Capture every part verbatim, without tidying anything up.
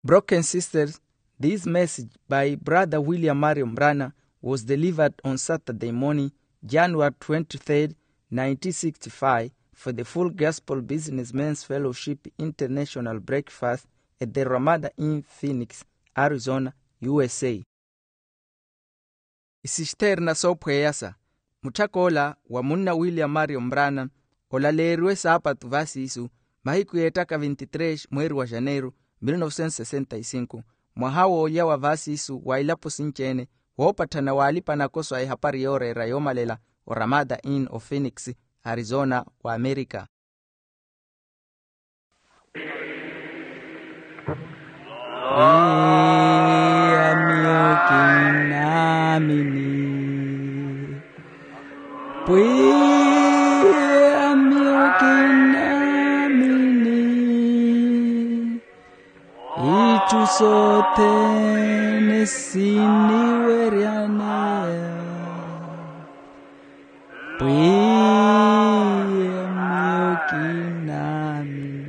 Broken sisters, this message by Brother William Marion Brana was delivered on Saturday morning, January twenty-third, nineteen sixty-five, for the Full Gospel Businessmen's Fellowship International Breakfast at the Ramada Inn, Phoenix, Arizona, U S A. Isisitherina soophweyasa. Mutthak'ola wa munna William Marion Brana olaleeriwe saapatu vasiisu, mahiku yeettaka vinti-tres mweeri wa janeiru, mil novecentos sessenta y cinco, mwaha woolya wa vasiisu wa ilapo sinci-ene, woopatthana w'alipa-nakoso a ehapari yooreera yoomalela, oramada inn o phoenix, arizona, wa amerika. Pwiya miyo kinnaamini. Pwiya miyo kinnaamini. Itthu sothene siniweryaneya. Pwiya miyo kinnaamini.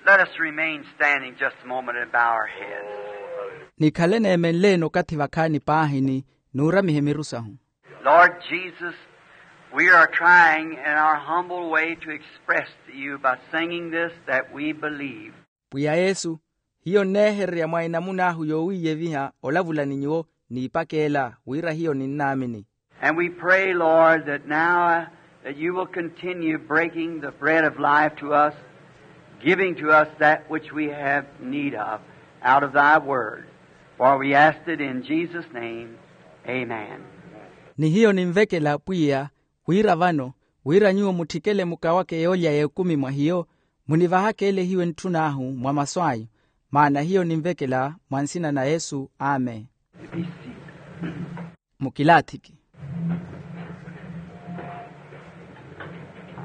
Let us remain standing just a moment and bow our heads. Nikhale neemenle-ene okathi vakhaani paahini, nuuramihe miru sahu. Lord Jesus, we are trying in our humble way to express to you by singing this that we believe. Pwiya Yesu, hiyo nneehererya mwa enamuna ahu yoowiiyeviha olavula ni nyuwo, n'ipakeela wira hiyo ninnaamini. And we pray, Lord, that now, uh, that you will continue breaking the bread of life to us, giving to us that which we have need of out of thy word. For we ask it in Jesus' name. Amen. Ni hiyo ninvekela, Pwiya, wira vano, wira nyuwo mutthikele mukawake yoolya y'ekumi mwa hiyo, munivahake ele hiyo entthun'ahu mwa masu anyu, maana hiyo ninvekela mwa nsina na Yesu. Amen. Mukilaathiki.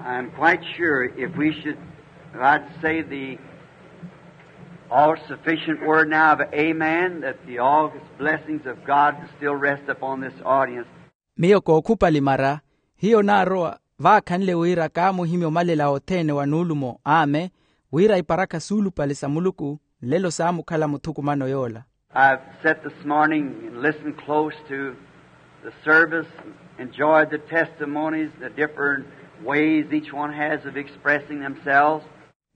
I'm quite sure if we should, if I'd say the all-sufficient word now of amen, that the august blessings of God still rest upon this audience. Miyo kookhupali mara, hiyo naarowa vaakhanle wira kaamuhimya omalela othene wa nuulumo, amen, wira iparakha suulupale sa Muluku nlelo saamukhala muthukumano yoola. I've sat this morning and listened close to the service, enjoyed the testimonies, the different ways each one has of expressing themselves.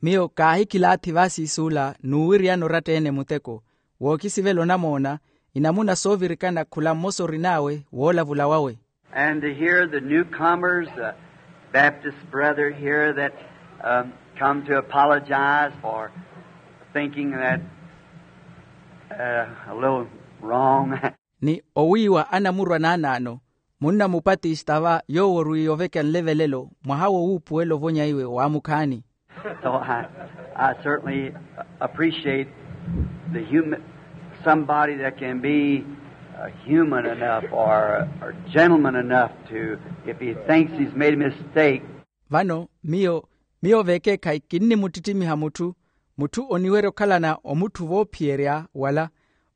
Miyo kaahikilaathi vasiisuula n'uwiriyana oratta-ene muteko, wookisivela onamoona, inamuna soovirikana khula mmosa orin'awe woolavula wawe. And to hear the newcomers, a Baptist brother here that, um, come to apologize for thinking that, uh, a little wrong. Ni owiiwa anamurwa naanaano, munna mupatista va yoowo orwiiye oveka nlevelelo mwaha wo wuupuwela ovonya iwe waamukhaani. So I, I certainly appreciate the human, somebody that can be, uh, human enough or, or gentleman enough to, if he thinks he's made a mistake. Vano miyo, miyo vekeekhayi kinnimuttittimiha mutthu, mutthu oniwerya okhalana omutthu voophiyerya wala,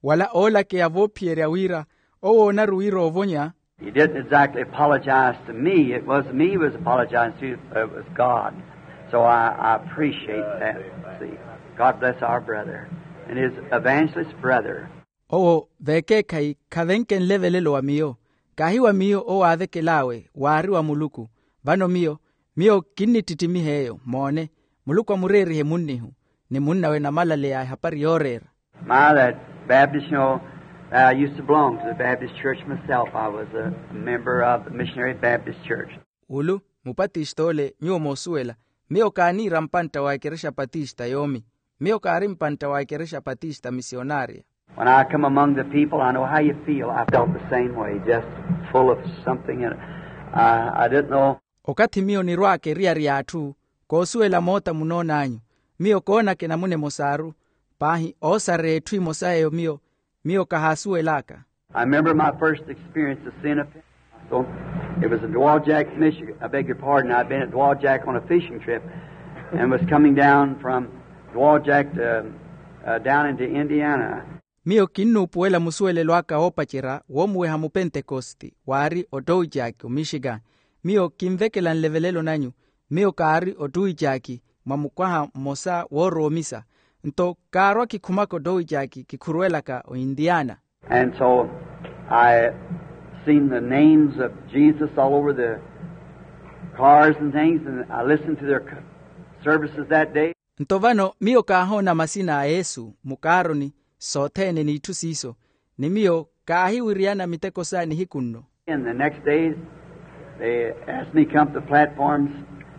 wala oolakeya voophiyerya wira owo oonaru wira oovonya. He didn't exactly apologize to me. It wasn't me he was apologizing to, it was God. So I, I appreciate that. See, God bless our brother and his evangelist brother. Owo vekeekhayi khavenke nlevelelo wa miyo, kaahi wa miyo owo aavekel'awe, waari wa Muluku. Vano miyo, miyo kinnittittimiha eyo, moone, Muluku amureerihe munnihu ni munn'awe namalaleya a ehapari yooreera. My, that Baptist, you know, I used to belong to the Baptist church myself. I was a member of the Missionary Baptist Church. Ulu mupatista ole nyuwo moosuwela, miyo kaaniira mpantta wa ekerexa patista yoomi. Miyo kaari mpantta wa ekerexa patista misionaria. When I come among the people, I know how you feel. I felt the same way, just full of something, and I, I didn't know. Okathi miyo nirwaaka eriyari y'atthu, koosuwela moota munoon'anyu. Miyo koonaka enamuna emosaaru, paahi oosareya etthu emosa eyo miyo, miyo kahaasuwel'aka. I remember my first experience of seeing a Pentecostal. It was in Dowagiac, Michigan. I beg your pardon. I'd been at Dowagiac on a fishing trip and was coming down from Dowagiac to, uh, down into Indiana. Miyo kinnuupuwela musuwelelo aka oopacerya woomuweha mupentekosti waari otowijaaki omixikan. Miyo kinvekela nlevelelo nanyu. Miyo kaari otowijaaki mwa mukwaha mmosa woorowa omisa. Nto kaarwa kikhumaka ottowicaaki kikhuruwelaka ointiana. And so I seen the names of Jesus all over the cars and things, and I listened to their services that day. Nto vano miyo kaahoona masina a yesu mukaaroni sothene n'itthu siiso, ni miyo kaahiwiriyana miteko sa nihiku nno. And the next day they asked me to come to the platforms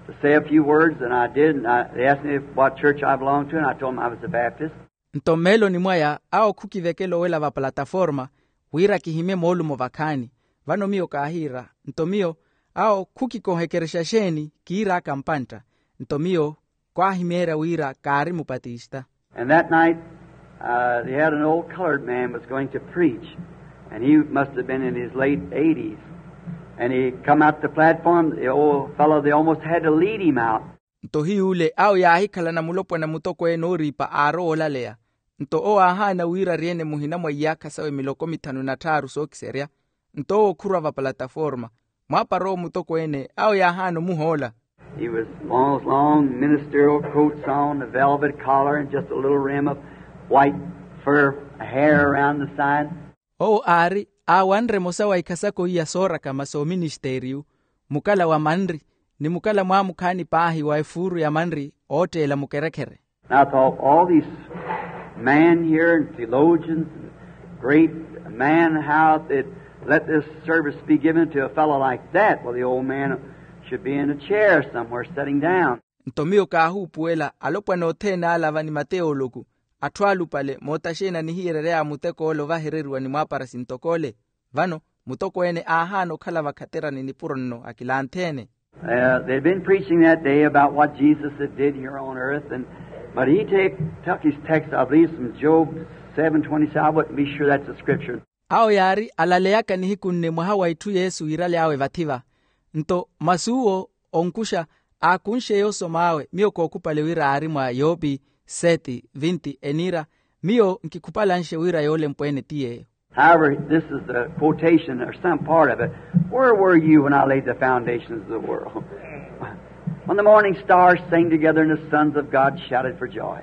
to say a few words, and I did. And I, they asked me what church I belonged to, and I told them I was a Baptist. Nto mmeeloni mwaya awo khukivekela owela vapalataforma wira kihimye moolumo vakhaani. Vano miyo kaahiira, nto miyo awo khukikohekerexa exeeni kiir'aka mpantta. Nto miyo kwaahimeerya wira kaari mupatista. And that night they had an old colored man was going to preach, and he must have been in his late eighties. And he come out the platform, the old fellow, they almost had to lead him out. Nto hiy'ule awo yaahikhalana mulopwana mutokweene ooriipa aarowa olaleya. Nto owo aahaana wira ariyene muhina mwa iyaakha sawe miloko mithanu na tthaaru sookiserya. Nto owo khurwa vapalataforma, mwaapara owo mutokweene awo yaahaana omuhoola. He was long long ministerial coats on, a velvet collar and just a little rim of white fur hair around the side. Owo aari aawanre emosa wa ikhasako iya soorakama sooministeriyu, mukala wa manri, ni mukala mwaamukhaani paahi wa efuuru ya manri ootteela mukerekhere. And I thought, all these men here and theologians and great men, how they'd let this service be given to a fellow like that. Well, the old man should be in a chair somewhere sitting down. Nto miyo kaahuupuwela alopwana othene ala va ni mateoloku, atthu alupale mootaxeeni anihiyererya ya muteko ole ovahereriwa ni mwaapara sintokole. Vano mutokweene aahaana okhala vakhaterani nipuro nno akilantheene. They'd been preaching that day about what Jesus had did here on earth, and but he take, took his text, I believe, from Job seven twenty-seven. I wouldn't be sure that's the scripture. Awo yaari alaleyaka nihiku nne mwaha wa itthu yesu wiiraly'awe vathi-va. Nto masuwo onkuxa aakunxeye osom'awe miyo kookhupale wira aari mwa yopi seti vinti eniira, miyo nkikhupalanxe wira yoolempweene ti yeeyo. However, this is the quotation or some part of it. Where were you when I laid the foundations of the world? When the morning stars sang together and the sons of God shouted for joy.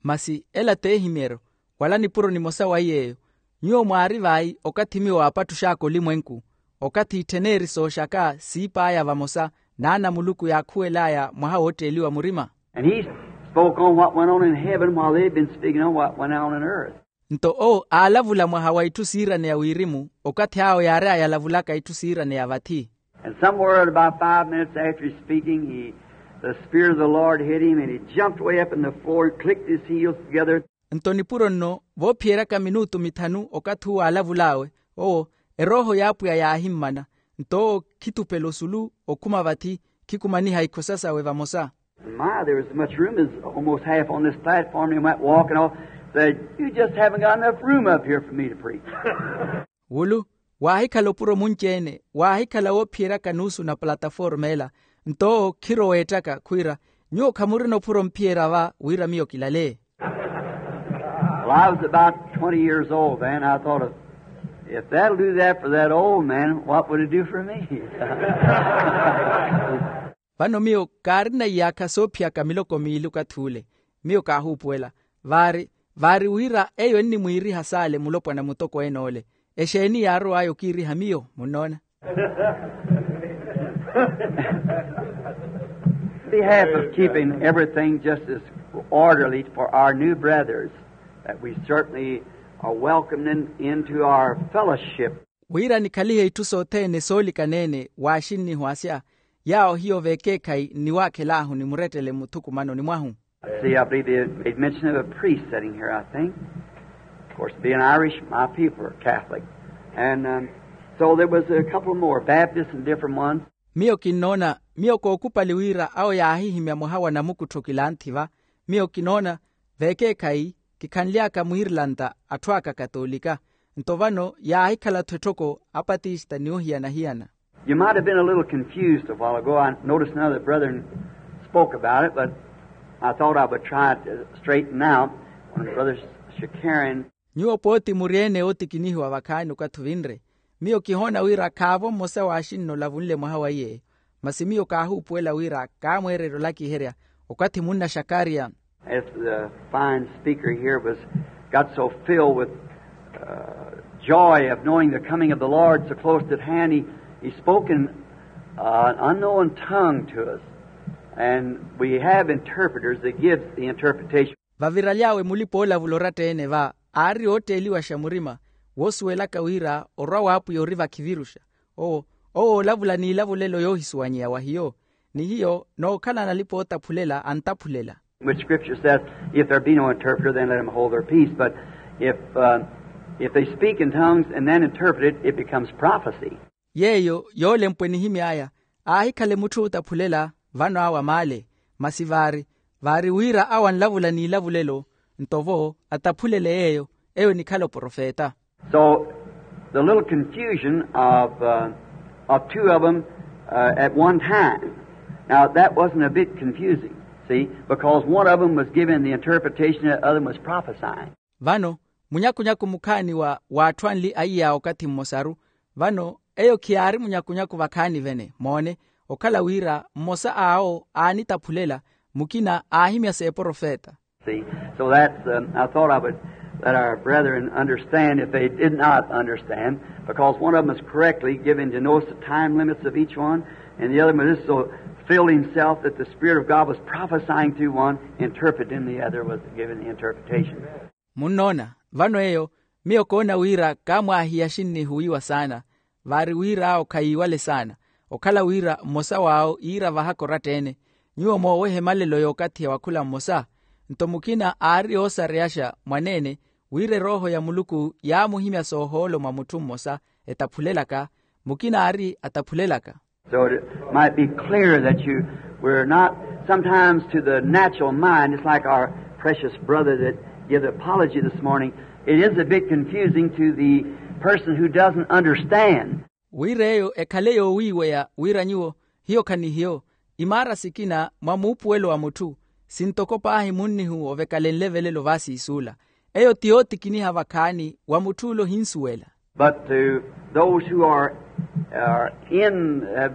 Masi ela t'ehimyeryo wala nipuro nimosa wa yeeyo. Nyuwo mwaari vayi okathi miyo aapattuxaka olimwenku, okathi itthen'eri sooxaka siip'aya vamosa n'ana a muluku yaakhuwel'aya mwaha wootteeliwa murima. And he spoke on what went on in heaven while they'd been speaking on what went on in earth. Nto owo aalavula mwaha wa itthu siiraneya wirimu okathi awo yaari ayalavulaka itthu siiraneya vathi. And somewhere at about five minutes after his speaking, he, the Spirit of the Lord hit him, and he jumped way up in the floor and clicked his heels together. Nto nipuro nno voophiyeryaka minutu mithanu okathi uwo aalavul'awe, owo erooho y'apwiya yaahimmana. Nto owo khitupela osulu okhuma vathi, khikumaniha ikhosa sawe vamosa. My, there was as much room as almost half on this platform. He went walking off, said, "You just haven't got enough room up here for me to preach." Wulu waahikhala opuro munci-ene, waahikhala woophiyeraka nuusu na plataforma ela. Nto owo khiroweettaka khwiira, nyuwo khamurina opuro omphiyerya va wira miyo kilale. Well, I was about twenty years old then. I thought, if that'll do that for that old man, what would it do for me? Vano miyo kaarina iyaakha soophiyaka miloko miili okathi ule. Miyo kaahuupuwela, vaari vaari wira eyo ennimwiiriha saale mulopwana mutokweene ole. Exeeni yaarow'aya okiiriha miyo munnoona? Behalf of keeping everything just as orderly for our new brothers, that we certainly are welcoming into our fellowship. Wira nikhalihe itthu sothene soolikaneene waaxinniho asya, yaawo hiyo vekeekhayi nniwaakhel'ahu nimurettele muthukumanoni mwahu. See, I believe they made mention of a priest sitting here, I think. Of course, being Irish, my people are Catholic. And so there was a couple more Baptists and different ones. Miyo kinnoona, miyo kookhupali wira awo yaahihimya mwaha wa namukuttho kilanthi va. Miyo kinoona vekeekhayi kikhanly'aka mwiirlanta atthu aka akatoolika. Nto vano yaahikhala-tho etthoko apatista ni ohiyana-hiyana. You might have been a little confused a while ago. I noticed another brethren spoke about it, but I thought I would try to straighten out when Brother Shakarian. Nyuwo pooti muryeene ootikinihiwa vakhaani okathi ovinre. Miyo kihoona wira khaavo mmosa waaxinno olavunle mwaha wa iye. Masi miyo kaahuupuwela wira kaamweererya olakiherya okathi munna shakariya As the fine speaker here was got so filled with uh, joy of knowing the coming of the Lord so close at hand, he, he spoke in uh, an unknown tongue to us. And we have interpreters that give the interpretation. Vaviraly'awe mulipa-olavula oratta-ene va, aari ootteeliwaxa murima woosuwelaka wira orwa w'apwiya ori vakhiviruxa. Owo owo oolavula n'ilavulelo yoohisuwanyeya wa hiyo. Ni hiyo nookhala analipa-ootaphulela antaphulela. Which scripture says, if there be no interpreter, then let him hold their peace. But if uh, if they speak in tongues and then interpret it, it becomes prophecy. Yeeyo yoolempwa enihimy'aya, aahikhale mutthu ootaphulela vano awa maale. Masi vaari vaari wira awo anlavula n'ilavulelo, nto-vo ataphulele yeeyo, eyo enikhala oprofeta. So the little confusion of uh, of two of them uh, at one time. Now that wasn't a bit confusing, see, because one of them was giving the interpretation and the other one was prophesying. Vano munyakunyaku mukhaani wa w'atthu anli aiy'awo okathi mmosaru. Vano eyo khiyaari munyakunyaku vakhaani vene moone, okhala wira mmosa awo aanitaphulela, mukina aahimya s'eprofeta. See, so that's, um, I thought I would let our brethren understand if they did not understand, because one of them is correctly given to know the time limits of each one, and the other one is so filled himself that the Spirit of God was prophesying to one, interpreting the other was given the interpretation. Munnoona, vano eyo miyo koona wira kaamwaahiya axinnihuwiwa saana, vaari wira awo khayiiwale saana, okhala wira mmosa w'awo iira vahaka oratta-ene. Nyuwo moowehe malelo y'okathiya wa khula mmosa. Nto mukina aari oosareyaxa mwaneene, wira erooho ya muluku yaamuhimya soohoolo mwa mutthu mmosa etaphulelaka, mukina aari ataphulelaka. So it might be clear that you were not, sometimes to the natural mind, it's like our precious brother that gave the apology this morning. It is a bit confusing to the person who doesn't understand. Wira eyo ekhale yoowiiweya wira nyuwo hiyo khanihiyo, imaara sikina mwa muupuwelo wa mutthu, sintoko paahi munnihu ovekalenle velelo vaasiisuula. Eyo ti yootikiniha vakhaani wa mutthu'ule ohinsuwela. But to those who are, are in uh,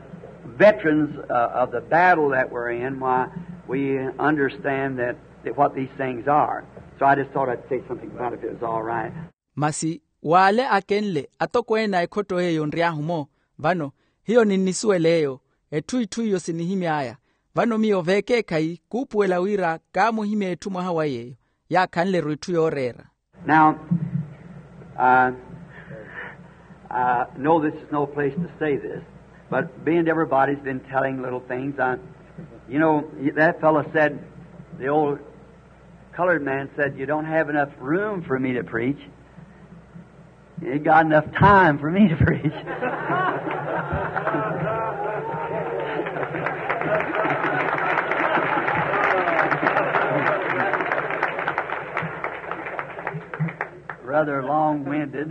veterans uh, of the battle that we're in, why, we understand that, that what these things are. So I just thought I'd say something about it if it was all right. Masi w'ale akenle atokweene a ekhotto eyo nry'ahu-mo, vano hiyo ninnisuwela eyo, etthu itthu iyo sinihimy'aya. Vano miyo veekeekhayi kuupuwela wira kaamuhimya etthu mwaha wa yeeyo yaakhanle-ru itthu yooreera. Now, uh, I know this is no place to say this, but being everybody's been telling little things, I, you know, that fellow said, the old colored man said, you don't have enough room for me to preach. You got enough time for me to preach. Rather long-winded.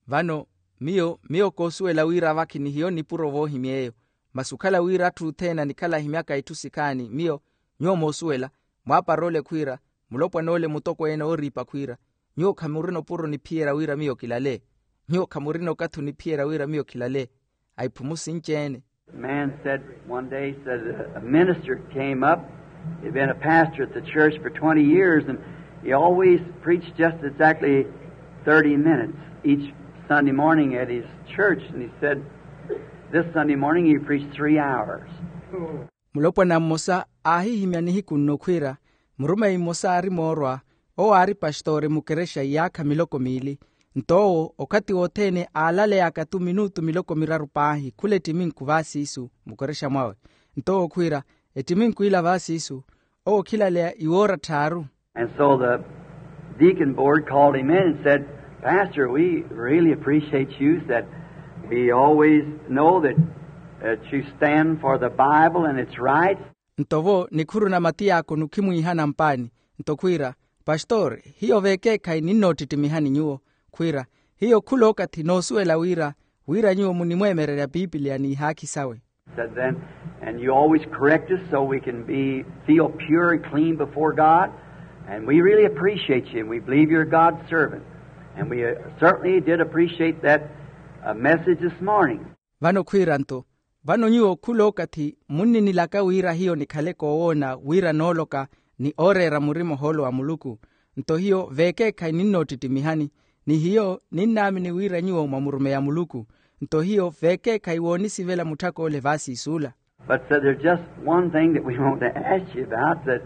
Vano miyo miyo koosuwela wira vakhi ni hiyo nipuro voohimya eyo. Masi okhala wira atthu othene anikhala ahimyaka itthu sikhaani miyo, nyuwo moosuwela, mwaaparoole khwiira, mulopwan'ole mutokweene ooriipa khwiira, nyuwo khamurina opuro oniphiyerya wira miyo kilale. Nyuwo khamurina okathi oniphiyerya wira miyo kilale. Aiphumu sinci-ene. A man said one day, said a minister came up. He'd been a pastor at the church for twenty years, and he always preached just exactly thirty minutes each Sunday morning at his church. And he said, this Sunday morning he preached three hours. Mulopwana mmosa aahihimya nihiku nno khwiira, murumeyi mmosa aari moorwa, owo aari pastori mukerexa iyaakha miloko miili. Nto owo okhathi wothene aalaleyaka-tu minutu miloko miraru paahi khula ettiminku vaasiisu mukerexa mwawe. Nto owo khwiira, ettiminku ila vaasiisu owo khilaleya iwoora tthaaru. And so the deacon board called him in and said, pastor, we really appreciate you, said, we always know that, that you stand for the Bible and its rights. Nto vo nikhuru na matiyaakono khimwiihana mpaani, nto khwiira, pastori, hiyo veekeekhayi ninnoottittimiha ni nyuwo. Khwiira, hiyo khula okathi noosuwela wira wira nyuwo munimweemererya piipiliya n'ihaakhi sawe. Said then, and you always correct us so we can be feel pure and clean before God. And we really appreciate you, and we believe you're God's servant. And we uh, certainly did appreciate that uh, message this morning. Vano khwiira nto, vano nyuwo khula okathi munninilaka wira hiyo nikhale koowoona wira nooloka ni ooreera murima ohoolo wa muluku. Nto hiyo veekeekhayi ninnoottittimiha-ni, ni hiyo ninnaamini wira nyuwo mwa murumeya muluku. Nto hiyo veekeekhayi woonisivela mutthak'ole vaasiisuula. But said there's just one thing that we want to ask you about, that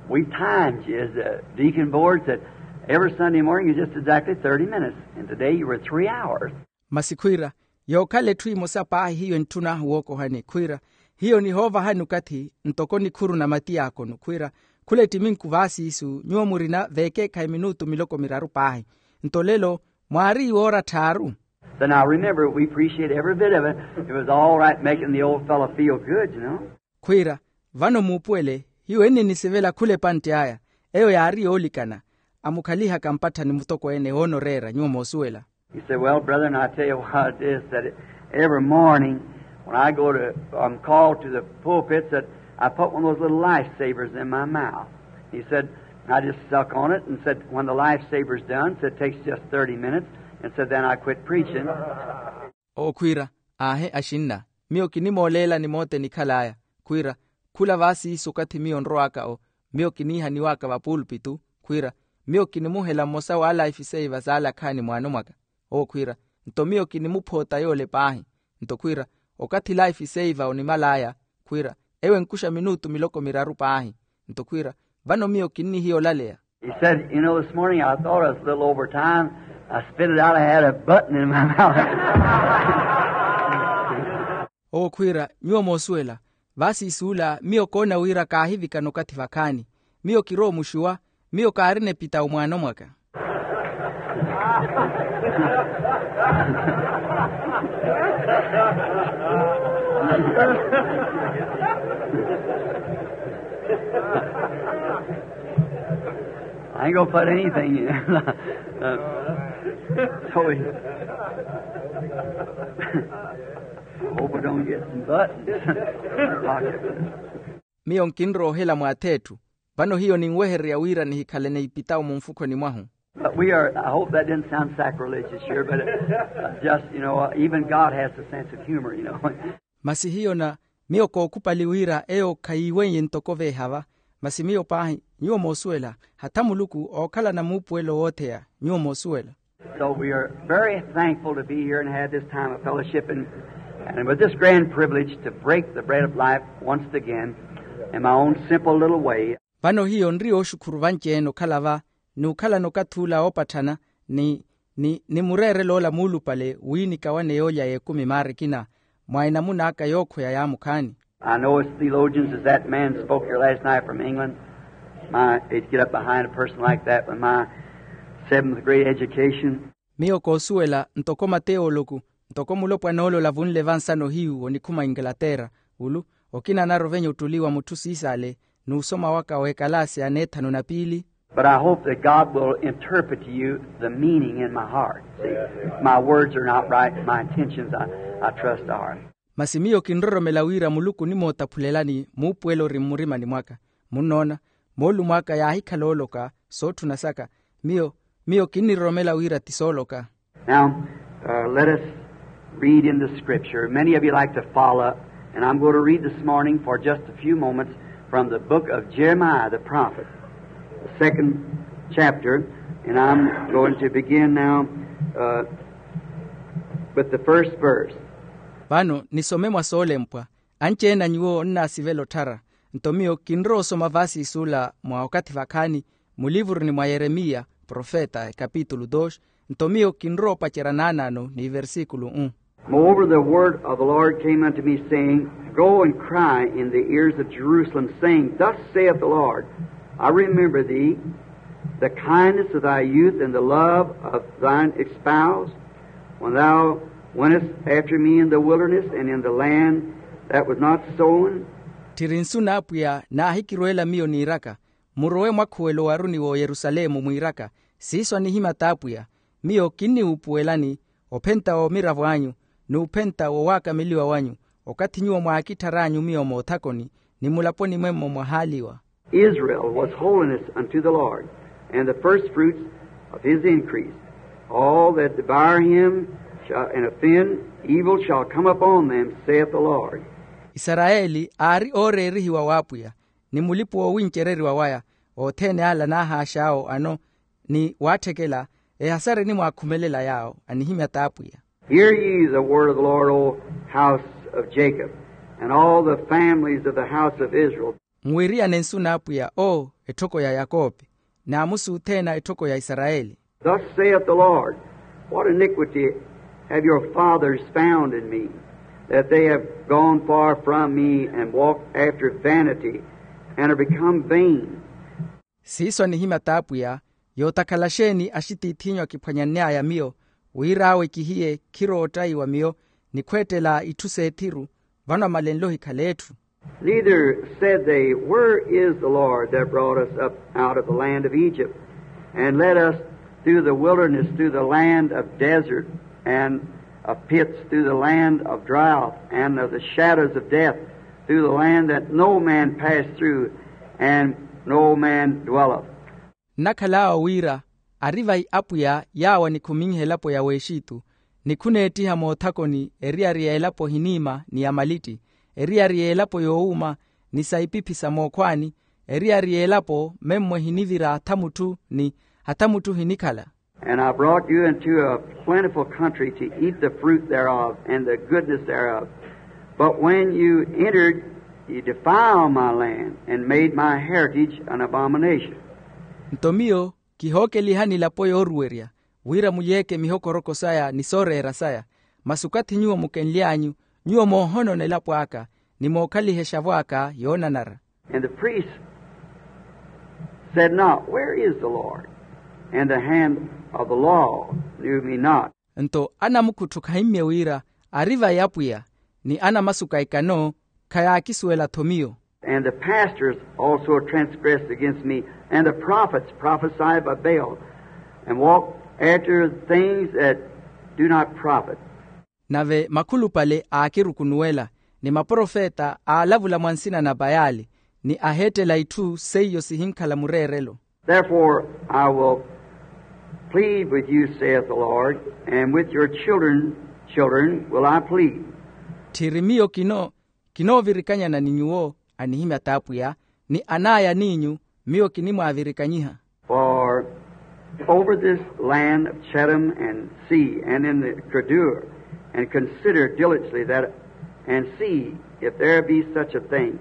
we timed you as a deacon board, that every Sunday morning is just exactly thirty minutes, and today you were three hours. Masi khwiira, yookhala etthu emosa paahi hiyo entthuna wookohani khwiira, hiyo nihoovahani okathi ntoko nikhuru na mati yaakonu khwiira, khula ettiminku vaasiisu nyuwo murina veekeekhayi minutu miloko miraru paahi. Nto lelo mwaari iwoora tthaaru. So now remember, we appreciate every bit of it. It was all right making the old fellow feel good, you know. Khwiira, vano muupuwele, hiyo enninisivela khula epantti aya. Eyo yaari yoolikana. Amukhalihaka mpatthani mutokweene woonoreera nyuwo moosuwela. He said, well, brethren, I tell you what it is, that every morning when I go to, I'm called to the pulpit, that I put one of those little lifesavers in my mouth. He said, I just suck on it and said, when the lifesaver's done, said, it takes just thirty minutes, and said, then I quit preaching. Owo khwiira, aahe axinna, miyo kinimooleelani mooteni khal'aya. Khwiira, khula vaasiisu okathi miyo nrowaka-o, miyo kiniihaniwaka vapuulpitu. Khwiira, miyo kinimuhela mmosa w'ala ifiseiva s'ala akhaani mwaano mwaka. Owo khwiira, nto miyo kinimuphoota yoole paahi. Nto khwiira, okathi ila ifiseiva onimal'aya, khwiira, ewo enkuxa minutu miloko miraru paahi. Nto khwiira, vano miyo kinnihiya olaleya. He said, you know, this morning I thought I was a little over time. I spit it out. I had a button in my mouth. Owo khwiira, nyuwo moosuwela, vaasiisuula miyo koona wira kaahivikana okathi vakhaani. Miyo kiroomuxiwa, miyo kaarina epitawu mwaano mwaka. I ain't gonna put anything in. Uh, so we, I hope I don't get some buttons. Miyo nkinroohela mwaatheetthu. Vano hiyo ninwehererya wira nihikhalane ipitawu mumfukhoni mwahu. But we are, I hope that didn't sound sacrilegious here, but uh, just, you know, uh, even God has a sense of humor, you know. Masi hiyo na miyo kookhupali wira eyo khayiiweiye ntoko veehava. Masi miyo paahi, nyuwo moosuwela, hatha muluku ookhalana muupuwelo wootheya. Nyuwo moosuwela. So we are very thankful to be here and have this time of fellowship and, and with this grand privilege to break the bread of life once again in my own simple little way. Vano hiyo nri yooxukhuru vanci-ene okhala va n'ukhalana okathi ula woopatthana ni ni ni mureerelo ola muulupale wi nikawane yoolya y'ekumi maarikina mwa enamuna aka yookhweya yaamukhaani. I know as theologians as that man spoke here last night from England, my, they'd get up behind a person like that with my seventh grade education. Miyo koosuwela ntoko mateewoloku, ntoko mulopwana ole olavunle vansano hiyu onikhuma inglaterra, ulu okina anarovenya ottuli wa mutthu siisaale n'usoma waka w'ekalaasi ya neethanu na piili. But I hope that God will interpret to you the meaning in my heart. See, my words are not right, my intentions, I, I trust, are. Masi miyo kinroromela wira muluku onimootaphulelani muupuwelo ori mmurimani mwaka. Munnoona, moolumo aka yaahikhala ooloka sootthuna saka. Miyo miyo kinniroromela wira ti sooloka. Now, uh, let us read in the scripture. Many of you like to follow, and I'm going to read this morning for just a few moments from the book of Jeremiah the prophet, the second chapter, and I'm going to begin now uh, with the first verse. Vano nisome mwa soolempwa. Anci-ene a nyuwo onnaasivela otthara. Nto miyo kinrowa osoma vaasiisuula mwa okathi vakhaani mulivuruni mwa yeremiya profeta ekapitulu dos. Nto miyo kinrowa opacerya naanaano ni versíkulu um. Moreover, the word of the Lord came unto me, saying, go and cry in the ears of Jerusalem, saying, thus saith the Lord, I remember thee, the kindness of thy youth and the love of thine espouse, when thou wentest after me in the wilderness and in the land that was not sown. Tthiri nsu n'apwiya naahikirweela miyo niiraka, murowe mwakhuwelo owaruni w'oyerusalemu mwiiraka, siiso anihimya t'apwiya. Miyo kinniwuupuwelani ophenta w'omiravo anyu n'uphenta w'owaakameliwa wanyu, okathi nyuwo mwaakitthar'anyu miyo moothakoni ni mulaponi mwemmo mwahaaliwa. Israel was holiness unto the Lord, and the first fruits of his increase. All that devour him shall, and offend, evil shall come upon them, saith the Lord. Isarayeli aari ooreerihiwa w'apwiya, ni mulipu woowincereriwa waya. Othene ala naahaax'awo ano ni waatthekela, ehasari enimwaakhumelela yaawo anihimya t'apwiya. Hear ye the word of the Lord, O house of Jacob, and all the families of the house of Israel. Nwiriyane nsu n'apwiya o etthoko ya yakope, n'amusi othene a etthoko ya isarayeli. Thus saith the Lord, what iniquity have your fathers found in me, that they have gone far from me and walked after vanity, and are become vain? Siiso anihimya t'apwiya, yootakhala xeeni axitiith'inyu akiphwanyanny'aya miyo, wira awe kihiye khiroottayiwa miyo, ni khweettela itthu s'ethiru, vano amalenle ohikhala etthu. Neither said they, where is the Lord that brought us up out of the land of Egypt, and led us through the wilderness, through the land of desert and of pits, through the land of drought and of the shadows of death, through the land that no man passed through and no man dwelleth? Nnakhal'awo wira ari vai apwiya yaawo anikhuminhe elapo ya w'exitu, ni khuneettiha moothakoni eriyari y'elapo ehiniima ni ya malitti, eriyari y'elapo yoowuuma, ni sa ipiphi sa mookhwaani, eriyari y'elapo memmo ehinivira hatha mutthu ni hatha mutthu ehinikhala. And I brought you into a plentiful country to eat the fruit thereof and the goodness thereof. But when you entered, you defiled my land and made my heritage an abomination. Nto miyo kihookelihani elapo yooruwerya, wira mulyeeke mihokoroko saya ni sooreera saya. Masi okathi nyuwo mukenly'anyu, nyuwo moohonona elapo aka, ni mookhalihexavo aka yoonanara. And the priests said not, where is the Lord? And the hand of the law knew me not. Nto anamukhutthu khahimmye wira ari vai apwiya, ni anamasuka ekano khayaakisuwela-tho miyo. And the pastors also transgressed against me, and the prophets prophesied by Baal, and walked after things that do not profit. Nave makhulupale aakirukunuwela, ni maprofeta aalavula mwa nsina na bayali, ni aheettela itthu seiyo sihinkhala mureerelo. Therefore I will plead with you, saith the Lord, and with your children children will I plead. Tthiri miyo kino kinoovirikanyana ni nyuwo, anihimya t'apwiya, ni an'aya n'inyu miyo kinimwaavirikanyiha. For over this land of Chittim and see, and in the Kedar, and consider diligently that, and see if there be such a thing.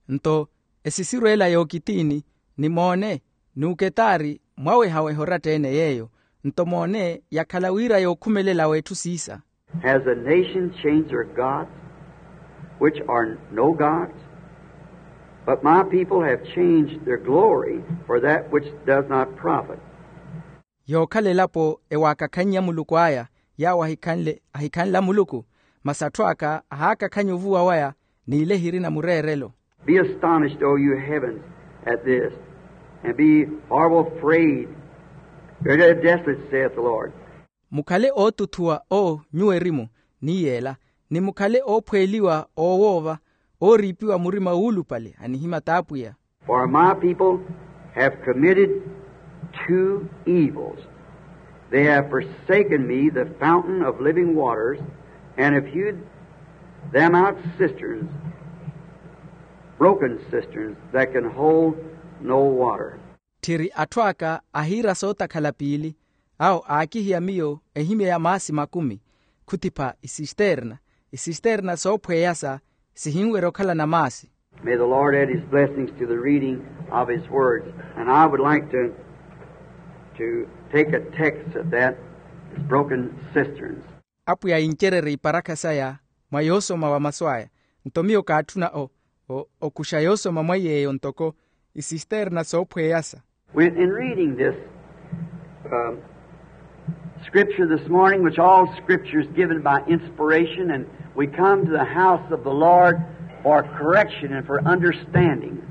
Nto esisiru ela y'okitiini, ni moone, n'uketari mwawehaweha oratta-ene yeeyo. Nto moone yakhala wira yookhumelela w'etthu siisa. Has a nation changed their gods, which are no gods? But my people have changed their glory for that which does not profit. Yookhala elapo ewaakakhannya muluku aya, yaawo ahikhanle ahikhanla muluku, masi atthu aka ahaakakhanya ovuwa waya n'ile ehirina mureerelo. Be astonished, O you heavens, at this, and be horrible afraid. Very desolate, saith the Lord. Mukhale ootuthuwa o nyuwo erimu, ni yeela, ni mukhale oophweeliwa oowoova, ooriipiwa murima wuulupale, anihimya t'apwiya. For my people have committed two evils. They have forsaken me, the fountain of living waters, and have hewed them out cisterns, broken cisterns that can hold no water. Tthiri atthu aka ahiira sootakhala piili, awo aakihiya miyo ehimya ya maasi makumi, khuthipha isisterna, isisterna soophweyasa sihinwerya okhalana maasi. May the Lord add his blessings to the reading of his words. And I would like to, to take a text of that, is broken cisterns. Apwiya incererye iparakha saya mwa yoosoma wa masu aya. Nto miyo kaatthuna o okuxa yoosoma mwa yeeyo ntoko isisterna soophweyasa. When in reading this scripture this morning, which all scripture is given by inspiration, and we come to the house of the Lord for correction and for understanding.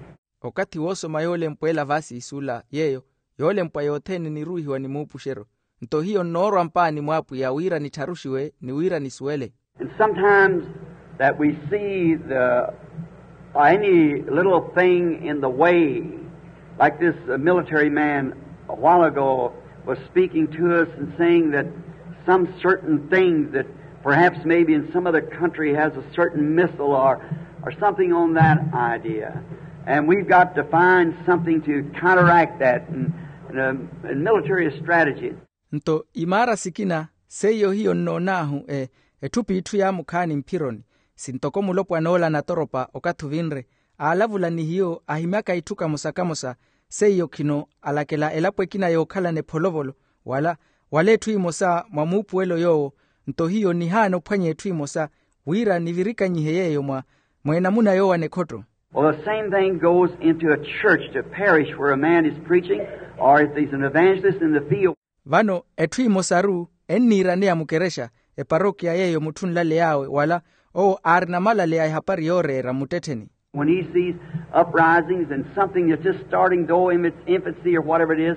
Okathi woosoma yoolempwa ela vaasi isula yeeyo yoolempwa yothene eniruuhiwa ni muupuxeryo. Nto hiyo nnoorwa mpaani mw'apwiya wira nittharuxiwe ni wira nisuwele. And sometimes that we see the any little thing in the way, like this military man a while ago was speaking to us and saying that some certain thing that perhaps maybe in some other country has a certain missile or or something on that idea. And we've got to find something to counteract that in, in a, in military strategy. Nto imaara sikina seiyo hiyo nnoon'ahu etthu p'itthu yaamukhaani mphironi, sintoko mulopwan'ola natoropa okathi ovinre aalavula ni hiyo ahimyaka itthu kamosa-kamosa. Seiyo khino alakela elapo ekina yookhalana epholovolo wala wala etthu emosa mwa muupuwelo yoowo. Nto hiyo nihaana ophwanya etthu emosa wira nivirikanyihe yeeyo mwa mwa enamuna yoowana ekhotto. Well, the same thing goes into a church, to a parish where a man is preaching, or if he's an evangelist in the field. Vano etthu emosaru enniiraneya mukerexa, eparokiya yeeyo mutthu onlaley'awe wala owo aarina malaleya ehapari yooreera mmuttettheni. When he sees uprisings and something that's just starting, though in its infancy or whatever it is,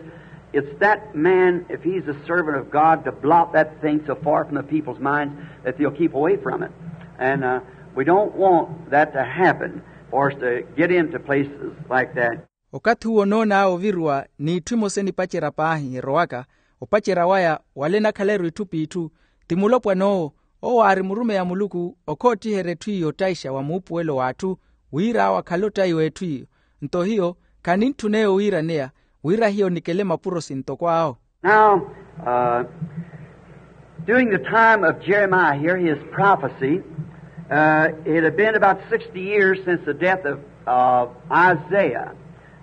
it's that man, if he's a servant of God, to blot that thing so far from the people's minds that they'll keep away from it. And uh, we don't want that to happen for us to get into places like that. Okathi uwo onoon'awe oviruwa n'itthu emosa enipacerya paahi erowaka opacerya waya wala enakhaleru itthu p'itthu, ti mulopwan'owo owo aari murumeyi a muluku okhoottiherya etthu iyo ottayixa wa muupuwelo w'atthu wira awo akhale ottayiwa etthu iyo. Nto hiyo khanintthuna eyo wiiraneya wira hiyo nikele mapuro sintoko awo. Now, uh, during the time of Jeremiah here, his prophecy, uh, it had been about sixty years since the death of, of Isaiah.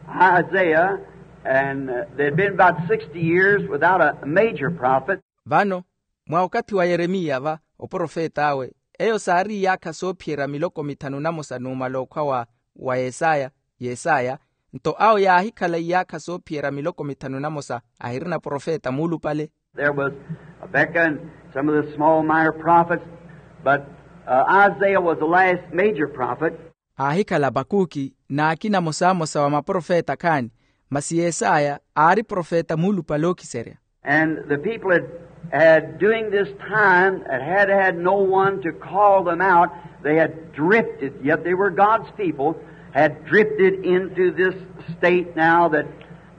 Isaiah, and uh, there had been about sixty years without a major prophet. Vano mwa okathi wa yeremiya va oprofet'awe eyo saari iyaakha soophiyerya miloko mithanu namosa numala okhwa wa wa yesaya yesaya. Nto awo yaahikhala iyaakha soophiyerya miloko mithanu namosa ahirina profeta muulupale. There was Habakkuk and some of the small minor prophets, but uh, Isaiah was the last major prophet. Aahikhala apakuki n'akina amosamosa wa maprofeta khaani, masi yesaya aari profeta muulupale ookiserya. And the people had, had during this time had, had had no one to call them out. They had drifted, yet they were God's people, had drifted into this state now that,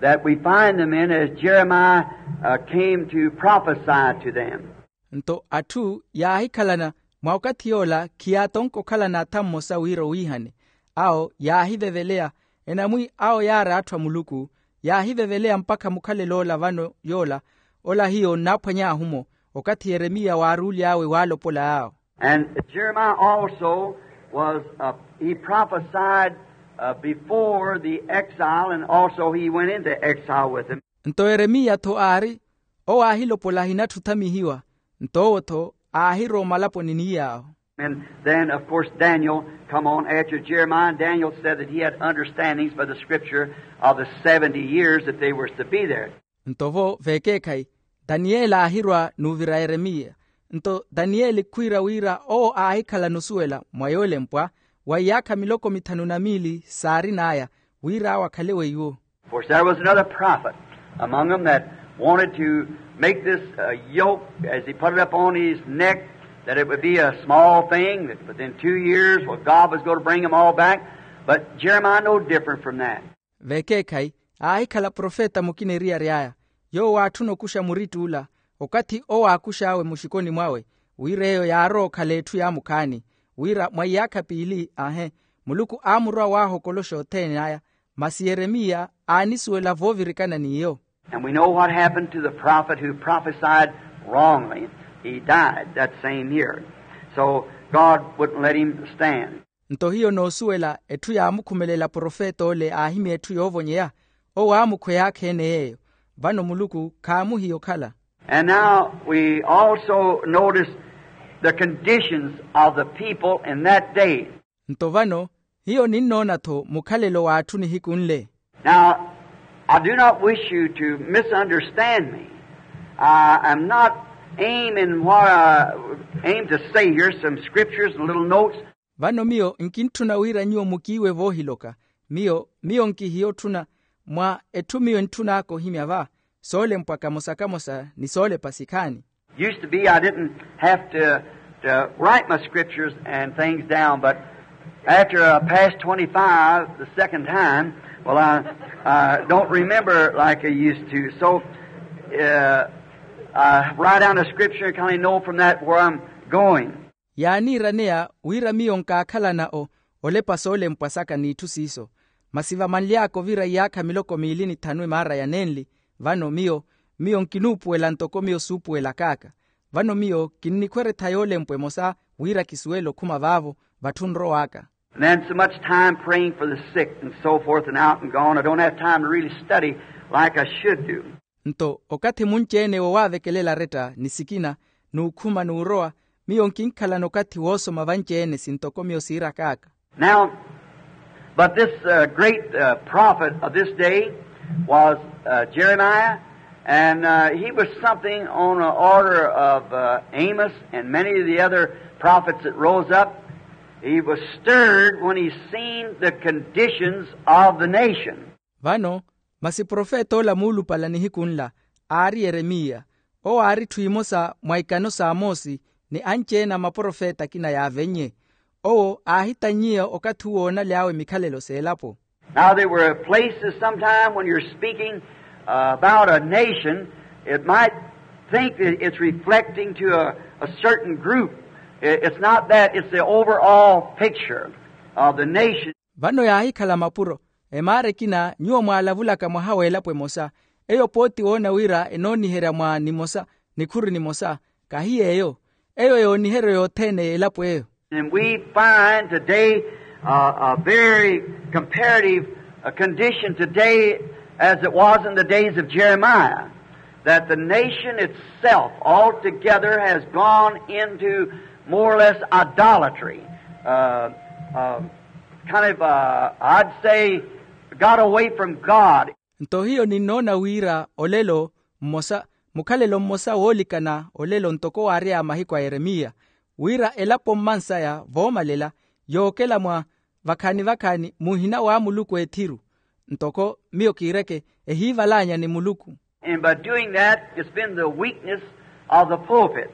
that we find them in as Jeremiah uh, came to prophesy to them. Nto atthu yaahikhalana mwa okathi yoola khiyaatonka okhalana atha mmosa wira owiihane. Awo yaahiveveleya enamwi awo yaari atthu a muluku yaahiveveleya mpakha mukhalel'ola vano yoola ola hiyo nnaaphwany'ahu-mo okathi yeremiya waaruuly'awe waalopol'awe. And Jeremiah also was uh, he prophesied uh, before the exile, and also he went into exile with them. Nto yeremiya-tho aari owo aahilopola ahinatthu othamihiwa, nto owo-tho aahirowa omalaponi ni yaawo. And then of course Daniel come on after Jeremiah, and Daniel said that he had understandings by the scripture of the seventy years that they were to be there. Nto vo veekeekhayi daniyeli aahirwa n'uvira yeremiya. Nto daniyeli khwiira wira owo aahikhalana osuwela mwa yoolempwa wa iyaakha miloko mithanu na miili saarin'aya wira awo akhale weiwo. Of course there was another prophet among them that wanted to make this uh, yoke as he put it up on his neck, that it would be a small thing, that within two years, well, God was going to bring them all back. But Jeremiah no different from that. Veekeekhayi aahikhala profeta mukina eriyari aya yoowo aatthuna okuxa muritt'ula okathi owo aakux'awe muxikoni mwawe wira eyo yaarowa okhala etthu yaamukhaani wira mwa iyaakha piili ahe muluku aamurowa waahokoloxa othene aya. Masi yeremiya aanisuwela voovirikana n'iyo. And we know what happened to the prophet who prophesied wrongly. He died that same year. So God wouldn't let him stand. Nto hiyo noosuwela etthu yaamukhumelela profeta ole aahimya etthu yoovonyeya owo aamukhweyaakha ene yeeyo. Vano muluku khaamuhiya okhala. And now we also notice the conditions of the people in that day. Nto vano hiyo ninnoona-tho mukhalelo w'atthu nihiku nle. Now I do not wish you to misunderstand me. I am not aiming what I aim to say here, some scriptures and little notes. Vano miyo nkintthuna wira nyuwo mukiiwe voohiloka. Miyo miyo nkihiya otthuna mwa etthu miyo entthun'aka ohimya va soolempwa kamosa-kamosa ni soolepa sikhaani. Used to be I didn't have to, to write my scriptures and things down, but after I passed twenty-five the second time, well, I, I don't remember like I used to. So uh, I write down a scripture and kind of know from that where I'm going. Yaaniiraneya wira miyo nkaakhalana o olepa soolempwa saka n'itthu siiso. Masi vamanly'aka ovira iyaakha miloko miili ni thanu emaara ya nenli, vano miyo miyo nkinuupuwela ntoko miyo suupuwelak'aka. Vano miyo kinnikhweretha yoolempwa emosa wira kisuwele okhuma vaavo vatthu nrow'aka. And then so much time praying for the sick and so forth and out and gone, I don't have time to really study like I should do. Nto okathi munci-ene wowaavekelela aretta ni sikina n'ukhuma n'urowa, miyo nkinkhalana okathi woosoma vanci-ene sintoko miyo siirak'aka. Now, but this uh, great uh, prophet of this day was uh, Jeremiah, and uh, he was something on the order of uh, Amos and many of the other prophets that rose up. He was stirred when he seen the conditions of the nation. Vano masi profeta ola muulupala nihiku nla aari yeremiya. Owo aari etthu emosa mwa ikano s'amosi ni anci-ene a maprofeta akina yaavennye. Owo aahitannyiya okathi uwo oonaly'awe mikhalelo s'elapo. Now there were places sometime when you're speaking uh, about a nation, it might think that it's reflecting to a, a certain group. It's not that, it's the overall picture of the nation. Vano yaahikhala mapuro emaara ekina nyuwo mwaalavulaka mwaha w'elapo emosa, eyo pooti woona wira enooniherya mwa nimosa nikhuru nimosa. Kahi yeeyo. Eyo yooniheryo yothene y'elapo eyo. And we find today uh, a very comparative uh, condition today as it was in the days of Jeremiah, that the nation itself altogether has gone into more or less idolatry, uh, uh, kind of, uh, I'd say, got away from God. Nto hiyo ninnoona wira olelo mmosa, mukhalelo mmosa woolikana olelo ntoko waary'aya mahiku a yeremiya, wira elapo mmansaya voomalela yookela mwa vakhaani-vakhaani muhina wa muluku ethiru. Ntoko miyo kiireke ehiivalaanya ni muluku. And by doing that, it's been the weakness of the pulpit.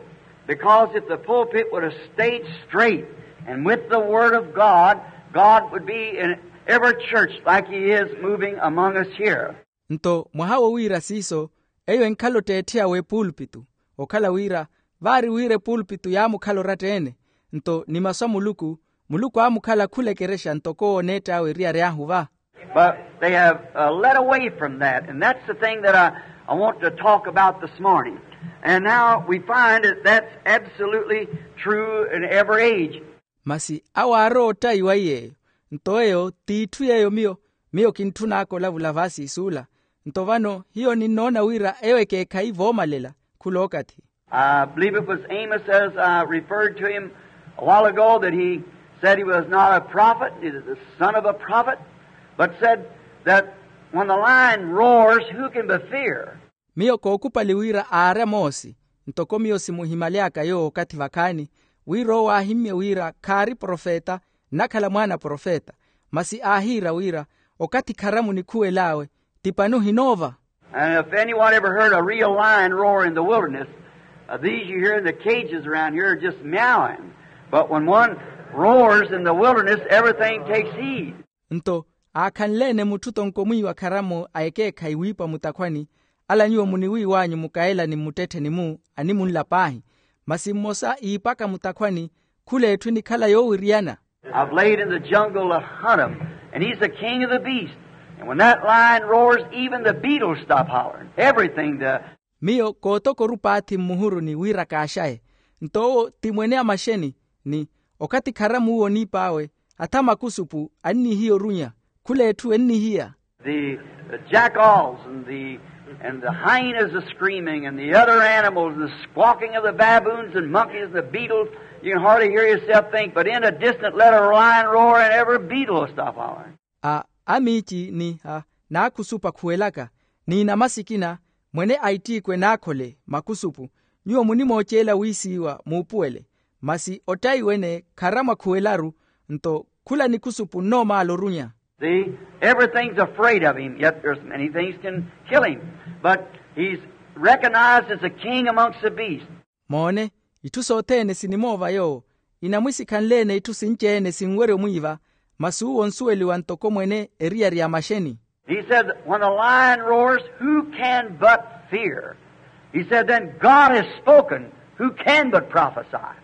Because if the pulpit would have stayed straight and with the word of God, God would be in every church like he is moving among us here. Nto mwaha wo wira siiso, eyo enkhala otteetthi awe epuulpitu. Okhala wira vaari wira epuulpitu yaamukhala oratta-ene, nto ni masu a muluku, muluku aamukhala khula ekerexa ntoko owo oneett'awe eriyari ahu va. But they have uh, led away from that, and that's the thing that I, I want to talk about this morning. And now we find that that's absolutely true in every age. Masi awo aarowa ottayiwa iy'eyo. Nto eyo t'itthu yeeyo miyo miyo kintthun'aka olavula vaasiisuula. Nto vano hiyo ninnoona wira eyo ekeekhayi voomalela khul'okathi. I believe it was Amos, as I referred to him a while ago, that he said he was not a prophet, he was the son of a prophet, but said that when the lion roars, who can but fear? Miyo kookupali wira aari amoosi, ntoko miyo simuhimaly'aka yoowo okathi vakhaani, wira owo aahimmye wira khaari profeta, nnakhala mwaana a profeta. Masi aahiira wira, okathi kharamu nikhuwel'awe, ti pani ohinoova? And if anyone ever heard a real lion roar in the wilderness, uh, these you hear in the cages around here are just meowing. But when one roars in the wilderness, everything takes heed. Nto aakhanle-ene mutthu tonko mwiiwa kharamu a ekeekhayi wiipa mutakhwani, ala nyuwo muniwiiw'anyu mukayela ni mmuttettheni-mu animunla paahi. Masi mmosa iipaka mutakhwani, khula etthu enikhala yoowiriyana. I've laid in the jungle to hunt him, and he's the king of the beast. And when that lion roars, even the beetles stop hollering. Everything the Miyo kootoka orupaathi mmuhuruni wira kaaxaye. Nto owo ti mwene a maxeni, ni okathi kharamu uwo oniip'awe, atha makusupu annihiya orunya, khula etthu ennihiya. The, the jackals and the, and the hyenas are screaming, and the other animals, and the squawking of the baboons and monkeys and the beetles. You can hardly hear yourself think, but in a distant let a lion roar, and every beetle will stop hollering. A amiici ni a naakhusupa khuwelaka, ni namasikina, mwene a ittiikwe naakhole makusupu. Nyuwo munimooceela wiisiiwa muupuwele, masi ottayi wene kharamwa khuwelaru. Nto khula nikusupu nnoomaala orunya. See, everything's afraid of him, yet there's many things can kill him. But he's recognized as a king amongst the beasts. Moone, itthu sothene sinimoova yoowo. Inamwisikhanle-ene itthu sinci-ene sinwerya omwiiva, masi uwo onsuweliwa ntoko mwene eriyari ya maxeni. He said, when the lion roars, who can but fear? He said, then God has spoken, who can but prophesy?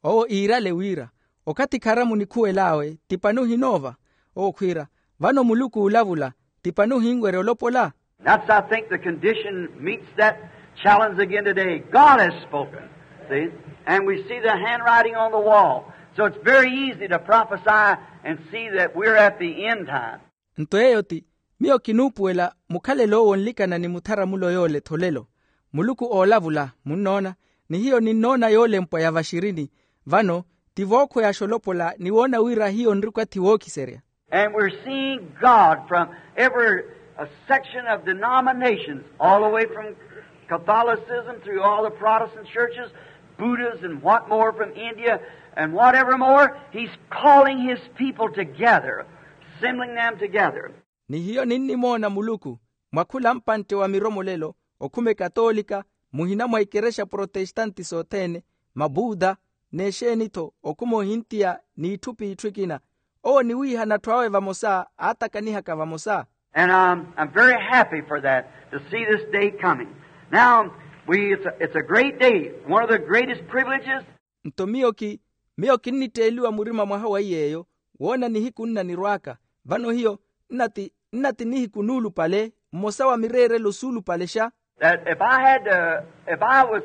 Owo iirale wira, okathi kharamu nikhuwel'awe ti pani ohinoova? Owo khwiira, Vano muluku oolavula, ti pani ohinwerya olopola? That's, I think, the condition meets that challenge again today. God has spoken. See? And we see the handwriting on the wall. So it's very easy to prophesy and see that we're at the end time. Nto eyo ti, miyo kinuupuwela mukhalelo owo onlikana ni mutharamulo yoole tholelo. Muluku oolavula, munnoona, ni hiyo ninnoona yoolempwa ya vaxirini. Vano ti vookhweyaxa olopola ni woona wira hiyo nri okathi wookiserya. And we're seeing God from every, uh, section of denominations, all the way from Catholicism through all the Protestant churches, Buddhism, what more from India, and whatever more. He's calling his people together, assembling them together. Ni hiyo ninnimoona muluku mwa khula mpantte wa miromolelo, okhuma ekatoolika, muhina mwa ikerexa protestante sothene, mabuda, n'exeeni-tho, okhuma ohintiya n'itthu p'itthu ekina. Owo niwiihana atthu awe vamosa, aatakanihaka vamosa. And I'm, I'm very happy for that, to see this day coming. Now, we, it's a, it's a great day, one of the greatest privileges. Nto miyo ki, miyo kinnitteeliwa murima mwaha wa iy'eyo, woona nihiku nnanirw'aka. Vano hiyo nnati, nnati nihiku nuulupale, mmosa wa mireerelo suulupalexa. That if I had, uh, if I was,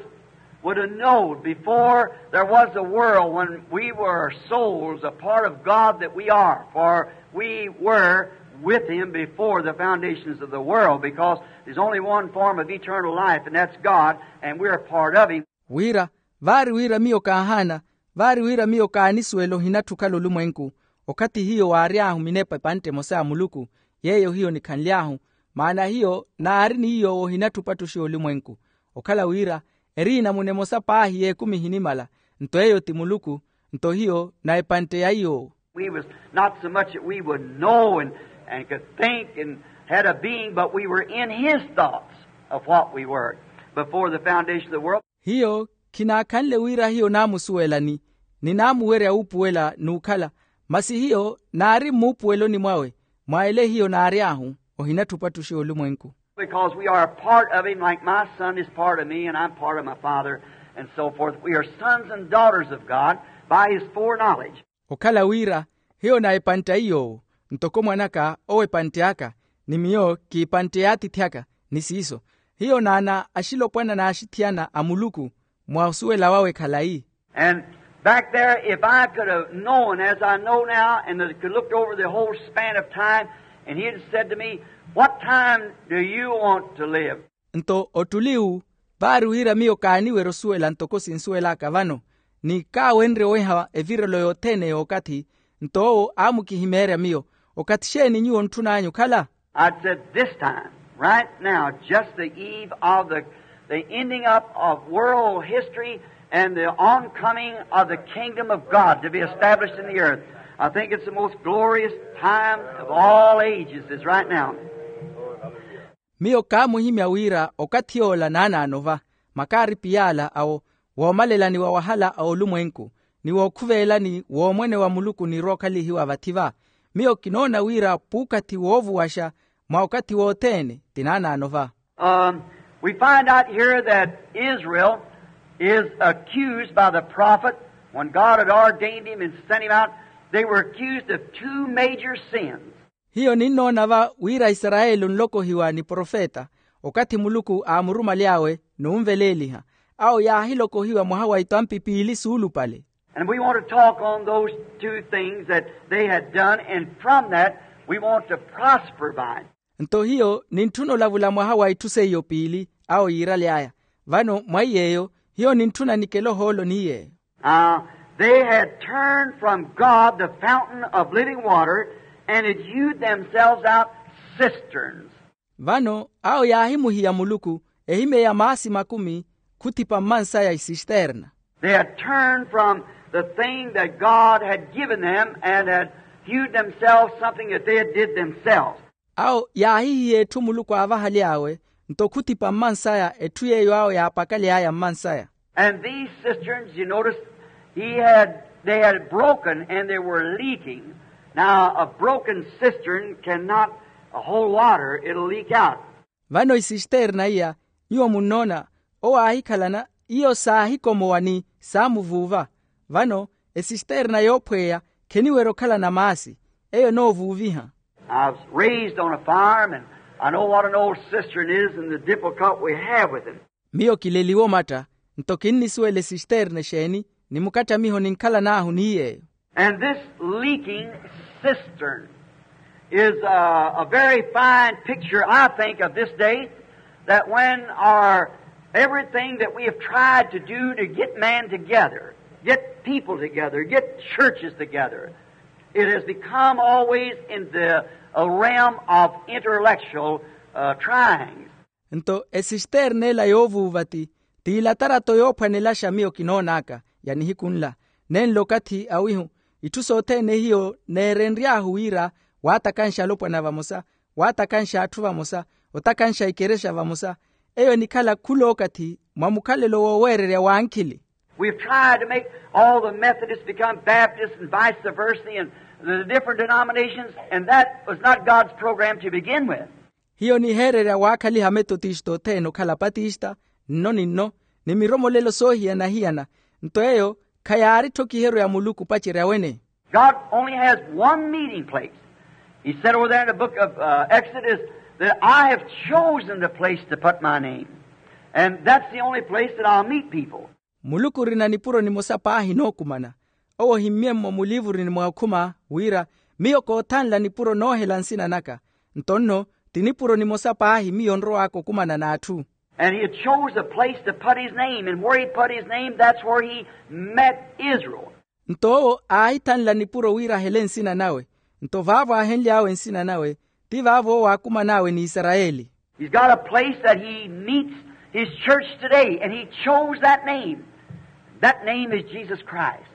would have known before there was a world when we were souls, a part of God that we are, for we were with him before the foundations of the world, because there's only one form of eternal life, and that's God, and we're a part of him. Wira, vaari wira miyo kaahaana, vaari wira miyo kaanisuwela ohinatthu okhala olumwenku, okathi hiyo waary'ahu minepa epantte emosa ya muluku, yeeyo hiyo nikhanly'ahu, maana hiyo naari ni iy'owo ohinatthu opattuxiwa olumwenku. Okhala wira, eriina muna emosa paahi y'ekumi ehinimala, nto eyo ti muluku, nto hiyo na epantte ya iy'owo. We was not so much that we would know and, and could think and had a being, but we were in his thoughts of what we were before the foundation of the world. Hiyo khinaakhanle wira hiyo naamusuwelani, ni naamuwerya wuupuwela n'ukhala, masi hiyo naari mmuupuweloni mwawe, mwa ele hiyo naary'ahu, ohinatthu opattuxiwa olumwenku. Because we are a part of him, like my son is part of me, and I'm part of my father, and so forth. We are sons and daughters of God by his foreknowledge. Okhala wira hiyo na epantte a iy'owo, ntoko mwan'aka owo epantte aka, ni miyo k'ipantte y'atiithi aka, ni siiso hiyo naana axilopwana n'axithiyana a muluku, mwa osuwela wawe khalayi. And back there, if I could have known as I know now, and could looked over the whole span of time, and he had said to me, "What time do you want to live?" Nto ottuli uwu, vaari wira miyo kaaniwerya osuwela ntoko sinsuwel'aka vano, ni kaawenrye oweha evirelo yothene y'okathi, nto owo aamukihimeerya miyo, okathi xeeni nyuwo ontthun'anyu okhala? I'd said, "This time, right now, just the eve of the, the ending up of world history and the oncoming of the kingdom of God to be established in the earth. I think it's the most glorious time of all ages is right now." Miyo kaamuhimya wira okathi yoola naanaano va, makaaripi yaala awo, woomalelani wa wahala a olumwenku, ni wookhuvelelani w'omwene wa muluku onirwa okhalihiwa vathi va. Miyo kinoona wira p'ukathi woovuwaxa mwa okathi wothene ti naanaano va. Um, we find out here that Israel is accused by the prophet. When God had ordained him and sent him out, they were accused of two major sins. Hiyo ninnoona va wira isarayeli onlokohiwa ni profeta, okathi muluku aamurumaly'awe n'unveleeliha, awo yaahilokohiwa mwaha wa itampi piili suulupale. And we want to talk on those two things that they had done, and from that we want to prosper by. Nto hiyo nintthuna olavula mwaha wa itthu seiyo piili awo yiiraly'aya. Vano mwa iy'eyo hiyo nintthuna nikele ohoolo ni iy'eyo. Now, they had turned from God, the fountain of living water, and had hewed themselves out cisterns. Vano awo yaahimuhiya muluku, ehimeya maasi makumi khuthipa mmansaya isisterna. They had turned from the thing that God had given them and had hewed themselves something that they had did themselves. Awo yaahihiya etthu muluku aavahaly'awe, nto khuthipa mmansaya etthu yeeyo awo yaapakaly'aya mmansaya. And these cisterns, you notice, he had, they had broken and they were leaking. Now, a broken cistern cannot hold water, it'll leak out. Vano isisterna iya, nyuwo munnoona, owo aahikhalana, iyo saahikomowa ni saamuvuuva. Vano esisterna yoophweya kheniwerya okhalana maasi, eyo enoovuuviha. I was raised on a farm, and I know what an old cistern is and the difficulty we have with it. Miyo kileliwe omatta, nto kinnisuwela esisterne exeeni, ni mukattamiho ninkhalan'ahu ni yeeyo. And this leaking cistern is a, a very fine picture, I think, of this day, that when our everything that we have tried to do to get man together, get people together, get churches together, it has become always in the uh, realm of intellectual uh, tryings. Nto esisterne ela yoovuuva ti, ti ilatarato yoophwanelaxa miyo kinoon'aka ya nihiku nla, nenlo okathi awihu, itthu sothene hiyo neerenry'ahu wira waatakanxa alopwana vamosa, waatakanxa atthu vamosa, otakanxa ikerexa vamosa, eyo enikhala khula okathi mwa mukhalelo wooweererya w'ankhili. We've tried to make all the Methodists become Baptists and vice versa and the different denominations, and that was not God's program to begin with. Hiyo niheererya waakhaliha ametotista othene okhala apatista nno ni nno, ni miromolelo soohiyana-hiyana, nto eyo khayaaritthi okhiheryo ya muluku opacerya wene. God only has one meeting place. He said over there in the book of uh, Exodus that I have chosen the place to put my name. And that's the only place that I'll meet people. Muluku orina nipuro nimosa paahi nookumana. Owo ohimmye-mmo muliivuruni mwa okhuma wira, miyo koothanla nipuro noohela nsina naka. Nto nno ti nipuro nimosa paahi miyo onrow'aka okumana n'atthu. And he had chose a place to put his name, and where he put his name, that's where he met Israel. Nto owo aahithanla nipuro wira ahele nsina nawe. Nto vaavo aahenly'awe nsina nawe, ti vaavo owo aakuman'awe n'isarayeli. He's got a place that he meets his church today, and he chose that name. That name is Jesus Christ.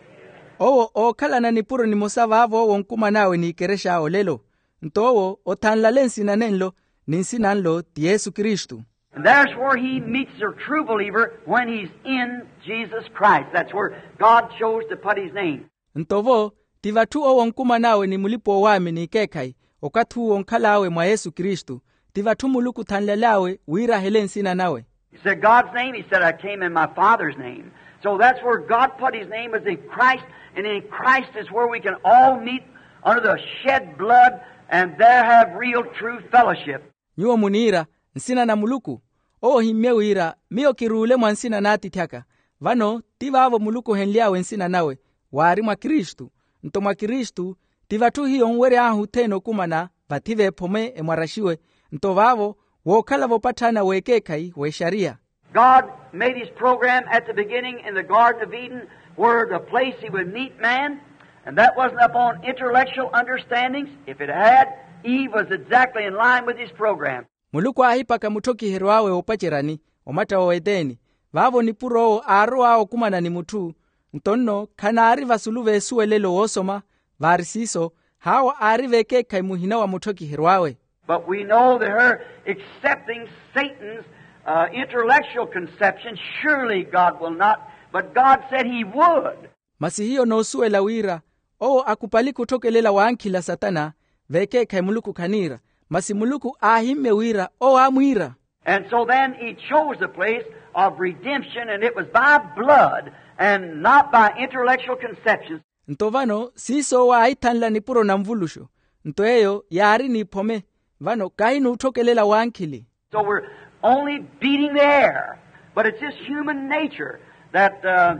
Owo ookhalana nipuro nimosa vaavo owo onkuman'awe n'ikerex'awe olelo. Nto owo othanlale nsina nenlo, ni nsina nlo ti yesu kristu. And there's where he meets a true believer when he's in Jesus Christ. That's where God chose to put his name. Nto vo, ti vatthu owo onkuman'awe ni mulipa-oowaamini ekeekhayi, okathi uwo onkhal'awe mwa yesu kristu, ti vatthu muluku othanlal'awe wira ahele nsina nawe. He said, God's name, he said, I came in my Father's name. So that's where God put his name, was in Christ, and in Christ is where we can all meet under the shed blood, and there have real true fellowship. Nyuwo muniira, nsina na muluku. Owo ohimmye wira, miyo kiruule mwa nsina n'atiithi aka. Vano ti vaavo muluku ohenly'awe nsina nawe, waari mwa kristu. Nto mwa kristu ti vatthu hiyo onwery'ahu othene okumana, vathi veephome emwaraxiwe. Nto vaavo wookhala voopatthana w'ekeekhayi w'exariya. God made his program at the beginning in the Garden of Eden, where the place he would meet man, and that wasn't upon intellectual understandings. If it had, Eve was exactly in line with his program. Muluku aahipaka mutthokiheriw'awe woopaceryani, omatta wa weteni, vaavo nipuro owo aarow'awe okumana ni mutthu. Nto nno khanaari vasulu v'esuwelelo woosoma, vaari siiso, haawo aari v'ekeekhayi muhina wa mutthokiheriw'awe. But we know that her accepting Satan's uh, intellectual conception, surely God will not, but God said he would. Masi hiyo noosuwela wira owo akupalike otthokelela w'ankhila satana, v'ekeekhayi muluku khaniira, masi muluku aahimmye wira owo aamwiira. And so then he chose a place of redemption, and it was by blood and not by intellectual conceptions. Nto vano siiso owo aahithanla nipuro na nvuluxo. Nto eyo yaari n'iphome, vano kahi n'utthokelela w'ankhili. So we're only beating the air, but it's just human nature that uh,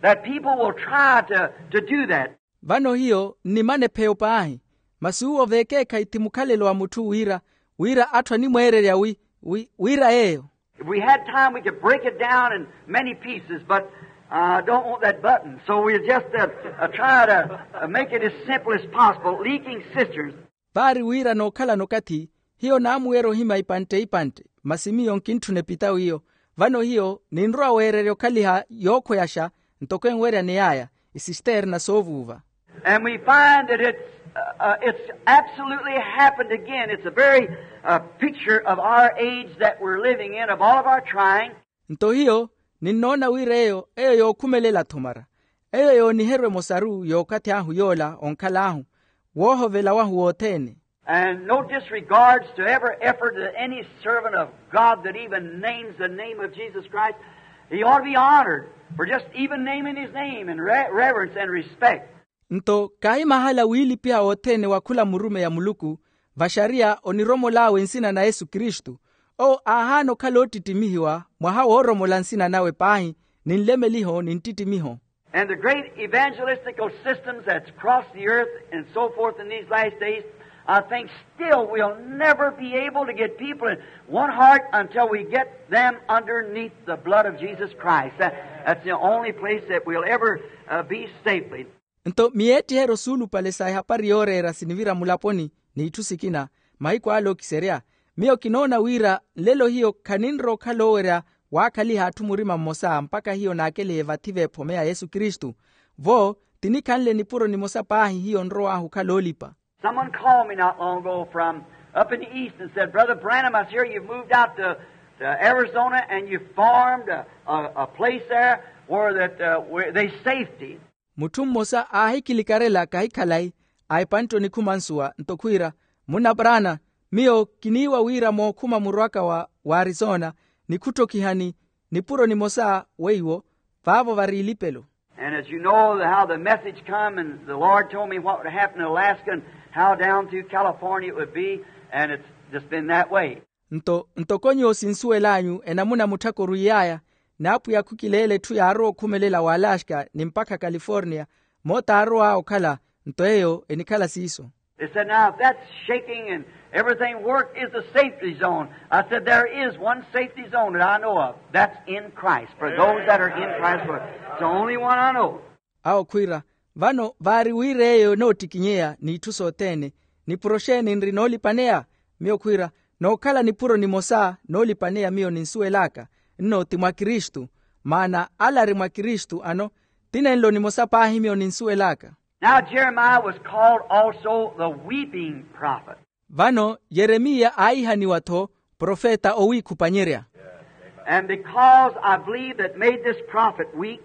that people will try to, to do that. Vano hiyo nnimana epheyo paahi, masi uwo v'ekeekhayi ti mukhalelo wa mutthu wira, wira atthu animweererya wi, wi, wira yeeyo. If we had time, we could break it down in many pieces, but I don't want that button. So we'll just uh, uh, try to uh, make it as simple as possible. Leaking cisterns. Vaari wira nookhalana okathi, hiyo naamuweera ohimya ipantte-ipantte, masi miyo nkintthuna epita wiyo. Vano hiyo ninrowa weererya okhaliha yookhweyaxa, ntoko enweryaney'aya, isisterna soovuuva. And we find that it's, uh, uh, it's absolutely happened again. It's a very uh, picture of our age that we're living in, of all of our trying. Nto hiyo ninnoona wira eyo, eyo yookhumelela-tho mara, eyo yooniherwa emosaru y'okathi ahu yoola onkhal'ahu, woohovela wahu wothene. And no disregards to every effort that any servant of God that even names the name of Jesus Christ, he ought to be honored for just even naming his name in re- reverence and respect. Nto kahimahala wiilipiha wothene wa khula murumeyi a muluku, Vaxariya oniromol'awe nsina na yesu kristu. Owo aahaana okhala oottittimihiwa mwaha wooromola nsina nawe paahi, ni nlemeliho ni nttittimiho. And the great evangelistical systems that's crossed the earth and so forth in these last days, I think still we'll never be able to get people in one heart until we get them underneath the blood of Jesus Christ. That- that's the only place that we'll ever uh, be safely. Nto miyeettiheryo suulupale sa ehapari yooreera sinivira mulaponi n'itthu sikina, mahiku ale okiserya, miyo kinoona wira nlelo hiyo khaninrowa okhala oowerya waakhaliha atthu murima mmosa mpakha hiyo naakelihe vathi v'ephome ya yesu kristu. Vo, tinikhanle nipuro nimosa paahi hiyo nrow'ahu okhala oolipa. Someone called me not long ago from up in the east and said, brother branham, I hear you've moved out to, to arizona and you formed a, a, a place there where that uh, where there's safety. Mutthu mmosa aahikilikarela kahi khalayi a epantte onikhuma nsuwa nto khwiira, munna brana, miyo kiniiwa wira mookhuma murwaka wa arizona, nikhuttokihani nipuro nimosa weiwo vaavo vari ilipelo. And as you know how the message come and the lord told me what would happen in alaska and how down through california it would be, and it's just been that way. Nto ntoko nyuwo sinsuwel'anyu enamuna mutthaka orwiiy'aya, n'apwiya khukileela etthu yaarowa okhumelela w'alaska ni mpakha california, moota aarow'awe okhala. Nto eyo enikhala siiso. They said now if that's shaking and everything work is the safety zone. I said there is one safety zone that I know of. That's in christ for those that are in christ. It's the only one I know. Awo khwiira, vano vaari wira eyo enoottikinyeya n'itthu sothene. Nipuro xeeni nri noolipaneya? Miyo khwiira, nookhala nipuro nimosa noolipaneya miyo ninsuwel'aka, nno ti mwa kristu. Maana ale ari mwa kristu ano, ti nenlo nimosa paahi miyo ninsuwel'aka. Now jeremiah was called also the weeping prophet. Vano yeremiya aahihaniwa-tho profeta owiikhupanyerya. And because I believe that made this prophet weep,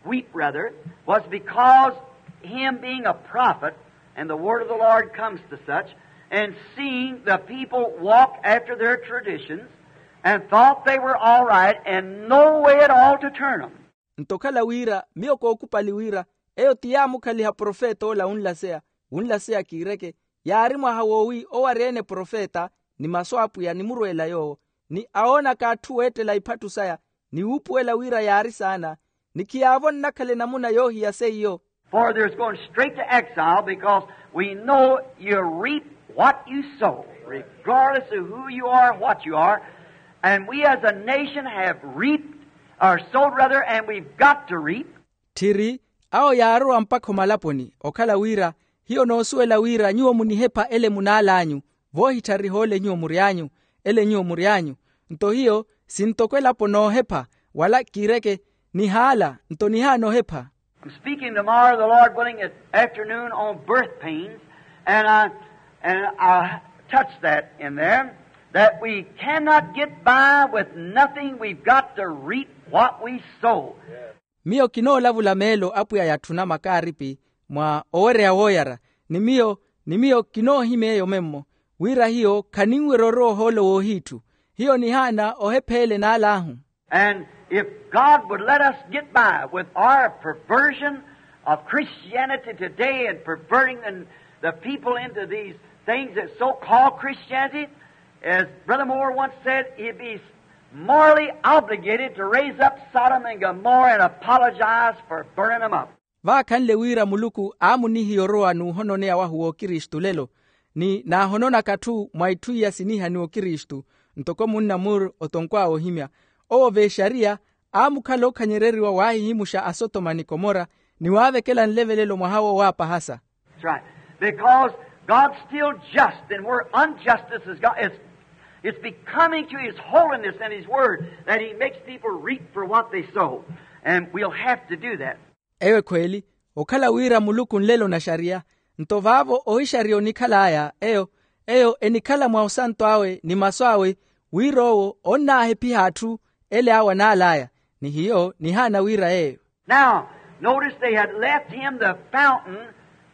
weep rather, was because him being a prophet and the word of the lord comes to such, and seeing the people walk after their traditions and thought they were all right and no way at all to turn them. Nto okhala wira miyo kookupali wira eyo ti yaamukhaliha profeta ola wunlaseya, wunlaseya kiireke, yaari mwaha woowi owarya-ene profeta ni masu a apwiya nimurweela yoowo, ni awoonaka atthu weettela iphattu saya, ni wuupuwela wira yaari saana, ni khiyaavo nnakhala enamuna yoohiya seiyo. For there's going straight to exile because we know you reap what you sow, regardless of who you are or what you are. And we as a nation have reaped or sowed rather, and we've got to reap. Tthiri, awo yaarowa mpakha omalaponi okhala wira, hiyo noosuwela wira nyuwo munihepha ele munaal'anyu, voohitthariha ole nyuwo mury'anyu, ele nyuwo mury'anyu. Nto hiyo sintoko elapo noohepha, wala kiireke, nihaala nto nihaana ohepha. I'm speaking tomorrow, the lord willing, at afternoon on birth pains, and i and i touch that in there, that we cannot get by with nothing. We've got to reap what we sow. Miyo kinoolavula meelo apwiya yatthuna makaaripi mwa owereya wooyara, ni miyo ni miyo kinoohimya eyo memmo, wira hiyo khaninwerya orowa ohoolo woohiitthu. Hiyo nihaana ohepha ele naal'ahu. And if god would let us get by with our perversion of christianity today and perverting the, the people into these things that so-called christianity, as brother moore once said, he'd be morally obligated to raise up sodom and gomorrah and apologize for burning them up. Vaakhanle wira muluku aamunihiya orowa n'uhononeya wahu w'okristu lelo, ni naahononaka atthu mwa itthu iya sinihaniwa okristu, ntoko munna muru otonkw'awe ohimya. Owo v'exariya aamukhala ookhanyereriwa waahihimuxa asotoma ni komora, ni waavekela nlevelelo mwaha woowaapahasa. That's right. Because god's still just and where unjustice is god it's, it's becoming to his holiness and his word that he makes people reap for what they sow. And we'll have to do that. Eyo ekhweeli, okhala wira muluku nlelo naxariya, nto vaavo ohixariya onikhal'aya eyo eyo enikhala mwa osanto awe ni masu awe, wira owo onnaahephiha atthu ele awo anaal'aya, ni hiyo nihaana wira yeeyo. Now notice they had left him the fountain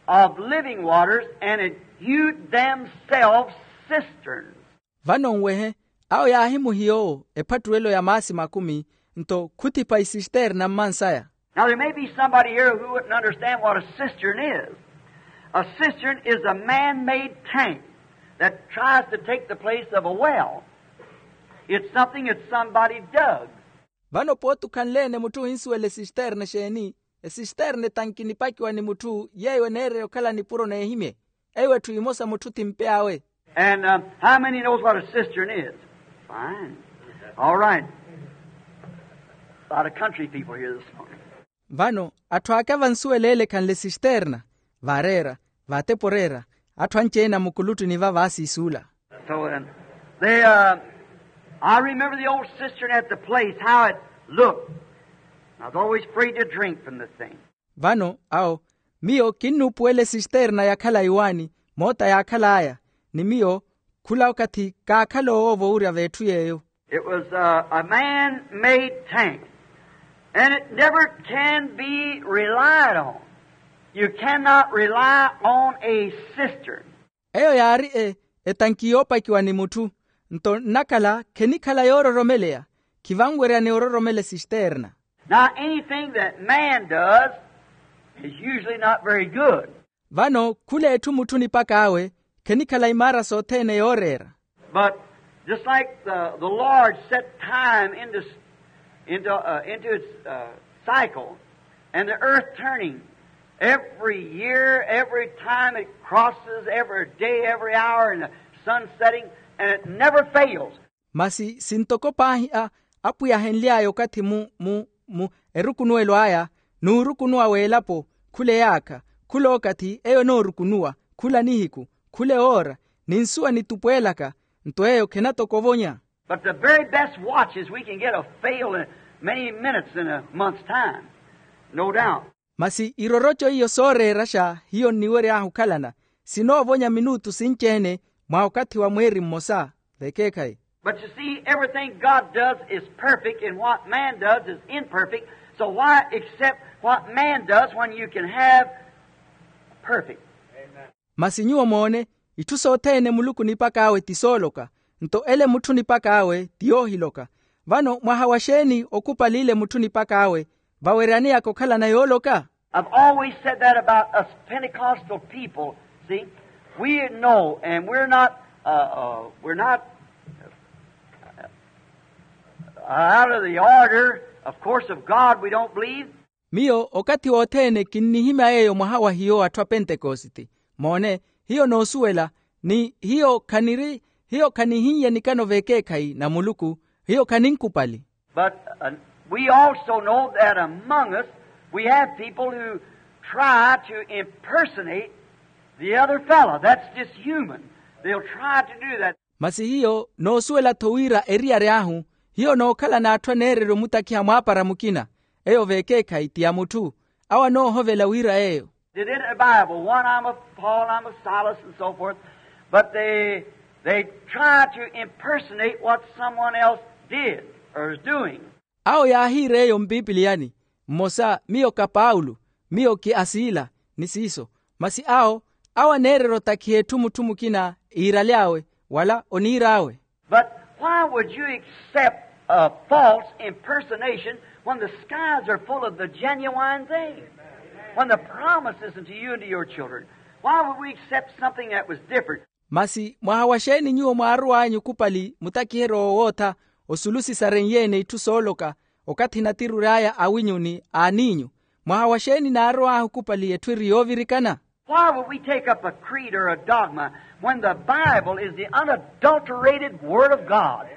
of living waters and had hewed themselves cisterns. Vano nwehe, awo yaahimuhiya owo ephattuwelo ya maasi makumi, nto khuthipa isisterna mmansaya. Now there may be somebody here who wouldn't understand what a cistern is. A cistern is a man-made tank that tries to take the place of a well. It's something that somebody dug. Vano pooti okhanle-ene mutthu ohinsuwela esisterna exeeni? Esisterna etanki nipakiwa ni mutthu yeeyo eneereya okhala nipuro n'ehimye. Eyo etthu emosa mutthu ti mpe awe. And how many knows what a cistern is? Fine. All right. Lot of country people here this morning. Vano atthu aka vansuwela ele ekhanle esisterna, vaareera, vaatepo oreera, atthu anci-ene a mukuluttuni va vaasiisuula. So then, they, uh, I remember the old cistern at the place, how it looked. I was always afraid to drink from the thing. Vano awo, miyo kinnuupuwela esisterna yakhala iwaani, moota yaakhal'aya, ni miyo khula okathi kaakhala owoova owurya v'etthu yeeyo. It was, uh, a man-made tank, and it never can be relied on. You cannot rely on a cistern. Eyo yaari e etanki yoopakiwa ni mutthu. Nto nnakhala khenikhala yoororomeleya. Khivanwerya ni ororomela esisterna. Now anything that man does is usually not very good. Vano khula etthu mutthu nipak'awe khenikhala imaara sothene yooreera. But just like the, the Lord set time into, into, uh, into its, uh, cycle, and the earth turning every year, every time it crosses, every day, every hour, and the sun setting, and it never fails. Masi sintoko paahi a apwiya ahenly'aya okathi mu mu mu erukunuwelo aya n'urukunuwa w'elapo, khula eyaakha, khula okathi eyo enoorukunuwa, khula nihiku, khula ewoora, ni nsuwa nitupweelaka, nto eyo khenatokovonya. But the very best watches we can get will fail in many minutes in a month's time, no doubt. Masi iroroco iyo sooreeraxa hiyo nniwery'ahu okhalana sinoovonya minutu sinci-ene mwa okathi wa mweeri mmosa. Vekeekhayi. But you see, everything God does is perfect, and what man does is imperfect. So why accept what man does when you can have perfect? Masi nyuwo moone, itthu sothene muluku nipak'awe ti sooloka, nto ele mutthu nipak'awe ti yoohiloka. Vano mwaha wa xeeni okhupali ile mutthu nipak'awe vaweryaneyaka okhalana yooloka? I've always said that about us Pentecostal people. See, we know, and we're not, uh, uh, we're not, uh, out of the order, of course, of God, we don't believe. Miyo okathi wothene kinnihimya yeeyo mwaha wa hiyo atthu a pentekositi. Moone, hiyo noosuwela, ni hiyo khaniri hiyo khanihinnye nikano v'ekeekhayi na muluku. Hiyo khaninkupali. But, uh, we also know that among us we have people who try to impersonate the other fellow. That's just human. They'll try to do that. Masi hiyo noosuwela-tho wira eriyari ahu hiyo nookhala n'atthu aneererya omutakhiha mwaapara mukina. Eyo v'ekeekhayi ti ya mutthu awo anoohovela wira eyo. They did in the Bible, one I'm of Paul, I'm of Silas, and so forth. But they, they try to impersonate what someone else did or is doing. Awo yaahiira eyo mpipiliyani, mmosa miyo ka paulo, miyo ki a siila, ni siiso. Masi awo awo aneererya otakhiha etthu mutthu mukina iiraly'awe wala oniir'awe. But why would you accept a false impersonation when the skies are full of the genuine thing? When the promise is unto you and to your children, why would we accept something that was different? Masi mwaha wa xeeni nyuwo mwaarow'anyu okhupali mutakiheryo woowootha osulu sisarenye-ene itthu sooloka okathi natirur'aya awinyu ni aaniinyu? Mwaha wa xeeni naarow'ahu okhupali etthu eri yoovirikana? Why would we take up a creed or a dogma when the Bible is the unadulterated Word of God?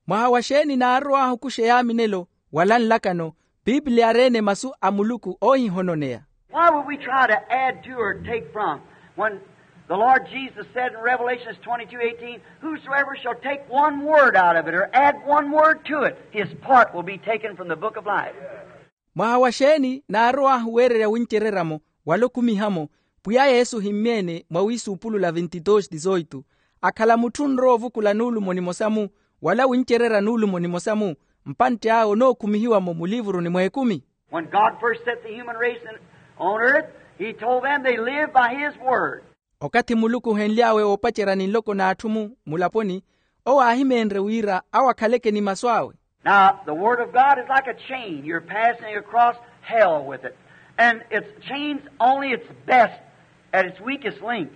Mwaha wa xeeni naarow'ahu okuxa eyaaminelo wala nlakano? Pipiliya ari-ene masu a muluku oohihononeya. Why would we try to add to or take from when the Lord Jesus said in Revelations twenty-two eighteen, whosoever shall take one word out of it or add one word to it, his part will be taken from the book of life. Mwaha wa xeeni naarow'ahu weererya wincererya-mo wala okumiha-mo? Pwiya yesu ohimmye-ene mwa wiisuupulula vintitoxi tizoitu, akhala mutthu onrowa ovukula nuulumo nimosa-mu wala wincererya nuulumo nimosa-mu, mpantte awe onookumihiwa-mo mulivuruni mw'ekumi. When God first set the human race in, on earth, he told them they live by his word. Okathi muluku ohenly'awe oopacerya ni nloko n'atthu-mu mulaponi, owo aahimeenrye wira awo akhaleke ni masu awe. Now the word of God is like a chain. You're passing across hell with it. And its chain's only its best at its weakest link.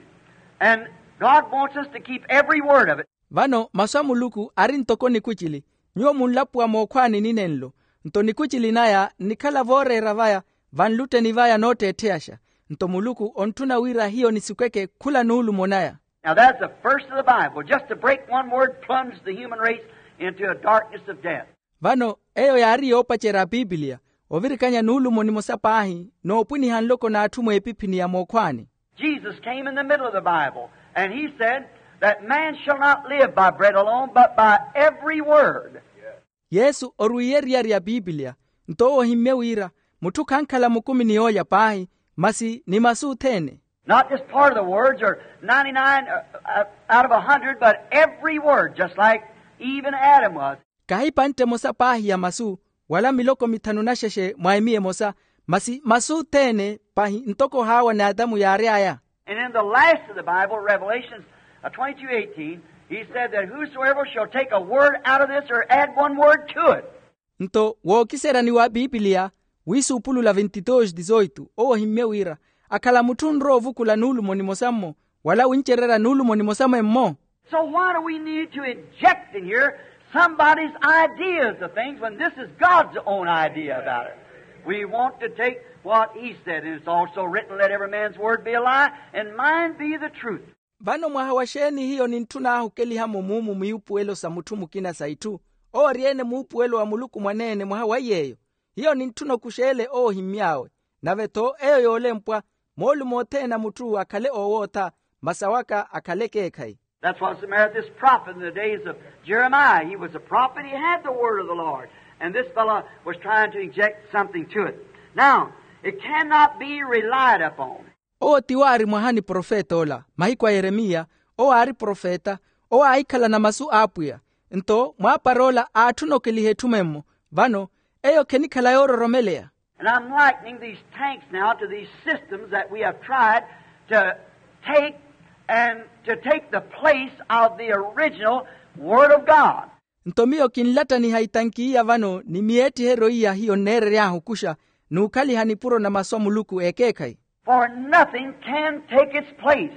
And God wants us to keep every word of it. Vano masu a muluku ari ntoko nikucili. Nyuwo munlapuwa mookhwaani ninenlo, nto nikucili naya nnikhala vooreera vaya, vanlutteni vaya nootteettheyaxa. Nto muluku ontthuna wira hiyo nisikweke khula nuulumo naya. Now that's the first of the Bible. Just to break one word plunges the human race into a darkness of death. Vano eyo yaari yoopacerya a pipiliya, ovirikanya nuulumo nimosa paahi noopwiniha nloko n'atthu mweepiphini ya mookhwaani. Jesus came in the middle of the Bible, and he said that man shall not live by bread alone, but by every word. Yesu orwiiye eriyari ya pipiliya, nto owo ohimmye wira mutthu khankhala mukumi ni yoolya paahi, masi ni masu othene. Not just part of the words, or ninety-nine, uh, uh, out of a hundred, but every word, just like Eve and Adam was. Kahi epantte emosa paahi ya masu, wala miloko mithanu naxexe mwa emiya emosa, masi masu othene pahi ntoko haawa n'atamu yaary'aya. And in the last of the Bible, Revelations, uh, twenty-two eighteen, he said that whosoever shall take a word out of this or add one word to it. Nto wookiseryani wa pipiliya, wiisuupulula vintitoxi tizoitu owo ohimmye wira, akhala mutthu onrowa ovukula nuulumo nimosa-mmo, wala wincererya nuulumo nimosa mwemmo. So why do we need to inject in here somebody's ideas of things when this is God's own idea about it? We want to take what he said, and it's also written, let every man's word be a lie, and mine be the truth. Vano mwaha wa xeeni hiyo nintthuna ahukelihamo muumu miupuwelo sa mutthu mukina sa itthu, owo ori-ene muupuwelo wa muluku mwaneene mwaha wa iy'eyo? Hiyo nintthuna okux'ele owo ohimmy'awe. Nave-tho eyo yoolempwa, moolumo othene a mutthu akhale oowootha, masi awaka akhale ekeekhayi. That's what's the matter with this prophet in the days of Jeremiah. He was a prophet, he had the word of the Lord. And this fellow was trying to inject something to it. Now, it cannot be relied upon. Owo tiwo aari mwaha ni profeta ola mahiku a yeremiya. Owo aari profeta, owo aahikhalana masu a apwiya. Nto mwaapara ola aatthuna okeliha etthu memmo. Vano eyo khenikhala yoororomeleya. And I'm likening these tanks now to these systems that we have tried to take and to take the place of the original Word of God. Nto miyo kinlattaniha itanki iya vano ni miyeettiheryo iya hiyo nneerery'ahu okuxa n'ukhaliha nipuro na masu a muluku ekeekhayi. For nothing can take its place.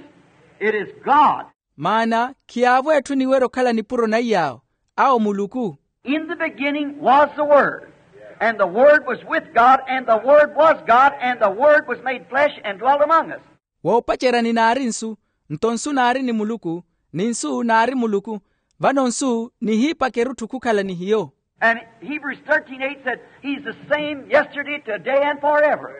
It is God. Maana khiyaavo etthu eniwerya okhala nipuro na iy'awo, awo muluku. In the beginning was the Word, and the Word was with God, and the Word was God, and the Word was made flesh and dwelt among us. Woopaceryani naari nsu, nto nsu naari ni muluku, ni nsu naari muluku. Vano nsu nihiipakerya otthu khukhala ni hiyo. And Hebrews thirteen eight said, he's the same yesterday, today, and forever.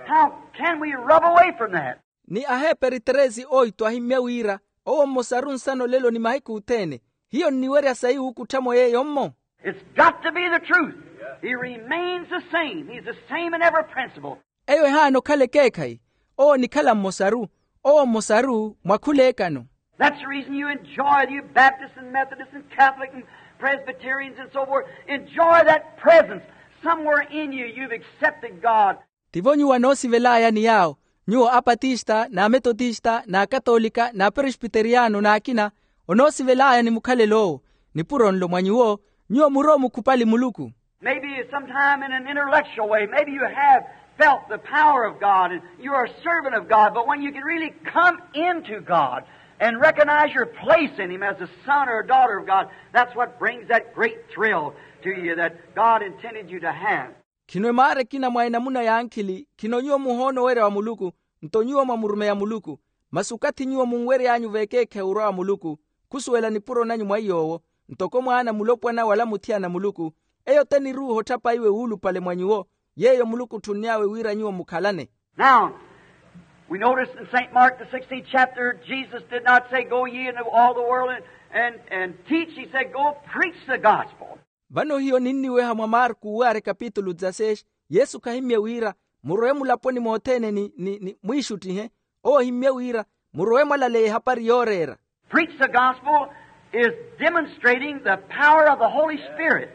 How can we rub away from that? Ni aheperi tresi oitu ahimmye wira, owo mmosaru nsana olelo ni mahiku othene. Hiyo nniwerya sayi wuukutthamo yeeyo-mmo. It's got to be the truth. He remains the same. He's the same in every principle. Eyo ehaana okhala ekeekhayi. Owo onikhala mmosaru. Owo mmosaru mwa khula ekano. That's the reason you enjoy, you Baptists and Methodists and Catholic and Presbyterians and so forth, enjoy that presence. Somewhere in you, you've accepted God. Tivo nyuwo anoosivel'aya ni yaawo, nyuwo apatista n'ametotista n'akatoolika n'aperesbiteriyano n'akina. Onoosivel'aya ni mukhalelo owo. Nipuro nlo mwa nyuwo, nyuwo murowa mukhupali muluku. Maybe sometime in an intellectual way, maybe you have felt the power of God and you're a servant of God, but when you can really come into God and recognize your place in Him as a son or a daughter of God, that's what brings that great thrill to you that God intended you to have. Khino emaara ekina mwa enamuna ya nkhili, khino nyuwo muhoona owerya wa muluku, nto nyuwo mwamurumeya muluku. Masi okathi nyuwo munwery'anyu vekeekhayi orwa wa muluku, khusuwela nipuro nanyu mwa iy'owo, ntoko mwaana mulopwana wala muthiyana muluku, eyo te niruuha otthapa iwe wuulupale mwa nyuwo, yeeyo muluku otthunn'awe wira nyuwo mukhalane. Now, we notice in Saint Mark, the sixteenth chapter, Jesus did not say, go ye into all the world and, and, and teach. He said, go preach the gospel. Vano hiyo ninniweha mwa marku wuwaare kapitulu dzaseis, yesu khahimmye wira, murowe mulaponi mothene ni, ni, ni mwiixuttihe. Owo ohimmye wira, murowe mwalaleya ehapari yooreera. Preach the gospel is demonstrating the power of the Holy Spirit.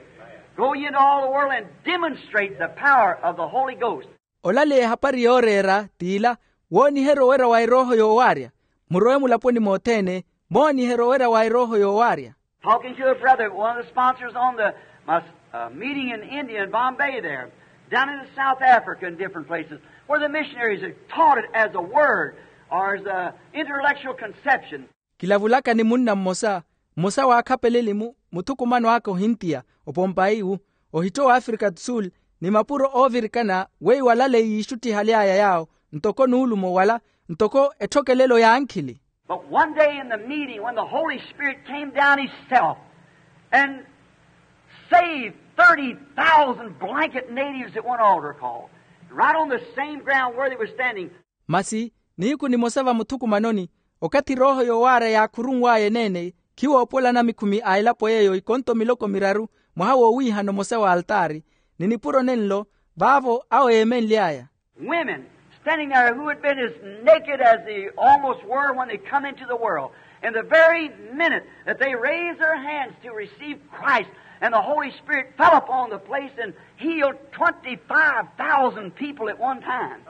Go ye into all the world and demonstrate the power of the Holy Ghost. Olaleya ehapari yooreera t'ila, wooniherya owerya wa erooho yoowaarya. Murowe mulaponi mothene, mooniherya owerya wa erooho yoowaarya. Talking to a brother, one of the sponsors on the, my, uh, meeting in India and Bombay there, down into South Africa and different places, where the missionaries have taught it as a word or as an intellectual conception. Kilavulaka ni munna mmosa, mmosa w'akhapeleli-mu, muthukumano aka ohintiya, opompayi-wu, ohitto w'afrika do sul, ni mapuro oovirikana weiwo alale yiixuttihaly'aya yaawo, ntoko nuulumo wala, ntoko etthokelelo y'ankhili. But one day in the meeting, when the Holy Spirit came down himself and saved thirty thousand blanket natives at one altar call, right on the same ground where they were standing. Masi nihiku nimosa vamuthukumanoni, okathi rooho yoowaarya yaakhurunw'aya eneene, khiwoopolana mikhumi a elapo yeeyo ikonto miloko miraru, mwaha woowiihana omosa w'altaari, ni nipuro nenlo, vaavo awo yeemenly'aya. Women standing there who had been as naked as they almost were when they come into the world. And the very minute that they raised their hands to receive Christ, and the Holy Spirit fell upon the place and healed twenty-five thousand people at one time,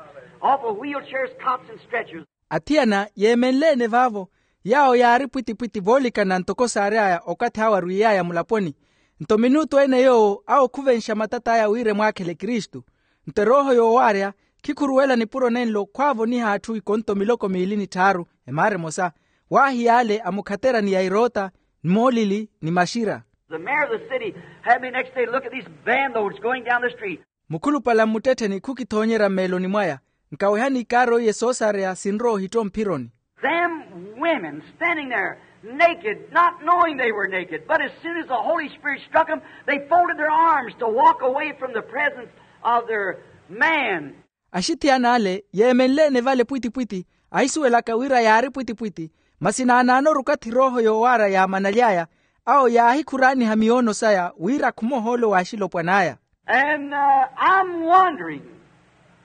off of wheelchairs, cots, and stretchers. Athiyana yeemenle-ene vaavo, yaawo yaari pwitipwiti voolikana ntoko saary'aya okathi awo arwiiy'aya mulaponi. Nto minutu ene yoowo awo khuvenxa matat'aya wira emwaakhele kristu. Nto erooho yoowaarya khikhuruwela nipuro nenlo khwaavoniha atthu ikonto miloko miili ni tthaaru, emaara emosa, waahiyaale amukhaterani ya eroota, ni moolili, ni maxira. The mayor of the city had me next day look at these van loads going down the street. Mukhulupale mmuttettheni khukithoonyerya mmeeloni mwaya, nkawehani ikaari oiye soosareya sinrowa ohitto mphironi. Them women standing there naked, not knowing they were naked, but as soon as the Holy Spirit struck them, they folded their arms to walk away from the presence of their man. Axithiyana ale yeemenle-ene vale pwitipwiti, ahisuwelaka wira yaari pwitipwiti, masi naanaanoru okathi erooho yoowaarya yaamanaly'aya, awo yaahikhuraaniha miyoono saya wira akhume ohoolo w'axilopwan'aya. And uh, I'm wondering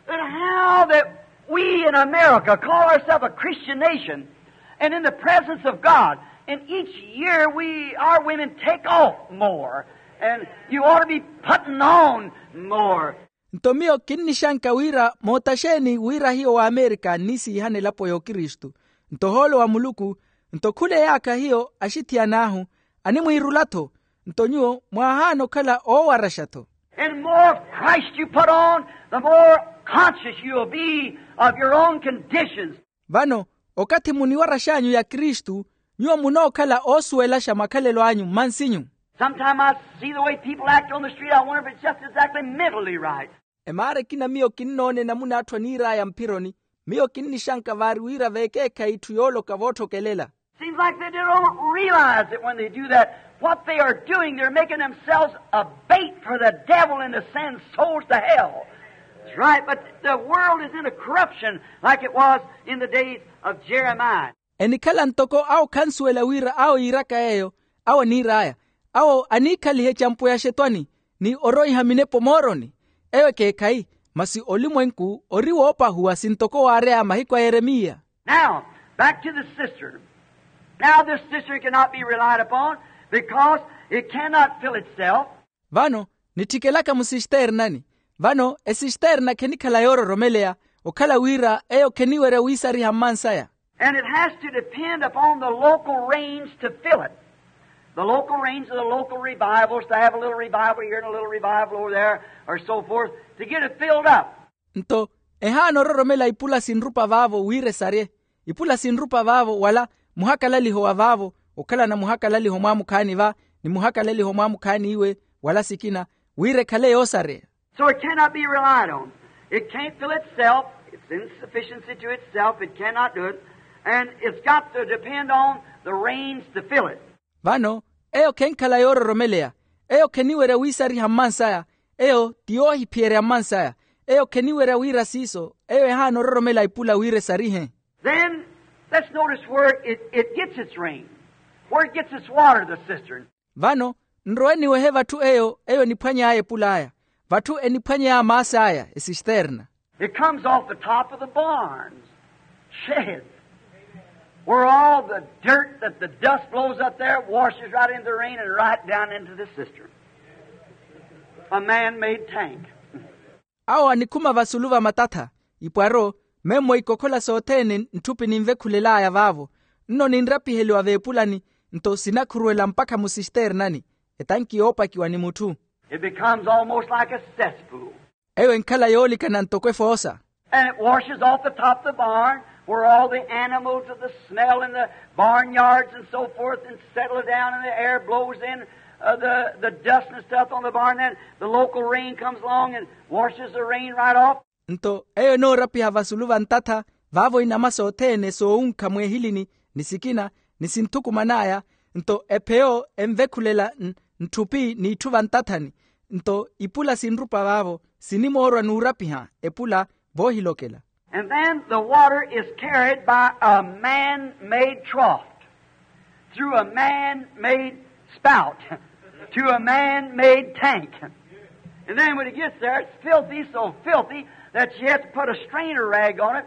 that how that we in America call ourselves a Christian nation, and in the presence of God, and each year we, our women take off more, and you ought to be putting on more. Nto miyo kinnixanka wira moota xeeni wira hiyo w'amerika nnisiihana elapo y'okristu, nto ohoolo wa muluku, nto khula eyaakha hiyo axithiyana ahu animwiirula-tho, nto nyuwo mwaahaana okhala oowaraxa-tho. And the more of Christ you put on, the more conscious you'll be of your own conditions. Vano, okathi muniwarax'anyu ya kristu, nyuwo munookhala oosuwelaxa makhalelo anyu mmansinyu. Sometime I see the way people act on the street, I wonder if it's just exactly mentally right. Emaara ekina miyo kinnoona enamuna atthu aniir'aya mphironi, miyo kinnixanka vaari wira veekeekhayi itthu yooloka vootthokelela. Seems like they don't realize that when they do that, what they are doing, they're making themselves a bait for the devil and to send souls to hell. That's right, but the world is in a corruption like it was in the days of Jeremiah. Enikhala ntoko awo khansuwela wira awo yiiraka yeeyo, awo aniir'aya, awo aniikhaliha ecampo ya xetwani, ni oroiha minepo mooroni. Eyo ekeekhayi, masi olimwenku ori woopahuwa sintoko waary'aya mahiku a yeremiya. Now, back to the cistern. Now this cistern cannot be relied upon because it cannot fill itself. Vano, nittikelaka musisternani. Vano esisternani khenikhala yoororomeleya, okhala wira eyo kheniwerya wiisariha mmansaya. And it has to depend upon the local rains to fill it. The local rains of the local revivals to have a little revival here and a little revival over there, or so forth, to get it filled up. Nto ehaana ororomela ipula sinrupa vaavo wira esarye. Ipula sinrupa vaavo wala muhakalaliho wa vaavo, okhalana muhakalaliho mwaamukhaani va, ni muhakalaliho mwaamukhaani iwe, wala sikina, wira ekhale yoosareya. So it cannot be relied on. It can't fill itself. It's insufficiency to itself. It cannot do it. And it's got to depend on the rains to fill it. Vano, eyo khenkhala yoororomeleya, eyo kheniwerya wiisariha mmansaya, eyo ti yoohiphiyerya mmansaya, eyo kheniwerya wira siiso, eyo ehaana ororomela ipula wira esarihe. Then, let's notice where it, it gets its rain, where it gets its water, the cistern. Vano, nrowe niwehe vatthu eyo, eyo eniphwany'aya epul'aya, vatthu eniphwany'aya maas'aya, esisterna. It comes off the top of the barns, sheds, where all the dirt that the dust blows up there washes right into the rain and right down into the cistern. A man-made tank. Awo anikhuma vasulu va matatha, ipwaro, memmo ikokhola sothene ntthupi ninvekhulel'aya vaavo, nno ninrapiheliwa veepulani, nto sinakhuruwela mpakha musisternani, etanki yoopakiwa ni mutthu. It becomes almost like a cesspool. Eyo enkhala yoolikana ntoko efoosa. And it washes off the top of the barn, Where all the animals of the smell in the barnyards and so forth and settle down, and the air blows in, uh, the, the dust and stuff on the barn, then the local rain comes along and washes the rain right off. Nto eyo enoorapiha vasulu va ntatha, vaavo inama sothene soowunkha mweehilini, ni sikina, ni sinthukuman'aya. Nto epheyo envekhulela n- ntthupi n'itthu vantathani. Nto ipula sinrupa vaavo, sinimoorwa n'urapiha epula voohilokela. And then the water is carried by a man-made trough, through a man-made spout, to a man-made tank. And then when it gets there, it's filthy, so filthy that you have to put a strainer rag on it,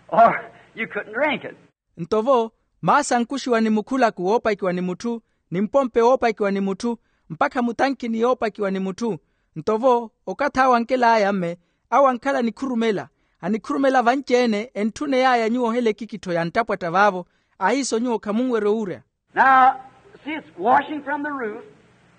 or you couldn't drink it. Nto vo, maasi ankuxiwa ni mukhulaku woopakiwa ni mutthu, ni mpompe woopakiwa ni mutthu, mpakha mutankini yoopakiwa ni mutthu. Nto vo, okathi awo ankel'aya mme, awo ankhala anikhurumela, anikhurumela vanci-ene, entthuney'aya nyuwo ohela ekikittho ya nttapwatta vaavo, ahiiso nyuwo khamunwerya owurya. Now, see, it's washing from the roof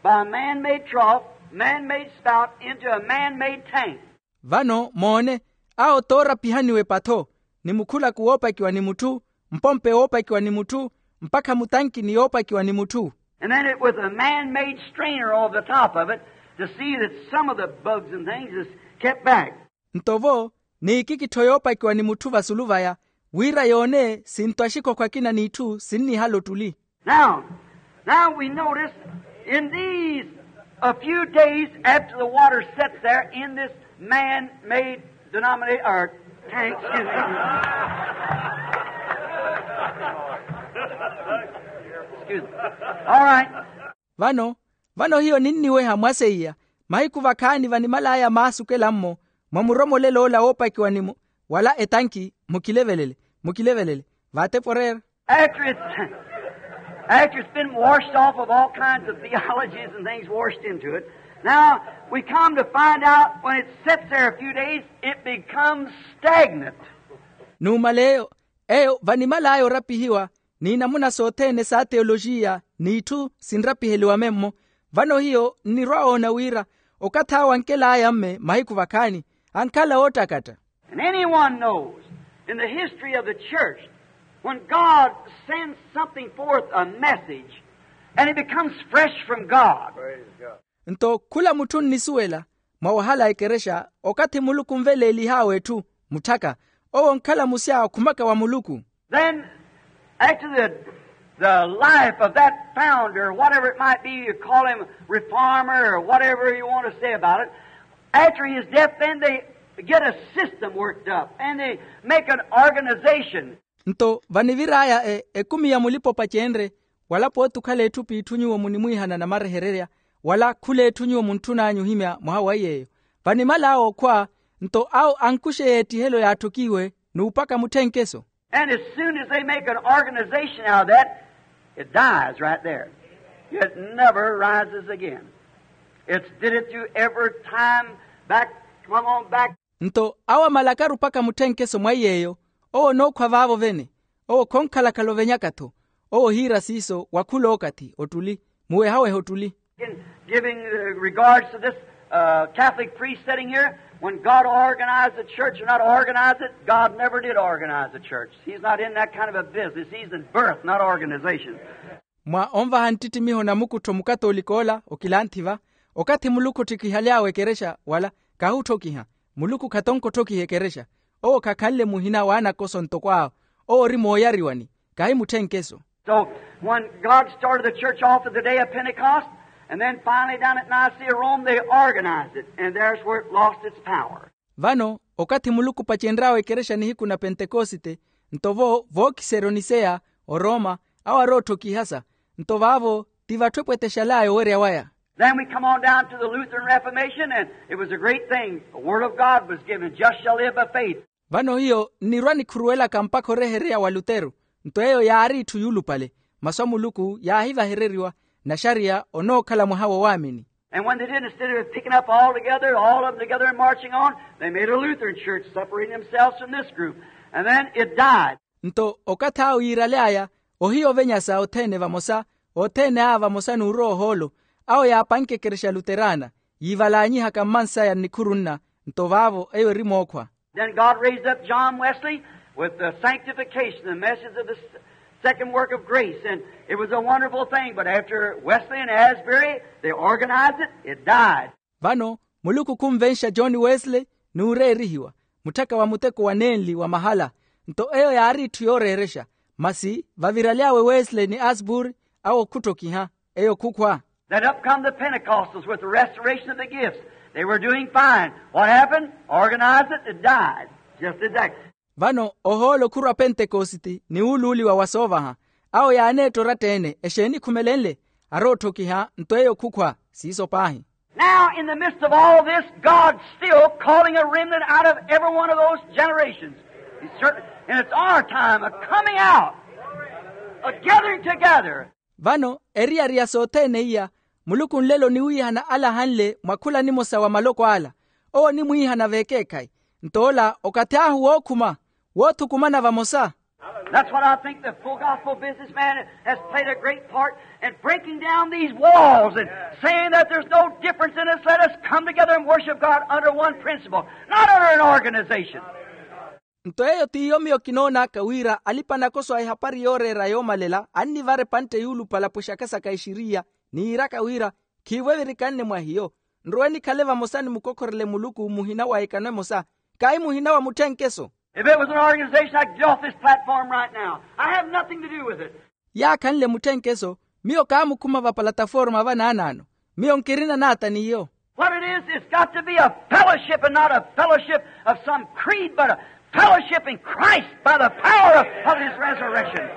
by a man-made trough, man-made spout into a man-made tank. Vano moone, awo toorapihaniwa epatho, ni mukhulaku woopakiwa ni mutthu, mpompe woopakiwa ni mutthu, mpakha mutankini yoopakiwa ni mutthu. And then it with a man-made strainer over the top of it to see that some of the bugs and things is kept back. Nto vo, n'ikikittho yoopakiwa ni mutthu vasulu vaya, wira yoone sinto axikhokho akina n'itthu sinnihala ottuli. Now, now we notice in these, a few days after the water sets there in this man-made denomination, or tank, excuse me. Excuse me. All right. Vano, vano hiyo ninniweha mwa seiya, mahiku vakhaani vanimal'aya maasukela-mmo, mwa muromolelo ola woopakiwa ni mu- wala etanki, mukilevelele, mukilevelele, vaatepo oreera. After it's, after it's been washed off of all kinds of theologies and things washed into it, now we come to find out when it sits there a few days, it becomes stagnant. Numala eyo, eyo vanimal'aya orapihiwa, ni namuna sothene sa teolojiya n'itthu sinrapiheliwa memmo. Vano hiyo nnirwa oona wira okathi awo ankel'aya mme mahiku vakhaani, ankhala oottakatta. And anyone knows, in the history of the church, when God sends something forth, a message, and it becomes fresh from God. Nto khula mutthu onnisuwela, mwa wahala a ekerexa, okathi muluku onveleelih'awe etthu, mutthaka, owo onkhala musya okhumaka wa muluku. Then, after the, the life of that founder, whatever it might be, you call him reformer or whatever you want to say about it, after his death, then they get a system worked up and they make an organization. Nto vanivir'aya e- ekumi ya mulipa-opacenrye, wala pooti okhala etthu p'itthu nyuwo munimwiihana namarehererya, wala khula etthu nyuwo muntthun'anyu ohimya mwaha wa iy'eyo, vanimal'awe okhwa. Nto awo ankuxe y'ettihelo yaatthok'iwe n'upaka mutthenkeso. And as soon as they make an organization out of that, it dies right there. It never rises again. It's did it through every time back, come on back. Nto awo amalakaru opaka mutthenkeso mwa iy'eyo, owo onookhwa vaavo vene. Owo khonkhalakhala ovenyaka-tho. Owo ohiira siiso wa khul'okathi ottuli, muwehaweha ottuli. In giving, uh, regards to this, uh, Catholic priest sitting here, when God organized the church or not organized it, God never did organize the church. He's not in that kind of a business. He's in birth, not organization. Mwa onvaha nttittimiho namukuttho mukatolika ola okilanthi va, okathi muluku otthokihyaly'awe ekerexa wala, kahi otthokiha. Muluku khatonke otthokiha ekerexa. Owo khakhanle muhina w'anakoso ntoko awo. Owo ori mooyariwani, kahi mutthenkeso. So, when God started the church off at the day of Pentecost, and then finally down at Nicaea, Rome, they organized it, and there's where it lost its power. Vano, okathi muluku opacenry'awe ekerexa nihiku na pentekosite, nto vo vookiserya oniseya, oroma, awo arootthokiha sa, nto vaavo ti vatthu epwetexaly'aya owerya waya. Then we come on down to the Lutheran Reformation, and it was a great thing. The Word of God was given, "Just shall live by faith." Vano hiyo nnirwa nikhuruwelaka mpakha orehereya wa lutero. Nto eyo yaari itthu yuulupale, masu a muluku yaahivahereriwa, naxariya onookhala mwaha wa owaamini. And when they did, instead of picking up all together, all of them together and marching on, they made a Lutheran church, separating themselves from this group. And then it died. Nto okathi awo yiiraly'aya, ohiya ovenyasa othene vamosa, othene aya vamosa n'urowa ohoolo, awo yaapanke ekerexa luterana, yiivalaanyihaka mmansaya nnikhuru nna. Nto vaavo eyo eri mookhwa. Then God raised up John Wesley, With the sanctification, the message of the s- second work of grace, and it was a wonderful thing. But after Wesley and Asbury, they organized it, it died. Vano muluku khunvenxa john wesley n'ureerihiwa mutthaka wa muteko wa nenli wa mahala. Nto eyo yaari itthu yooreerexa. Masi vaviraly'awe wesley ni asbury awo khuttokiha. Eyo khukhwa. Then up come the pentecostals with the restoration of the gifts. They were doing fine. What happened? Organized it, it died. Just exactly. Vano ohoolo khurwa pentekositi ni wuuluuliwa wa soovaha. Awo yaaneetta oratta-ene exeeni ekhumelenle? Arootthokiha nto eyo khukhwa. Siiso paahi. Now in the midst of all this, god's still calling a remnant out of every one of those generations. He's certain, and it's our time of coming out, of gathering together. Vano eriyari ya sothene iya, muluku nlelo oniwiihana ala ahanle mwa khula nimosa wa maloko ala. Owo onimwiihana v'ekeekhayi. Nto ola okathi ahu wookhuma, woothukumana vamosa. That's what I think the full gospel businessman has played a great part in breaking down these walls and saying that there's no difference in us. Let us come together and worship God under one principle, not under an organization. Nto eyo t'iyo miyo kinoon'aka wira alipa-nakoso a ehapari yooreera yoomalela annivara epantte yuulupala pwexaka saka exiriya, ni yiiraka wira, khiivo evirikanne mwa hiyo. Nrowe nikhale vamosa ni mukokhorele muluku muhina wa ekano emosa, kaahi muhina wa mutthenkeso. If it was an organization, I'd get off this platform right now. I have nothing to do with it. Yaakhanle mutthenkeso, miyo kaamukhuma va palataforma vanaanaano. Miyo nkirina naata n'iyo. What it is, it's got to be a fellowship, and not a fellowship of some creed, but a fellowship in Christ by the power of, of his resurrection.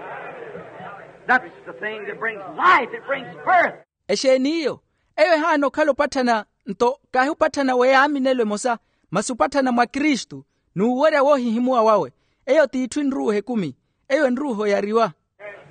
That's the thing that brings life, it brings birth. Exeeni iyo? Eyo ehaana okhala opatthana, nto kaahi opatthana w'eyaaminelo emosa, masi opatthana mwa kristu, n'uwerya woohihimuwa wawe. Eyo t'itthu enruuha ekumi. Eyo enruuha oyariwa.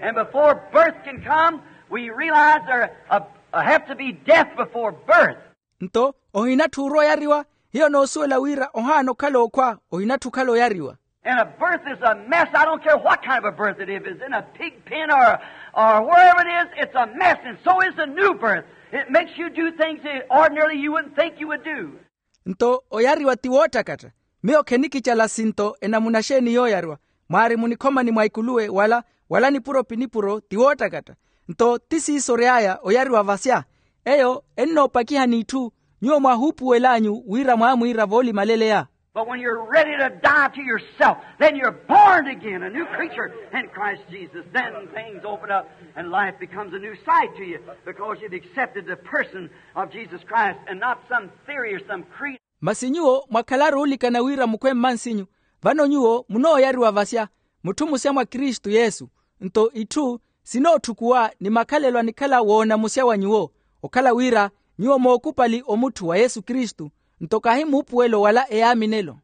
And before birth can come, we realize there uh, have to be death before birth. Nto ohinatthi orwa oyariwa. Hiyo noosuwela wira ohaana okhala okhwa, ohinatthi okhala oyariwa. And a birth is a mess. I don't care what kind of a birth it is. If it's in a pig pen or, or wherever it is, it's a mess. And so is the new birth. It makes you do things that ordinarily you wouldn't think you would do. Nto oyariwa ti woottakatta. Miyo khenikicala sinto enamuna xeeni yooyariwa, mwaari munikhomani mwa ikuluwe wala, wala nipuro pi nipuro ti woottakatta. Nto ti siiso ory'aya oyariwa vasya. Eyo ennoopakiha n'itthu. Nyuwo mwaahuupuwel'anyu wira mwaamwiira voolimaleleya. But when you're ready to die to yourself, then you're born again, a new creature in Christ Jesus. Then things open up and life becomes a new sight to you because you've accepted the person of Jesus Christ and not some theory or some creed. Masi nyuwo mwakhalaru oolikana wira mukhwe mmansinyu, vano nyuwo munooyariwa vasya, mutthu musya mwa kristu yesu. Nto itthu sinootthukuwa ni makhalelo anikhala woonamusya wa nyuwo, okhala wira nyuwo mookupali omutthu wa yesu kristu. Nto kaahi muupuwelo wala eyaaminelo.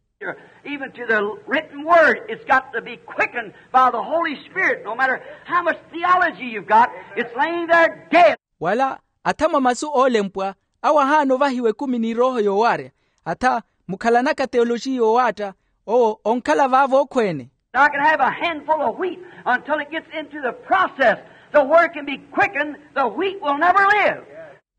Even to the written word, it's got to be quickened by the Holy Spirit. No matter how much theology you've got, it's laying there dead. Wala atha mwa masu oolempwa, awo ahaana ovahiwa ekumi ni erooho yoowaarya. Atha mukhalanaka theoloji yoowaatta, owo onkhala vaavo okhweene. Now I can have a handful of wheat until it gets into the process. The word can be quickened, the wheat will never live.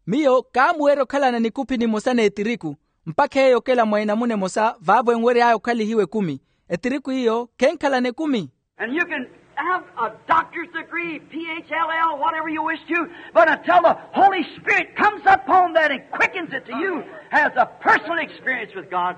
Miyo kaamuwerya okhalana nikupi nimosa n'etiriku, mpakha eyo okela mwa enamuna emosa vaavo enwery'aya okhalihiwa ekumi. Etiriku iyo khenkhalana ekumi. And you can have a doctor's degree, P H L L, whatever you wish to, but until the Holy Spirit comes upon that and quickens it to you, has a personal experience with God,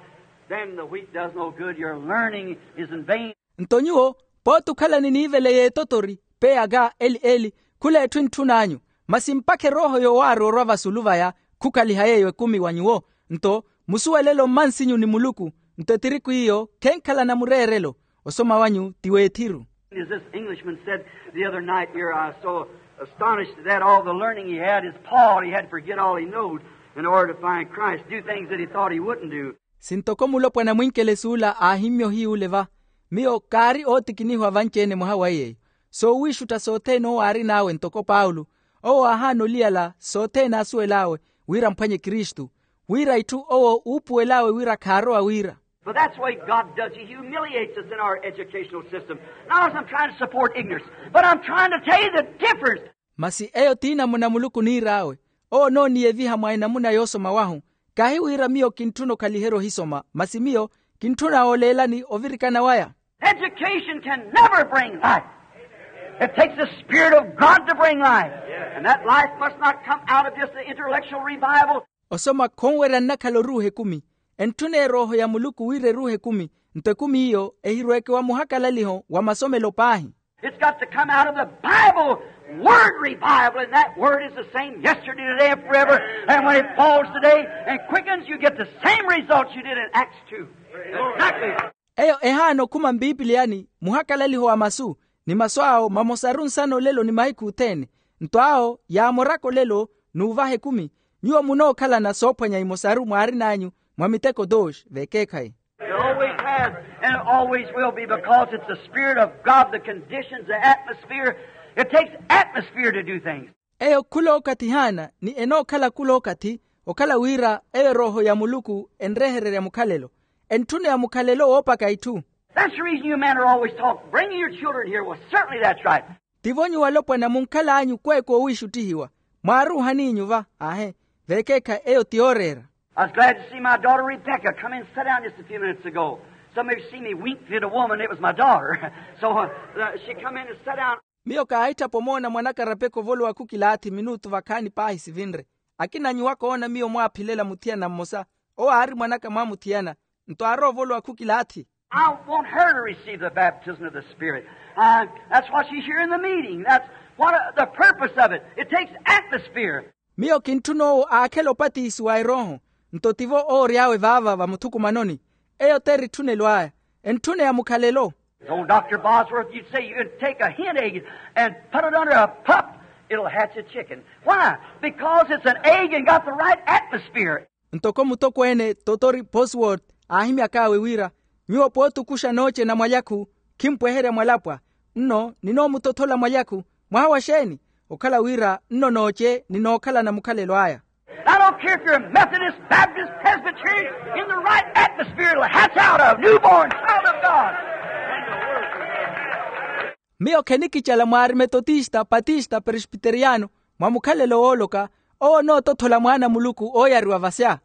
then the wheat does no good. Your learning is in vain. Nto nyuwo pooti okhalani niivele y'etotori, peyaka eli eli, khula etthu entthun'anyu. Masi mpakha erooho yoowaari orwa vasulu vaya, khukhaliha yeeyo ekumi wa nyuwo. Nto musuwelelo mmansinyu ni muluku. Nto etiriku iyo khenkhalana mureerelo. Osoma wanyu ti weethiru. As this Englishman said the other night here, I was so astonished at that, all the learning he had, his Paul, he had to forget all he knowed in order to find Christ, do things that he thought he wouldn't do. Sintoko mulopwana mwinkelesi ula aahimmya ohiy'ule va, miyo kaari ootikinihiwa vanci-ene mwaha wa iy'eyo. Soowiixutta sothene owo aarin'awe ntoko paulo, owo aahaana oliyala sothene aasuwel'awe, wira amphwanye kristu, wira itthu owo uupuwel'awe wira khaarowa wira. But that's the way God does. He humiliates us in our educational system. Not as I'm trying to support ignorance, but I'm trying to tell you the difference. Masi eyo t'inamuna muluku oniir'awe. Owo onooniyeviha mwa enamuna yoosoma wahu. Kaahi wira miyo kintthuna okhaliherya ohisoma, masi miyo kintthuna ooleelani ovirikana waya. Education can never bring life. It takes the Spirit of God to bring life. And that life must not come out of just the intellectual revival. Osoma khonwerya nnakhala oruuha ekumi. Entthuna erooho ya muluku wira eruuha ekumi. Nto ekumi iyo ehirweeke wa muhakalaliho wa masomelo paahi. It's got to come out of the Bible word revival, and that word is the same yesterday, today, and forever. And when it falls today and quickens, you get the same results you did in Acts two. Exactly. Eyo ehaana okhuma mpipiliyani muhakalaliho wa masu, ni masu awo mamosaru nsana olelo ni mahiku othene. Nto awo yaamoraka olelo n'uvaha ekumi. Nyuwo munookhalana soophwanya imosaru mwaarin'anyu mwa miteko tooxi veekeekhayi. It always has, and it always will be, because it's the Spirit of God that conditions the atmosphere. It takes atmosphere to do things. Eyo khulookathi haana ni enookhala khulookathi, okhala wira eyo erooho ya muluku enrehererya mukhalelo. Entthuna ya mukhalelo woopaka itthu. That's the reason you men are always talking, bringing your children here. Well, certainly that's right. Tivo nyuwo alopwana munkhal'anyu kweeka owiixuttihiwa. Mwaaruuhaniinyu va? Aahe. Veekeekha eyo ti yooreera. I was glad to see my daughter Rebecca come in and sit down just a few minutes ago. Some of you see me wink to the woman, it was my daughter. So uh, she come in and sat down. Miyo kaahitthapa omoona mwanaka rapeka ovolowa khukilaathi minutu vakhaani paahi sivinre. Akina nyuwo akoona miyo mwaaphilela muthiyana mmosa. Owo aari mwanaka mwaamuthiyana. Nto aarowa ovolowa khukilaathi. I want her to receive the baptism of the Spirit. Uh, that's why she's here in the meeting. That's what uh, the purpose of it. It takes atmosphere. Miyo kintthuna owo aakhela opatisiwa erooho. Nto tivo oory'awe vaava vamuthukumanoni. Eyo t'eritthunelo aya. Entthuna ya mukhalelo. As old Doctor Bosworth, you'd say you can take a hen egg and put it under a pup, it'll hatch a chicken. Why? Because it's an egg and got the right atmosphere. Ntoko mutokweene totori Bosworth aahimyak'awe wira, nyuwo pootukuxa nooce na mwalyaku, khimpweherya mwalapwa. Nno ninoomutothola mwalyaku. Mwaha wa xeeni? Okhala wira nno nooce ninookhalana mukhalelo aya. I don't care if you're a Methodist, Baptist, Presbyterian, in the right atmosphere it'll hatch out of, newborn child of God. Miyo khenikicala mwaari metotista, patista, presbiteriyano, mwa mukhalelo wooloka. Owo onootothola mwaana a muluku ooyariwa vasya.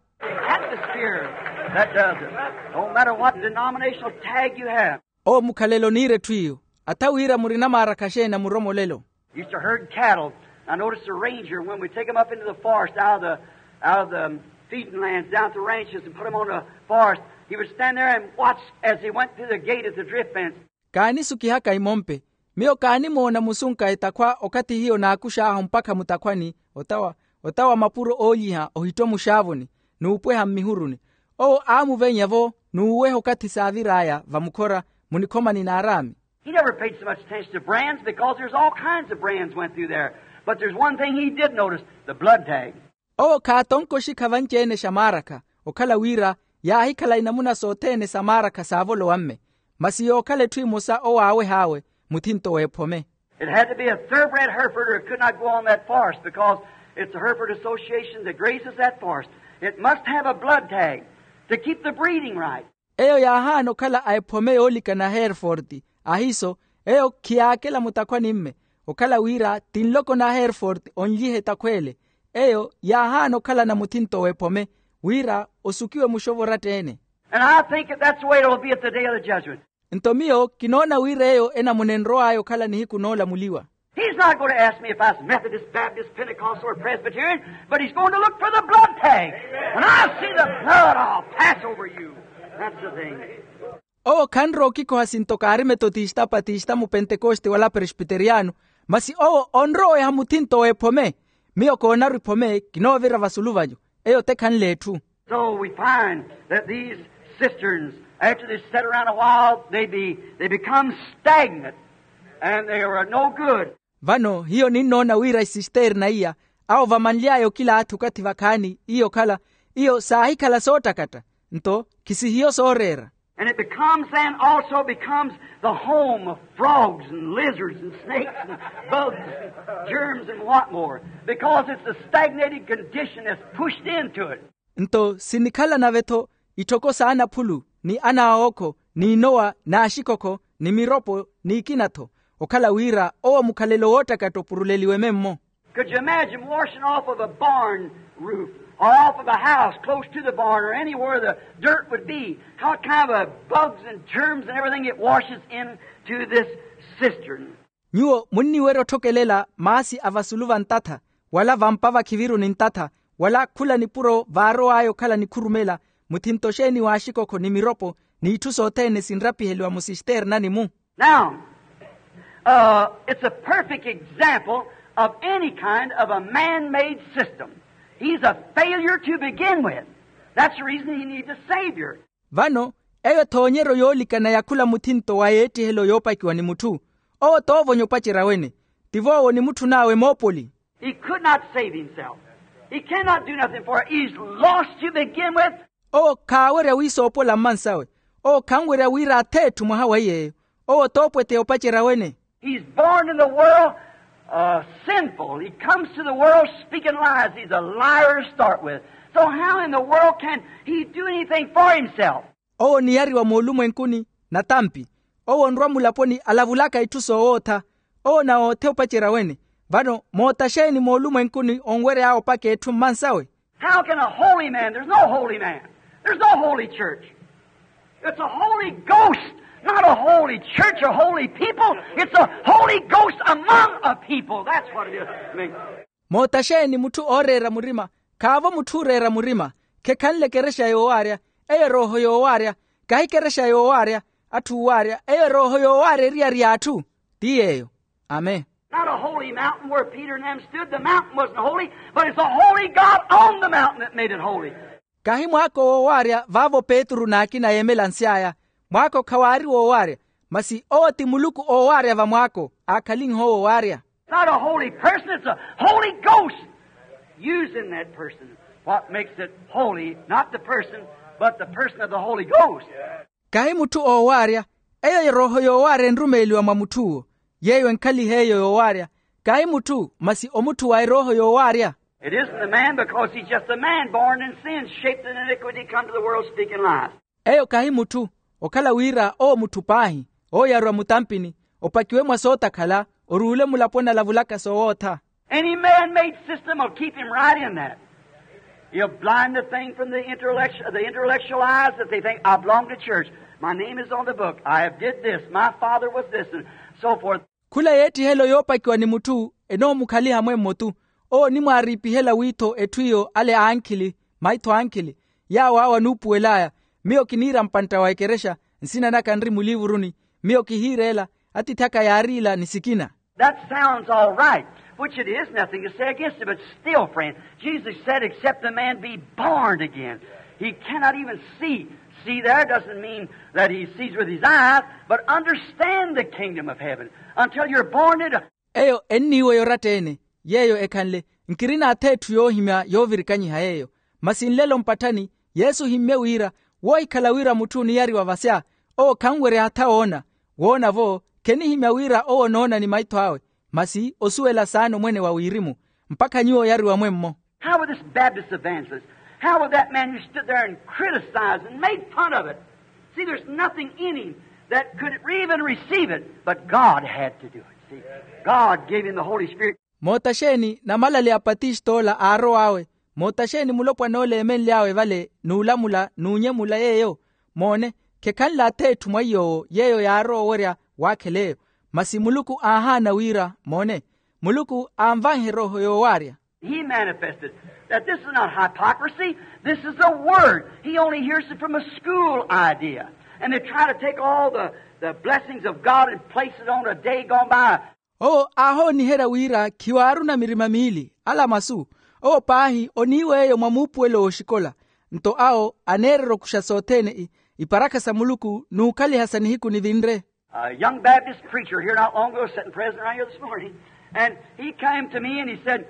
Atmosphere that does it. No matter what denominational tag you have. Owo mukhalelo oniira etthu iyo. Atha wira murina maarakha xeeni a muromolelo. Used to herd cattle. I noticed a ranger, when we take him up into the forest, out of the, out of the feeding lands down at the ranches and put him on the forest, he would stand there and watch as he went through the gate at the drift fence. Kaanisukihaka imompe. Miyo kaanimoona musunka etakhwa okathi hiyo naakux'ahu mpakha mutakhwani, otawa otawa mapuro oolyiha ohittwa muxaavuni n'upweha mmihuruni. Owo aamuvenya-vo n'uweha okathi saavir'aya vamukhora munikhomani n'araami. He never paid so much attention to brands because there's all kinds of brands went through there. But there's one thing he did notice, the blood tag. Owo khaatonka oxikha vanci-ene xamaarakha, okhala wira yaahikhala inamuna sothene samaarakha saavolowa mme. Masi yookhala etthu emosa owo aaweh'awe muthinto w'ephome. It had to be a thoroughbred Hereford or it could not go on that forest because it's the Hereford Association that grazes that forest. It must have a blood tag to keep the breeding right. Eyo yaahaana okhala a ephome yoolikana hereford. Ahiiso eyo khiyaakela mutakhwani mme okhala wira ti nloko na hereford onlyiha etakhw'ele. Eyo yaahaana okhalana muthinto w'ephome wira osukiwe muxovo oratta-ene. And I think that that's the way it'll be at the day of the judgment. Nto miyo kinoona wira eyo enamuna enrow'aya okhala nihiku noolamuliwa. He's not going to ask me if I was Methodist, Baptist, Pentecostal, or Presbyterian, but he's going to look for the blood tag. When I see the blood, I'll pass over you. That's the thing. Owo khanrowa okikoha sinto kaari metotista, patista, mupentekoste wala presbiteriyano. Masi owo onroweha muthinto w'ephome. Miyo koonaru iphome kinoovira vasulu vanyu. Eyo te khanle etthu. So we find that these cisterns, after they set around a while, they be, they become stagnant, and they are no good. Vano hiyo ninnoona wira isisterna iya awo vamanly'aya okilaathi okathi vakhaani iyo okhala iyo saahikhala soottakatta. Nto khisihiyo sooreera. And it becomes then also becomes the home of frogs and lizards and snakes and bugs and germs and what more, because it's a stagnated condition that's pushed into it. Nto sinikhala nave-tho itthoko s'anaphulu ni anaawookho n'inowa n'axikhokho ni miropo n'ikina-tho. Okhala wira owo mukhalelo woottakatta opuruleliwe memmo. Could you imagine washing off of a barn roof? Or off of a house close to the barn or anywhere the dirt would be, what kind of a bugs and germs and everything it washes into this cistern. Nyuwo munniwerya otthokelela maasi a vasulu va ntatha, wala vampa vakhiviruni ntatha, wala khula nipuro vaarow'aya okhala nikhurumela, muthinto xeeni w'axikokho ni miropo, n'itthu sothene sinrapiheliwa musisternani-mu. Now, it's a perfect example of any kind of a man-made system. He's a failure to begin with. That's the reason he needs a savior. Vano, eyo ethoonyeryo yoolikana ya khula muthinto wa yeettihelo yoopakiwa ni mutthu. Owo toovonya opacerya wene. Tivo owo onimutthunawe moopoli. He could not save himself. He cannot do nothing for it. He's lost to begin with. Owo khaawerya wiisoopola mmansawe. Owo khanwerya wira atheetthu mwaha wa iy'eyo. Owo toopweteya opacerya wene. He's born in the world sinful. He comes to the world speaking lies. He's a liar to start with. So how in the world can he do anything for himself? Owo oniyariwa moolumwenkuni natampi. Owo onrwa mulaponi alavulaka itthu soowootha. Owo nawoothe opacerya wene. Vano moota xeeni moolumwenkuni onwery'awe opaka etthu mmansawe? How can a holy man? There's no holy man. There's no holy church. It's a holy ghost, not a holy church or holy people. It's a holy ghost among a people. That's what it is. Moota xeeni mutthu ooreera murima? Khaavo mutthu ooreera murima. Khekhanle ekerexa yoowaarya. Eyo erooho yoowaarya. Kahi ekerexa yoowaarya atthu oowaarya. Eyo erooho yoowaarya eriyari y'atthu. Ti yeeyo. Amen. Not a holy mountain where Peter and them stood. The mountain wasn't holy, but it's a holy God on the mountain that made it holy. Kahi mwaako woowaarya vaavo petru n'akina yeemelansy'aya. Mwaako khawaari woowaarya, masi owo ti muluku oowaarya va mwaako aakhalin'ho woowaarya. Not a holy person, it's a holy ghost using that person. What makes it holy, not the person, but the person of the Holy Ghost. Kahi mutthu oowaarya. Eyo erooho yoowaarya enrumeeliwa mwa mutth'uwo. Yeeyo enkhaliha eyo yoowaarya. Kahi mutthu, masi omutthu wa erooho yoowaarya. It isn't a man, because he's just a man born in sin, shaped in iniquity, come to the world speaking lies. Eyo kahi mutthu, okhala wira owo mutthu paahi, ooyarwa mutampini, opakiwe mwa sootakhala, oruule mulaponi alavulaka soowootha. Any man-made system will keep him right in that. He'll blind the thing from the intellectual, the intellectual eyes that they think, "I belong to church. My name is on the book. I have did this. My father was this," and so forth. Khula yeettihelo yoopakiwa ni mutthu enoomukhaliha mwemmo-tu. Owo onimwaariipihela wiitho etthu iyo ale ankhili, maitho ankhili, yaawo awo anuupuwel'aya. Miyo kiniira mpantta wa ekerexa, nsina naka nri muliivuruni. Miyo kihiira ela, atiithi aka yaari ila ni sikina. That sounds all right, which it is nothing to say against it, but still, friend, Jesus said, "Except a man be born again, he cannot even see." See there doesn't mean that he sees with his eyes, but understand the kingdom of heaven until you're born into. Eyo enniiweya oratta-ene, yeeyo ekhanle, nkirina atheetthu yoohimya yoovirikanyiha yeeyo. Masi nlelo mpatthani, yesu ohimmye wira, woohikhala wira mutthu oniyariwa vasya, owo khanwerya hatha woona. Woona-vo, khenihimya wira owo onoona ni maitho awe, masi osuwela saana omwene wa wirimu, mpakha nyuwo oyariwa mwemmo. How will this Baptist evangelist, how will that man who stood there and criticized and made fun of it? See, there's nothing in him that could even receive it, but God had to do it. See, God gave him the Holy Spirit. Moota xeeni namalale a patist'ola aarow'awe? Moota xeeni mulopwan'ola eemenly'awe vale n'ulamula n'unyemula yeeyo? Moone, khekhanle atheetthu mwa iy'owo yeeyo yaarowa owerya waakhela eyo. Masi muluku aahaana wira, moone, muluku aanvanhe erooho yoowaarya. He manifested that this is not hypocrisy, this is the word. He only hears it from a school idea. And they try to take all the, the blessings of God and place it on a day gone by. Owo aahooniherya wira khiwaaruna mirima miili, ala masu. Owo paahi oniiw'eyo mwa muupuwelo w'oxikola. Nto awo aneererya okuxa sothene i, iparakha sa muluku n'ukhaliha sa nihiku nivinre. A young Baptist preacher here not long ago sitting present right here this morning, and he came to me and he said,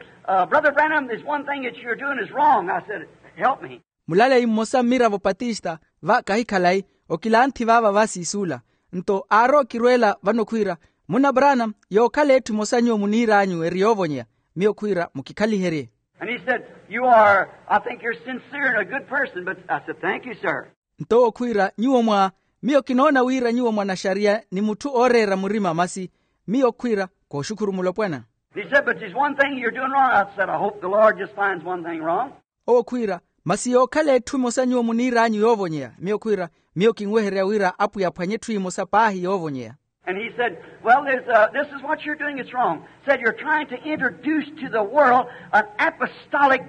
"Brother Branham, there's one thing that you're doing is wrong." I said, "Help me." Mulaleyi mmosa mmiravo patista va kahi khalayi, okilanthi vaava vasiisuula. Nto aarowa okirweela vano khwiira, munna branham, yookhala etthu emosa nyuwo muniir'anyu eri yoovonyeya. Miyo khwiira mukikhaliherye. And he said, "You are, I think you're sincere and a good person, but," I said, "Thank you, sir." Nto owo khwiira, nyuwo mwa, miyo kinoona wira nyuwo mwanaxariya ni mutthu ooreera murima masi. Miyo khwiira, kooxukhuru mulopwana. He said, "But there's one thing you're doing wrong." I said, "I hope the Lord just finds one thing wrong." Owo khwiira, masi yookhala etthu emosa nyuwo muniir'anyu yoovonyeya. Miyo khwiira, miyo kinwehererya wira apwiya aphwanye etthu emosa paahi yoovonyeya. And he said, well, there's, uh, this is what you're doing, it's wrong. Said you're trying to introduce to the world an apostolic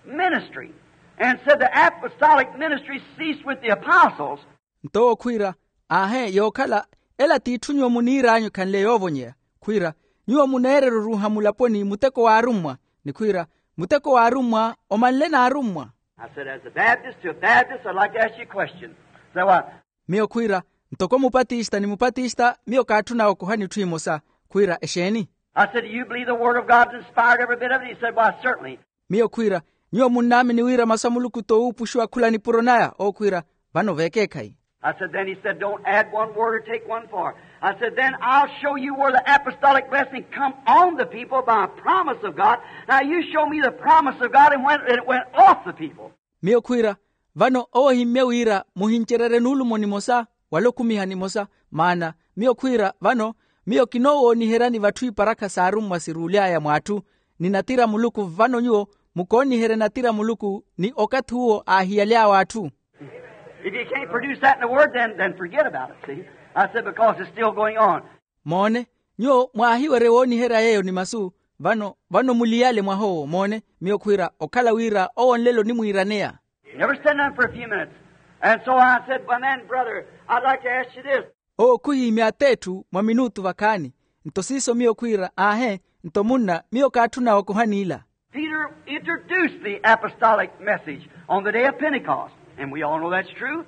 ministry. And said the apostolic ministry ceased with the apostles. Nto owo khwiira, aahe yookhala, ela t'itthu nyuwo muniir'anyu ekhanle yoovonyeya. Khwiira, nyuwo muneererya oruuha mulaponi muteko w'arummwa, ni khwiira, muteko w'arummwa omanle n'arummwa. I said, as a Baptist to a Baptist, I'd like to ask you a question. Said what? Miyo khwiira, ntoko mupatista ni mupatista, miyo kaatthuna okohani etthu emosa. Khwiira, exeeni? I said, do you believe the word of God's inspired, every bit of it? He said, why, certainly. Miyo khwiira, nyuwo munnaamini wira masu a muluku t'owuupuxiwa khula nipuro naya? Owo khwiira, vano veekeekhayi. I said, then he said, don't add one word or take one part. I said, then I'll show you where the apostolic blessing come on the people by a promise of God. Now you show me the promise of God and when it went off the people. Miyo khwiira, vano owo ohimmye wira muhincererye nuulumo nimosa wala okhumiha nimosa. Maana miyo khwiira, vano miyo kinoowooniheryani vatthu iparakha s'arummwa siruuly'aya mw'atthu, ni natira muluku. Vano nyuwo mukooniherya natira muluku ni okathi uwo aahiyaly'awe atthu. If you can't produce that in the word, then, then forget about it, see? I said, because it's still going on. Moone, nyuwo mwaahiwerye wooniherya yeeyo ni masu. Vano vano muliyale mwaha owo. Moone, miyo khwiira okhala wira owo nlelo onimwiiraneya. Never said nothing for a few minutes. And so I said, well, then, brother, I'd like to ask you this. Owo khuhiimya at'etthu mwa minutu vakhaani. Nto siiso miyo khwiira, aahe, nto munna, miyo kaatthuna okohani ila. Peter introduced the apostolic message on the day of Pentecost, and we all know that's true,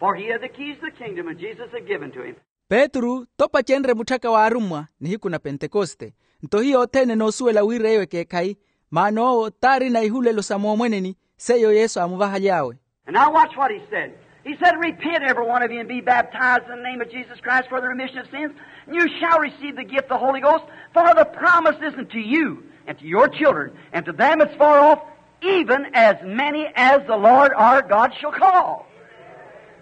for he had the keys of the kingdom, and Jesus had given to him. Petru t'opacenrye mutthaka w'arummwa nihiku na pentekoste. Nto hiyo othene enoosuwela wira eyo ekeekhayi, maana owo t'arina ihulelo sa moomweneni seiyo yesu aamuvahaly'awe. And now watch what he said. He said, repent, every one of you, and be baptized in the name of Jesus Christ for the remission of sins, and you shall receive the gift of the Holy Ghost, for the promise is unto you and to your children and to them that's far off, even as many as the Lord our God shall call.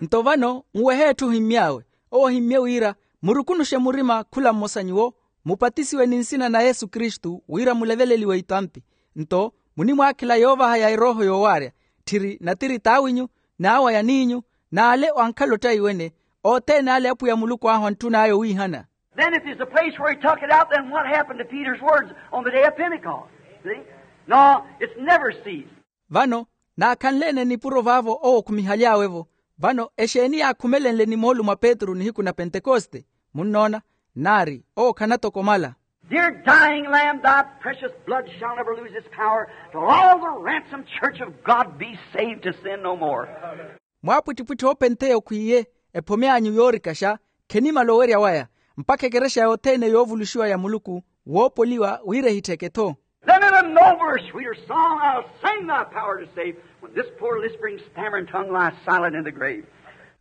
Nto vano nwehe etthu ohimmy'awe. Owo ohimmye wira, murukunuxe murima khula mmosa nyuwo, mupatisiwe ni nsina na yesu kristu wira muleveleliwe itampi. Nto munimwaakhela yoovaha ya erooho yoowaarya, tthiri natiri t'awinyu, n'awa ya niinyu, n'ale ankhala ottaiwene, othene ale apwiya muluku ahu antthun'aya owiihana. Then if there's a place where he took it out, then what happened to Peter's words on the day of Pentecost? See? No, it's never ceased. Vano naakhanle-ene nipuro vaavo owo okhumihaly'awe-vo. Vano exeeni yaakhumelenle ni moolumo a petru nihiku na pentekoste? Munnoona, nnaari owo khanatokomala. Dear dying Lamb, thy precious blood shall never lose its power till all the ransomed church of God be saved to sin no more. Mwaapwittipwitthi oopentheya okhwiiye, ephome anyu yoorikaxa khenimala owerya waya, mpakha ekerexa yothene yoovuluxiwa ya muluku woopoliwa wira ehittheke-tho. Then in a nobler, sweeter song I'll sing thy power to save, when this poor lisping, stammering tongue lies silent in the grave.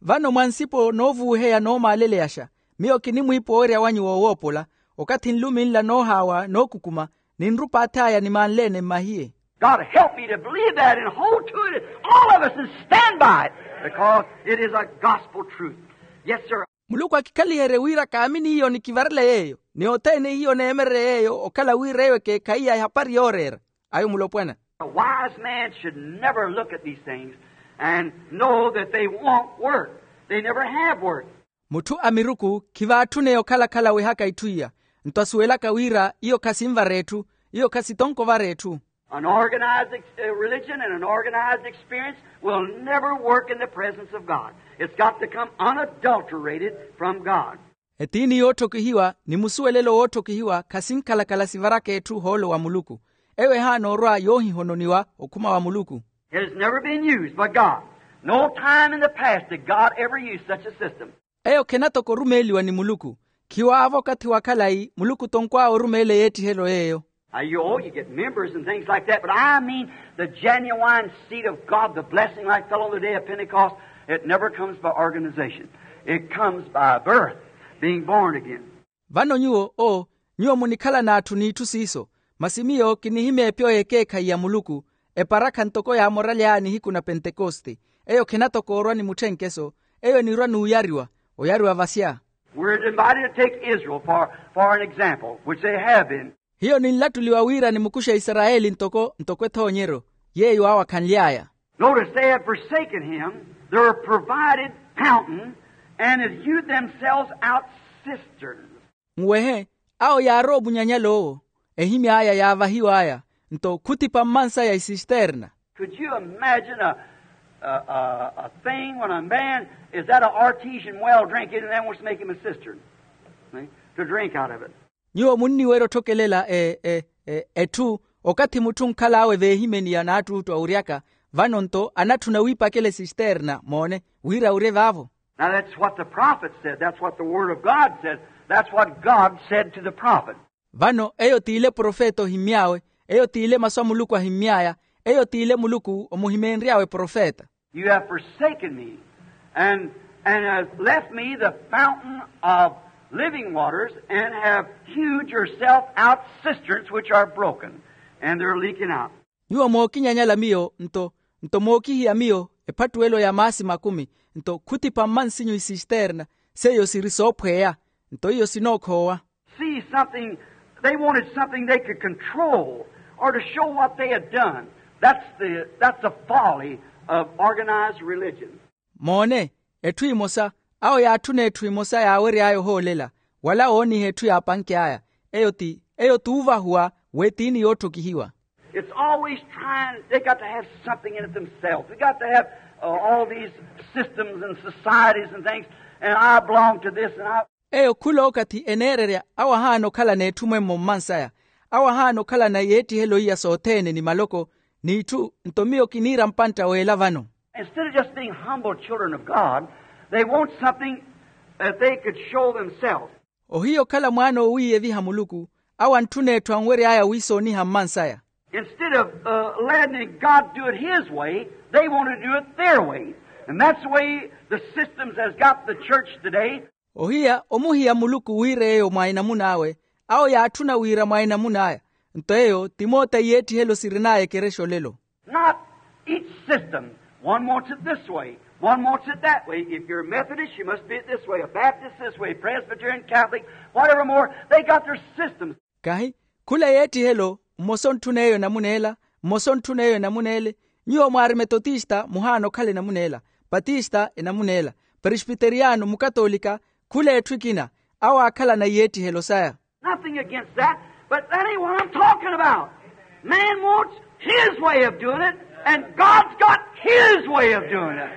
Vano mwa nsipo noovuuheya noomaaleleyaxa, miyo kinimwiipa owerya wanyu woowoopola, okathi nlumi nla noohaawa nookukuma, ninrupaath'aya nimanle-ene mmahiye. God, help me to believe that and hold to it, all of us, and stand by it, because it is a gospel truth. Yes, sir. Muluku akikhaliherye wira kaamini hiyo ni kivarele yeeyo, ni othene hiyo neemererye yeeyo okhala wira eyo ekeekhayi ya ehapari yooreera. Ayo mulopwana. A wise man should never look at these things and know that they won't work. They never have worked. Mutthu a miruku khivaatthuneya okhala-khala wehaka itthu iya. Nto asuwelaka wira iyo khasinvara etthu, iyo khasitonko ovara etthu. An organized ex- uh, religion and an organized experience will never work in the presence of God. It's got to come unadulterated from God. Etiini yootthokihiwa ni musuwelelo wootthokihiwa khasinkhala-khala sivaraka etthu ohoolo wa muluku. Eyo ehaana orwa yoohihononiwa okhuma wa muluku. It has never been used by God. No time in the past did God ever use such a system. Eyo khenatoko orumeeliwa ni muluku. Khiwaavo okathi wa khalayi muluku tonkw'awe orumeela eyeettihelo yeeyo. Now, you, oh, you get members and things like that, but I mean the genuine seed of God, the blessing like fell on the day of Pentecost. It never comes by organization. It comes by birth, being born again. Vano nyuwo o, nyuwo munikhala n'atthu n'itthu siiso. Masi miyo kinihimeepya oyo ekeekhayi ya muluku, eparakha ntoko yaamoraly'aya nihiku na pentekoste. Eyo khenatokoorwa ni mutthenkeso. Eyo enirwa n'uyariwa, oyariwa vasya. We're invited to take Israel for, for an example, which they have been. Hiyo ninlattuliwa wira nimukuxe isarayeli ntoko ntoko ethoonyeryo. Yeeyo aawakhanly'aya. Notice, they have forsaken him, their provided fountain, and have hewed themselves out cisterns. Nwehe, awo yaarowa omunyanyal'owo, ehimy'aya yaavahiw'aya, nto khutipa mmansaya isisterna. Could you imagine a, a, a, a thing when a man is at an artesian well drinking and then wants to make him a cistern, see, to drink out of it? Nyuwo munniwerya otthokelela e, e, e, etthu, okathi mutthu onkhal'awe veehimeni ya naattuuttu awuryaka, vano nto anatthuna wiipakela esisterna moone, wira awurye vaavo. Now that's what the prophet said, that's what the word of God said, that's what God said to the prophet. Vano eyo t'ile profeta ohimmy'awe, eyo t'ile masu a muluku ahimmy'aya, eyo t'ile muluku omuhimeenry'awe profeta. You have forsaken me, and, and have left me the fountain of living waters, and have hewed yourself out cisterns which are broken, and they're leaking out. Nyuwo mookinyanyala miyo nto, nto mookihiya miyo ephattuwelo ya maasi makumi, nto khutipa mmansinyu isisterna, seiyo siri soophweya, nto iyo sinookhoowa. See something, they wanted something they could control or to show what they had done. That's the, that's the folly of organized religion. Moone, etthu emosa, awo yaatthuna etthu emosa yaawery'aya ohoolela, wala wooniha etthu yaapanky'aya. Eyo ti, eyo t'uvahuwa w'etiini yootthokihiwa. It's always trying, they got to have something in it themselves. They got to have, uh, all these systems and societies and things, and I belong to this and I. Eyo khula okathi eneererya awo ahaana okhalana etthu mwemmo mmansaya, awo ahaana okhalana yeettihelo iya sothene ni maloko, n'itthu nto miyo kiniira mpantta w'ela vano. Instead of just being humble children of God, they want something that they could show themselves. Ohiya okhala mwaana owiiyeviha muluku, awo antthuna etthu anwery'aya wiisooniha mmansaya. Instead of, uh, letting God do it his way, they want to do it their way. And that's the way the systems has got the church today. Ohiya omuhiya muluku wira eyo mwa enamun'awe, awo yaatthuna wira mwa enamun'aya. Nto eyo ti moota iyeettihelo sirin'aya ekerexa olelo. Not each system. One wants it this way, one wants it that way. If you're a Methodist, you must be it this way, a Baptist this way, Presbyterian, Catholic, whatever more, they got their systems. Kahi khula yeettihelo, mmosa ontthuna eyo enamuna ela, mmosa ontthuna eyo enamuna ele. Nyuwo mwaari metotista muhaana okhala enamuna ela, patista enamuna ela, presbiteriyano, mukatoolika. Khula etthu ekina, awo aakhalana iyeettihelo saya. Nothing against that, but that ain't what I'm talking about. Man wants his way of doing it, and God's got his way of doing it.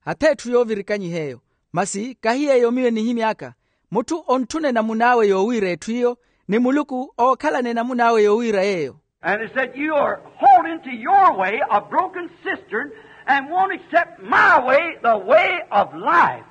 Hatha etthu yoovirikanyiha eyo, masi kahi yeeyo miyo enihimy'aka. Mutthu ontthuna enamun'awe yoowiira etthu iyo, ni muluku ookhalana enamun'awe yoowiira yeeyo. And he said, you are holding to your way a broken cistern and won't accept my way, the way of life.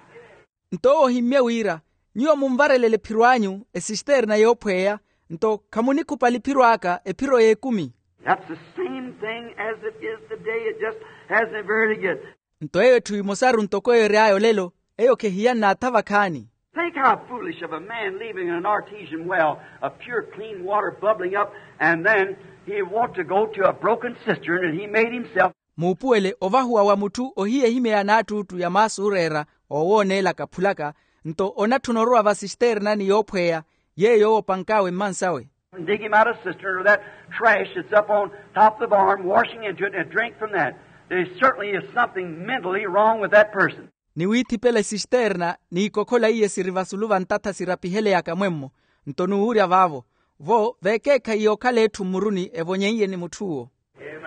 Nto owo ohimmye wira, nyuwo munvarelele ephiro anyu esisterna yoophweya, nto khamunikhupali ephiro aka ephiro y'ekumi. That's the same thing as it is today. It just hasn't varied yet. Nto eyo etthu emosaru ntoko eyo ery'aya olelo, eyo khehiyanna atha vakhaani. Think how foolish of a man leaving an artesian well of pure clean water bubbling up, and then he want to go to a broken cistern and he made himself. Muupuwele ovahuwa wa mutthu ohiya ehimya ya naattuuttu ya maasi ooreera oowooneela akaphulaka, nto onatthuna orowa va sisternani yoophweya, yeeyo owo opank'awe mmansawe. And dig him out a cistern or that trash that's up on top of the barn, washing into it and drink from that. There certainly is something mentally wrong with that person. Ni wiithipela esisterna n'ikhokhola iye siri vasulu va ntatha sirapiheleyaka mwemmo. Nto nuuwurya vaavo, vo veekeekhayi yookhala etthu mmuruni evonyeiye ni mutth'uwo.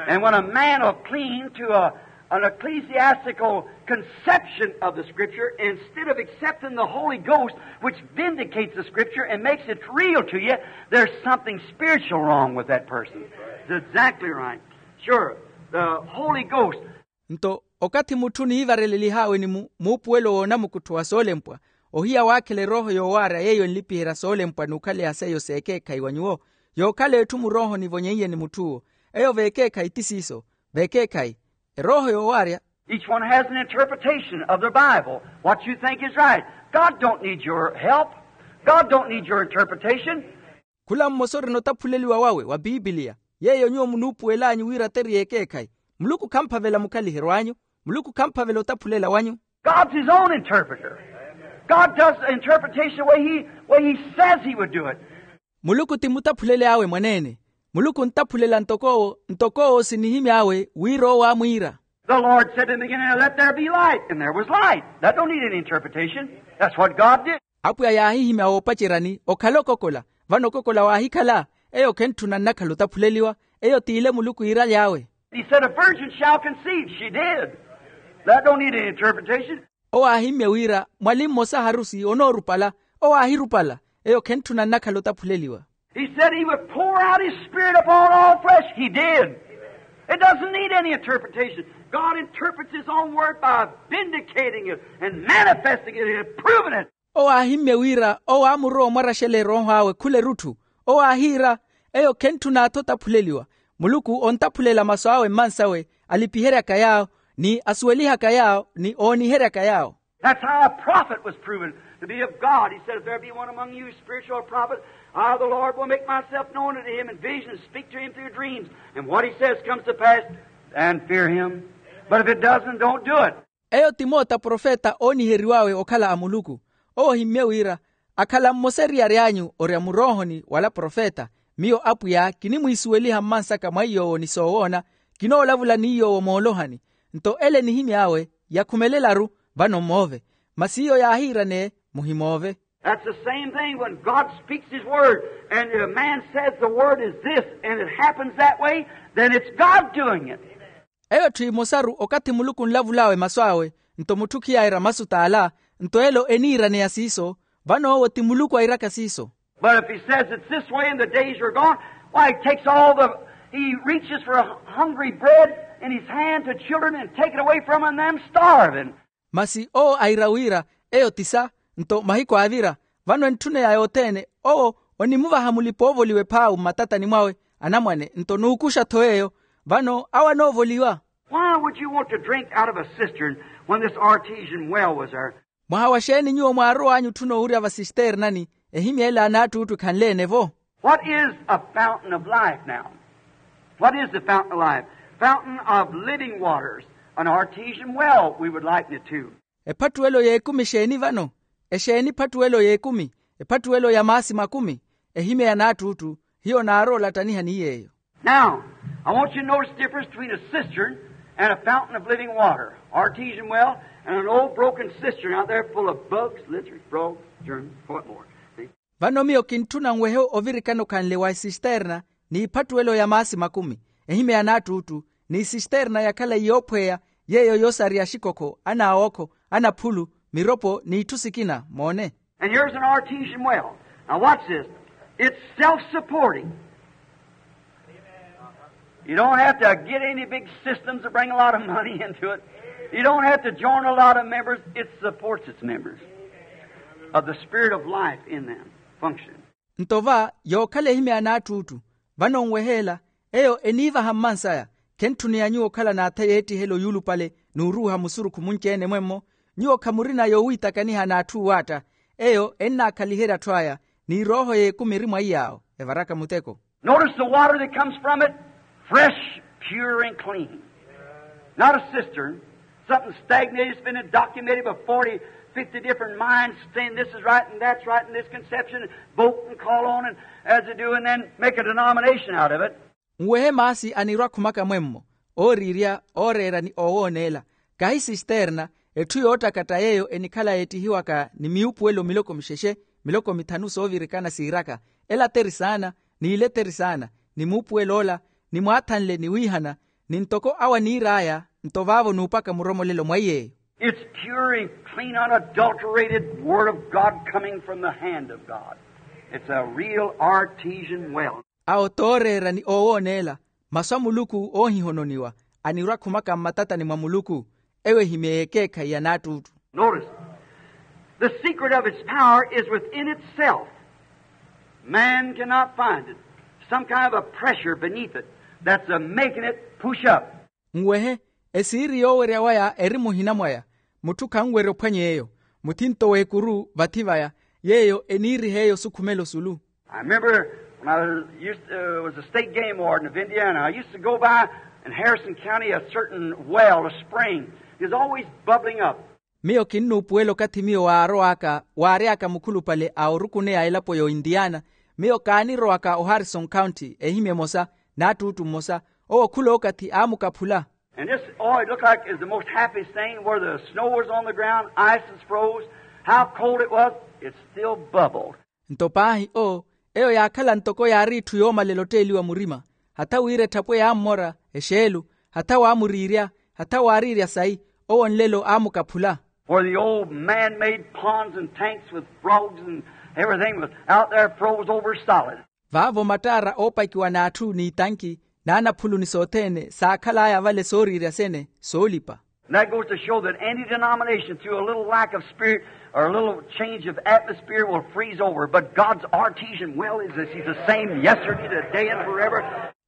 And when a man will cling to a, an ecclesiastical conception of the scripture instead of accepting the Holy Ghost, which vindicates the scripture and makes it real to you, there's something spiritual wrong with that person. That's exactly right. Sure, the Holy Ghost. Nto okathi mutthu niivarelelih'awe ni muupuwelo w'onamukuttho wa soolempwa, ohiya waakhela erooho yoowaarya yeiyo enlipiherya soolempwa n'ukhaleya seiyo s'ekeekhayi wa nyuwo. Yookhala etthu murooho nivonyeiye ni mutth'uwo, eyo v'ekeekhayi ti siiso. V'ekeekhayi erooho yoowaarya. Each one has an interpretation of the bible, what you think is right. God don't need your help. God don't need your interpretation. Khula mmosa orina otaphuleliwa wawe wa piipiliya, yeiyo nyuwo munuupuwel'anyu wira teriye ekeekhayi. Muluku khamphavela mukhaliheryo anyu. Muluku khamphavela otaphulela wanyu. God's his own interpreter. God does the interpretation the way he, way he says he would do it. Muluku ti mutaphuleli awe mwaneene. Muluku ontaphulela ntok'owo ntok'owo sinihimy'awe wira owo aamwiira. The Lord said in the beginning, "Let there be light," and there was light. That don't need any interpretation. That's what God did. Apwiya yaahihimya woopaceryani okhala okokola. Vano okokola waahikhala. Eyo khentthuna nnakhala otaphuleliwa. Eyo t'ile muluku iiraly'awe. He said, "A virgin shall conceive." She did. That don't need any interpretation. Owo aahimmye wira mwali mmosa harusi onoorupala. Owo aahirupala. Eyo khentthuna nnakhala otaphuleliwa. He said he would pour out his spirit upon all flesh. He did. It doesn't need any interpretation. God interprets his own word by vindicating it and manifesting it and proving it. Owo aahimmye wira owo aamurowa omwaraxela erooho awe khula erutthu. Owo aahiira, eyo khentthun'atho otaphuleliwa. Muluku ontaphulela masu awe mmansawe, alipiheryaka yaawo ni asuwelihaka yaawo ni ooniheryaka yaawo. That's how a prophet was proven to be of God. He said, "If there be one among you spiritual prophet, I, the Lord, will make myself known unto him in visions and speak to him through dreams. And what he says comes to pass, and fear him. But if it doesn't, don't do it." Eyo ti moota profeta ooniheriw'awe okhala a muluku. Owo ohimmye wira, akhala mmosa eriyari anyu orya muroohoni wala profeta. Miyo apwiya kinimwiisuweliha mmansaka mwa iy'owo ni soowoona. Kinoolavula ni iy'owo moolohani. Nto ele enihimy'awe yakhumelela-ru. Vano mmoove. Masi iyo yaahiirane muhimoove. That's the same thing when God speaks his word and a man says the word is this and it happens that way, then it's God doing it. Eyo etthu emosaru okathi muluku onlavul'awe masu awe. Nto mutthu khiyaayira masu t'ala. Nto elo eniiraneya siiso. Vano owo ti muluku airaka siiso. But if he says it's this way and the days are gone, why, he takes all the, he reaches for a hungry bread in his hand to children and take it away from them, them starving. Masi owo aira wira eyo tisa. Nto mahiku aavira vano entthuneya yothene owo onimuvaha mulipa oovoliwa ephaawu mmatatani mwawe anamwane nto nuukuxa-tho yeeyo. Vano awo anoovoliwa. Why would you want to drink out of a cistern when this artesian well was there? Mwaha wa xeeni nyuwo mwaarow'anyu otthuna owurya vasisternani? Ehimya ela a naattuuttu ekhanle-ene-vo. What is a fountain of life now? What is the fountain of life? Fountain of living waters. An artesian well we would liken it to. Ephattuwelo y'ekumi exeeni vano? Exeeni ephattuwelo y'ekumi? Ephattuwelo ya maasi makumi. Ehimya ya naattuuttu hiyo naaroola ottaniha ni yeeyo. Now, I want you to notice the difference between a cistern and a fountain of living water, artesian well, and an old broken cistern out there full of bugs, lizards, frogs, germs, what more. See? Vano miyo kintthuna nwehe ovirikana okhanle wa esisterna n'iphattuwelo ya maasi makumi. Ehimya ya naattuuttu n'isisterna yakhala yoophweya yeeyo yoosariya axikokho anaawookho anaphulu miropo n'itthu sikina moone. And here's an artesian well. Now watch this. It's self-supporting. You don't have to get any big systems to bring a lot of money into it. You don't have to join a lot of members. It supports its members of the spirit of life in them function. Nto va yookhala ehimya ya naattuuttu. Vano nweheela eyo eniivaha mmansaya. Khentthuneya nyuwo okhala n'atha y'ettihelo yuulupale n'uruuha musurukhu munci-ene mwemmo. Nyuwo khamurina yoowiitakaniha n'atthu oowatta. Eyo ennaakhaliherya atthu aya ni erooho y'ekumi eri mwa iy'awo evaraka muteko. Notice the water that comes from it, fresh, pure, and clean. Not a cistern, something stagnated, it's been documented by forty, fifty different minds saying this is right and that's right and this conception, vote and call on and as they do and then make a denomination out of it. Nwehe maasi anirwa khumaka mwemmo ooriirya ooreera ni oowooneela. Kahi sisterna etthu yoottakatta yeeyo enikhala yeettihiwaka ni miupuwelo miloko mixexe miloko mithanu soovirikana siiraka ela teri saana n'ile teri saana ni muupuwelo ola ni mwaathanle ni wiihana ni ntoko awo aniir'aya. Nto vaavo nuupaka muromolelo mwa iyeeyo. It's pure and clean unadulterated word of God coming from the hand of God. It's a real artesian well. Awo tooreera ni oowooneela masu a muluku oohihononiwa anirwa khumaka mmatatani mwa muluku. Eyo ehimya y'ekeekhayi ya naattuuttu. Notice, the secret of its power is within itself. Man cannot find it. Some kind of a pressure beneath it that's a making it push up. Nwehe esiiri yoowerya waya eri muhina mwaya. Mutthu khanwerya ophwanya eyo muthinto w'ekuru vathi vaya yeeyo eniiriha eyo osukhumela osulu. I remember when I was, used, uh, was a state game warden of Indiana. I used to go by in Harrison County a certain well, a spring. It was always bubbling up. Miyo kinnuupuwela okathi miyo waarow'aka waary'aka mukhulupale a orukuneya elapo y'ointiyaana. Miyo kaanirowaka oharison county ehimya emosa, n'attuuttu mmosa, owo khul'okathi aamukaphula. And this, oh, it looked like it's the most happiest thing, where the snow was on the ground, ice was froze, how cold it was, it still bubbled. Nto paahi o, eyo yaakhala ntoko yaari itthu yoomalela otteeliwa murima. Hatha wira etthapwe yaammora, exeelu, hatha waamuriirya, hatha waariirya sayi, owo nlelo aamukaphula. Where the old man-made ponds and tanks with frogs and everything was out there, froze over solid. Vaavo mattaara oopakiwa n'atthu n'itanki, n'anaphulu ni sothene saakhal'aya vale sooriirya sene soolipa. And that goes to show that any denomination, through a little lack of spirit or a little change of atmosphere, will freeze over. But God's artesian well is this. He's the same yesterday, today, and forever.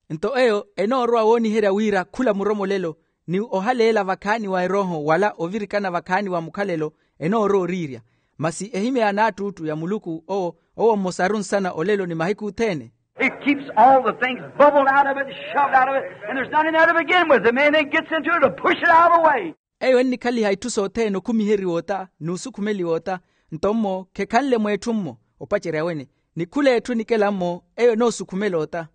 Nto eyo enoorowa wooniherya wira khula muromolelo ni ohaleela vakhaani wa erooho wala ovirikana vakhaani wa mukhalelo enoorowa oriirya. Masi ehimya ya naattuuttu ya muluku owo, owo mmosaru nsana olelo ni mahiku othene. It keeps all the things bubbled out of it, shoved out of it, and there's nothing there to begin with. The main thing gets into it to push it out of the way. Eyo ennikhaliha itthu sothene okhumiheriwa ota n'usukhumeliwa ota. Nto mmo khekhanle mw'etthu mmo opacerya wene, ni khula etthu enikela mmo eyo enoosukhumela ota.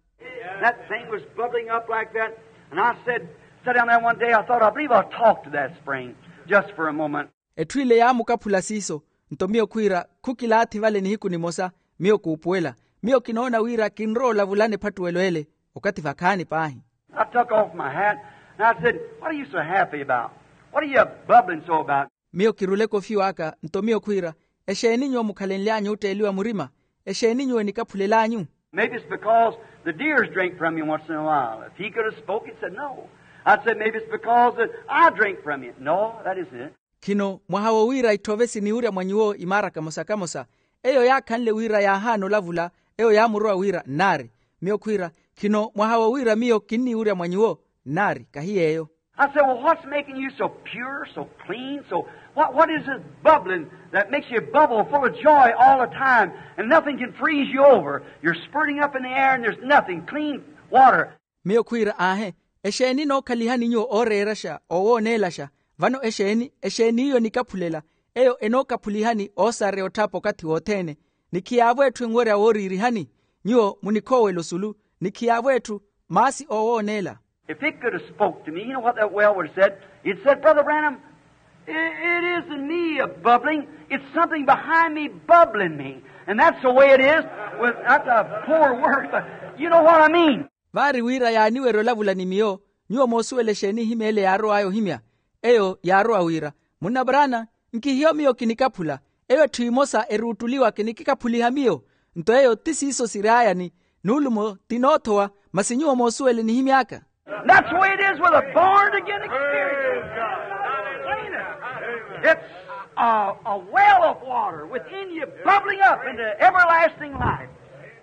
That thing was bubbling up like that, and I said, sat down there one day, I thought, I believe I'll talk to that spring just for a moment. Etthu ile yaamukaphula siiso. Nto miyo khwiira, khukilaathi vale nihiku nimosa, miyo kuupuwela. Miyo kinoona wira kinrowa olavulana ephattuwelo ele okathi vakhaani paahi. I took off my hat, and I said, what are you so happy about? What are you bubbling so about? Miyo kirula ekofiwa aka nto miyo khwiira, exeeni nyuwo mukhalenly'anyu otteeliwa murima? Exeeni nyuwo enikaphulel'anyu? Maybe it's because the deers drink from you once in a while. If he could have spoke, he said, no. I said, maybe it's because that I drink from you. No, that isn't it. Khino mwaha wo wira itthove siniwurya mwa nyuwo imaara kamosa-kamosa. Eyo yaakhanle wira yaahaana olavula. Eyo yaamurowa wira nnaari. Miyo khwiira, khino mwaha wo wira miyo kinniwurya mwa nyuwo? Nnaari kahi yeeyo. I said, well, what's making you so pure, so clean, so, what, what is this bubbling that makes you bubble full of joy all the time and nothing can freeze you over? You're spurting up in the air and there's nothing, clean water. Miyo khwiira aahe, exeeni enookhalihani nyuwo ooreeraxa oowooneelaxa? Vano exeeni exeeni iyo enikaphulela? Eyo enookaphulihani oosareya otthapa okathi wothene, ni khiyaavo etthu enwerya wooriirihani. Nyuwo munikhowela osulu, ni khiyaavo etthu maasi oowooneela. If it could have spoke to me, you know what that well would have said? It said, brother Branham, it, it isn't me a bubbling. It's something behind me bubbling me. And that's the way it is with, that's a poor word, but you know what I mean. Vaari wira yaaniwerya olavula ni miyo, nyuwo moosuwela exeeni ehimya ele yaarow'aya ohimya? Eyo yaarowa wira, munna brana, nkihiyo miyo kinikaphula. Eyo etthu emosa eruuttuliwa kinikikaphuliha miyo. Nto eyo ti siiso siry'aya ni nuulumo ti noothowa. Masi nyuwo moosuwela enihimy'aka. That's the way it is with a born again experience. It's a, a well of water within you bubbling up into everlasting life.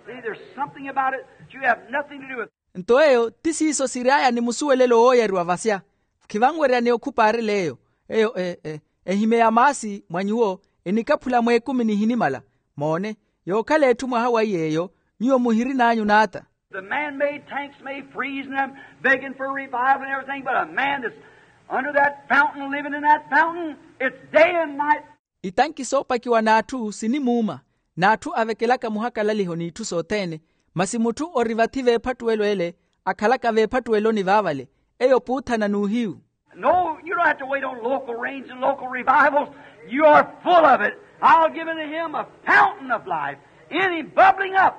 See, there's something about it that you have nothing to do with. Nto eyo ti siiso siry'aya ni musuwelelo wooyariwa vasya. Khivanweryaneya okhupaarela eyo. Eyo ehimya ya maasi mwa nyuwo enikaphula mw'ekumi nihinimala. Moone, yookhala etthu mwaha wa iy'eyo, nyuwo muhirin'anyu n'ata. The man-made tanks may freeze and I'm begging for revival and everything, but a man that's under that fountain, living in that fountain, it's day and night. Itanki soopakiwa n'atthu sinimuuma, n'atthu avekelaka muhakalaliho n'itthu sothene. Masi mutthu ori vathi v'ephattuwelo ele, akhalaka v'ephattuweloni vaavale, eyo puuthana n'uhiyu. No, you don't have to wait on local rains and local revivals. You are full of it. I'll give unto him a fountain of life in him bubbling up.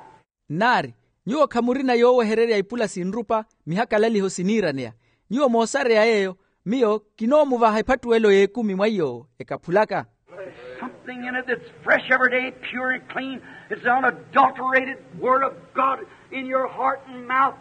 Nnaari, nyuwo khamurina yoowehererya ipula sinrupa, mihakalaliho siniiraneya. Nyuwo moosareya yeeyo, miyo kinoomuvaha ephattuwelo y'ekumi mwa iy'owo ekaphulaka. Something in it that's fresh every day, pure and clean. It's the unadulterated word of God in your heart and mouth,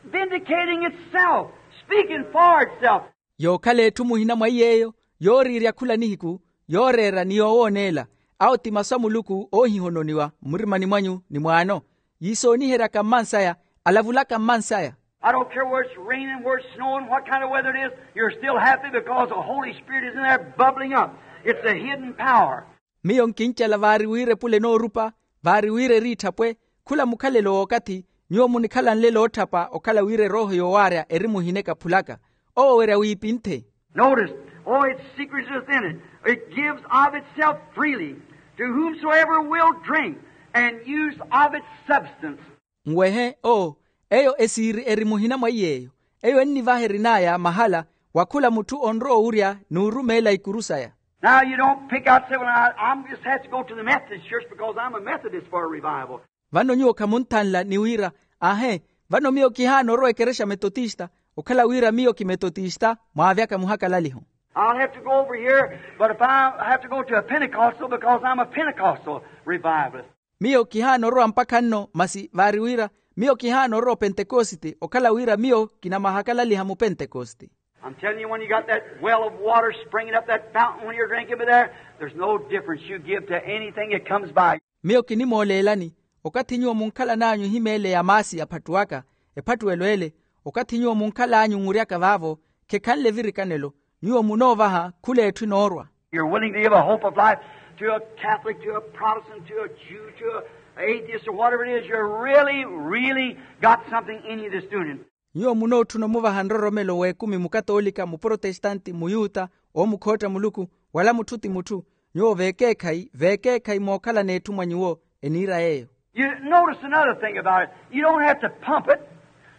vindicating itself, speaking for itself. Yookhala etthu muhina mwa iy'eyo, yooriirya khula nihiku, yooreera ni yoowooneela. Awo ti masu a muluku oohihononiwa mmurimani mwanyu ni mwaano. Yiisooniheryaka mmansaya, alavulaka mmansaya. I don't care whether it's raining, whether it's snowing, what kind of weather it is, you're still happy because the Holy Spirit is in there bubbling up. It's a hidden power. Miyo nkincela vaari wira epula enoorupa, vaari wira eriitthapwe. Khula mukhalelo w'okathi, nyuwo munikhala nlelo ootthapa okhala wira erooho yoowaarya eri muhina ekaphulaka. Owo werya wiipinthe. Notice, oh, its secret is within it. It gives of itself freely to whomsoever will drink. And use of its substance. Nwehe oo, eyo esiiri eri muhina mwa iy'eyo. Eyo ennivaha erin'aya mahala wa khula mutthu onrowa owurya n'urumeela ikuru saya. Now you don't pick out and say, well, I, I'm just have to go to the Methodist church because I'm a Methodist for a revival. Vano nyuwo khamunthanla ni wira, ahe, vano miyo kihaana orowa ekerexa metotista okhala wira miyo kimetotista mwaavyaka muhakalaliho. I'll have to go over here, but if I have to go to a Pentecostal because I'm a Pentecostal revivalist. Miyo kihaana orowa mpakha nno masi vaari wira miyo kihaana orowa opentekosite okhala wira miyo kinamahakalaliha mupentekosite. I'm telling you, when you got that well of water springing up, that fountain when you're drinking by there, there's no difference you give to anything that comes by. Miyo kinimooleelani, okathi nyuwo munkhalan'anyu ehimeele ya maasi aphattuwaka, ephattuwelo ele, okathi nyuwo munkhalan'anyu nhuryaka vaavo, khekhanle evirikanelo, nyuwo munoovaha khula etthu enoorwa. You're willing to give a hope of life to a Catholic, to a Protestant, to a Jew, to a atheist, or whatever it is. You're really, really got something in you that's doing it. Nyuwo munootthuna omuvaha nroromelo w'ekumi mukatoolika muprotestante muyuta, oomukhootta muluku, wala mutthu ti mutthu. Nyuwo veekeekhayi veekeekhayi mookhalana etthu mwa nyuwo. Eniira yeeyo. You notice another thing about it. You don't have to pump it.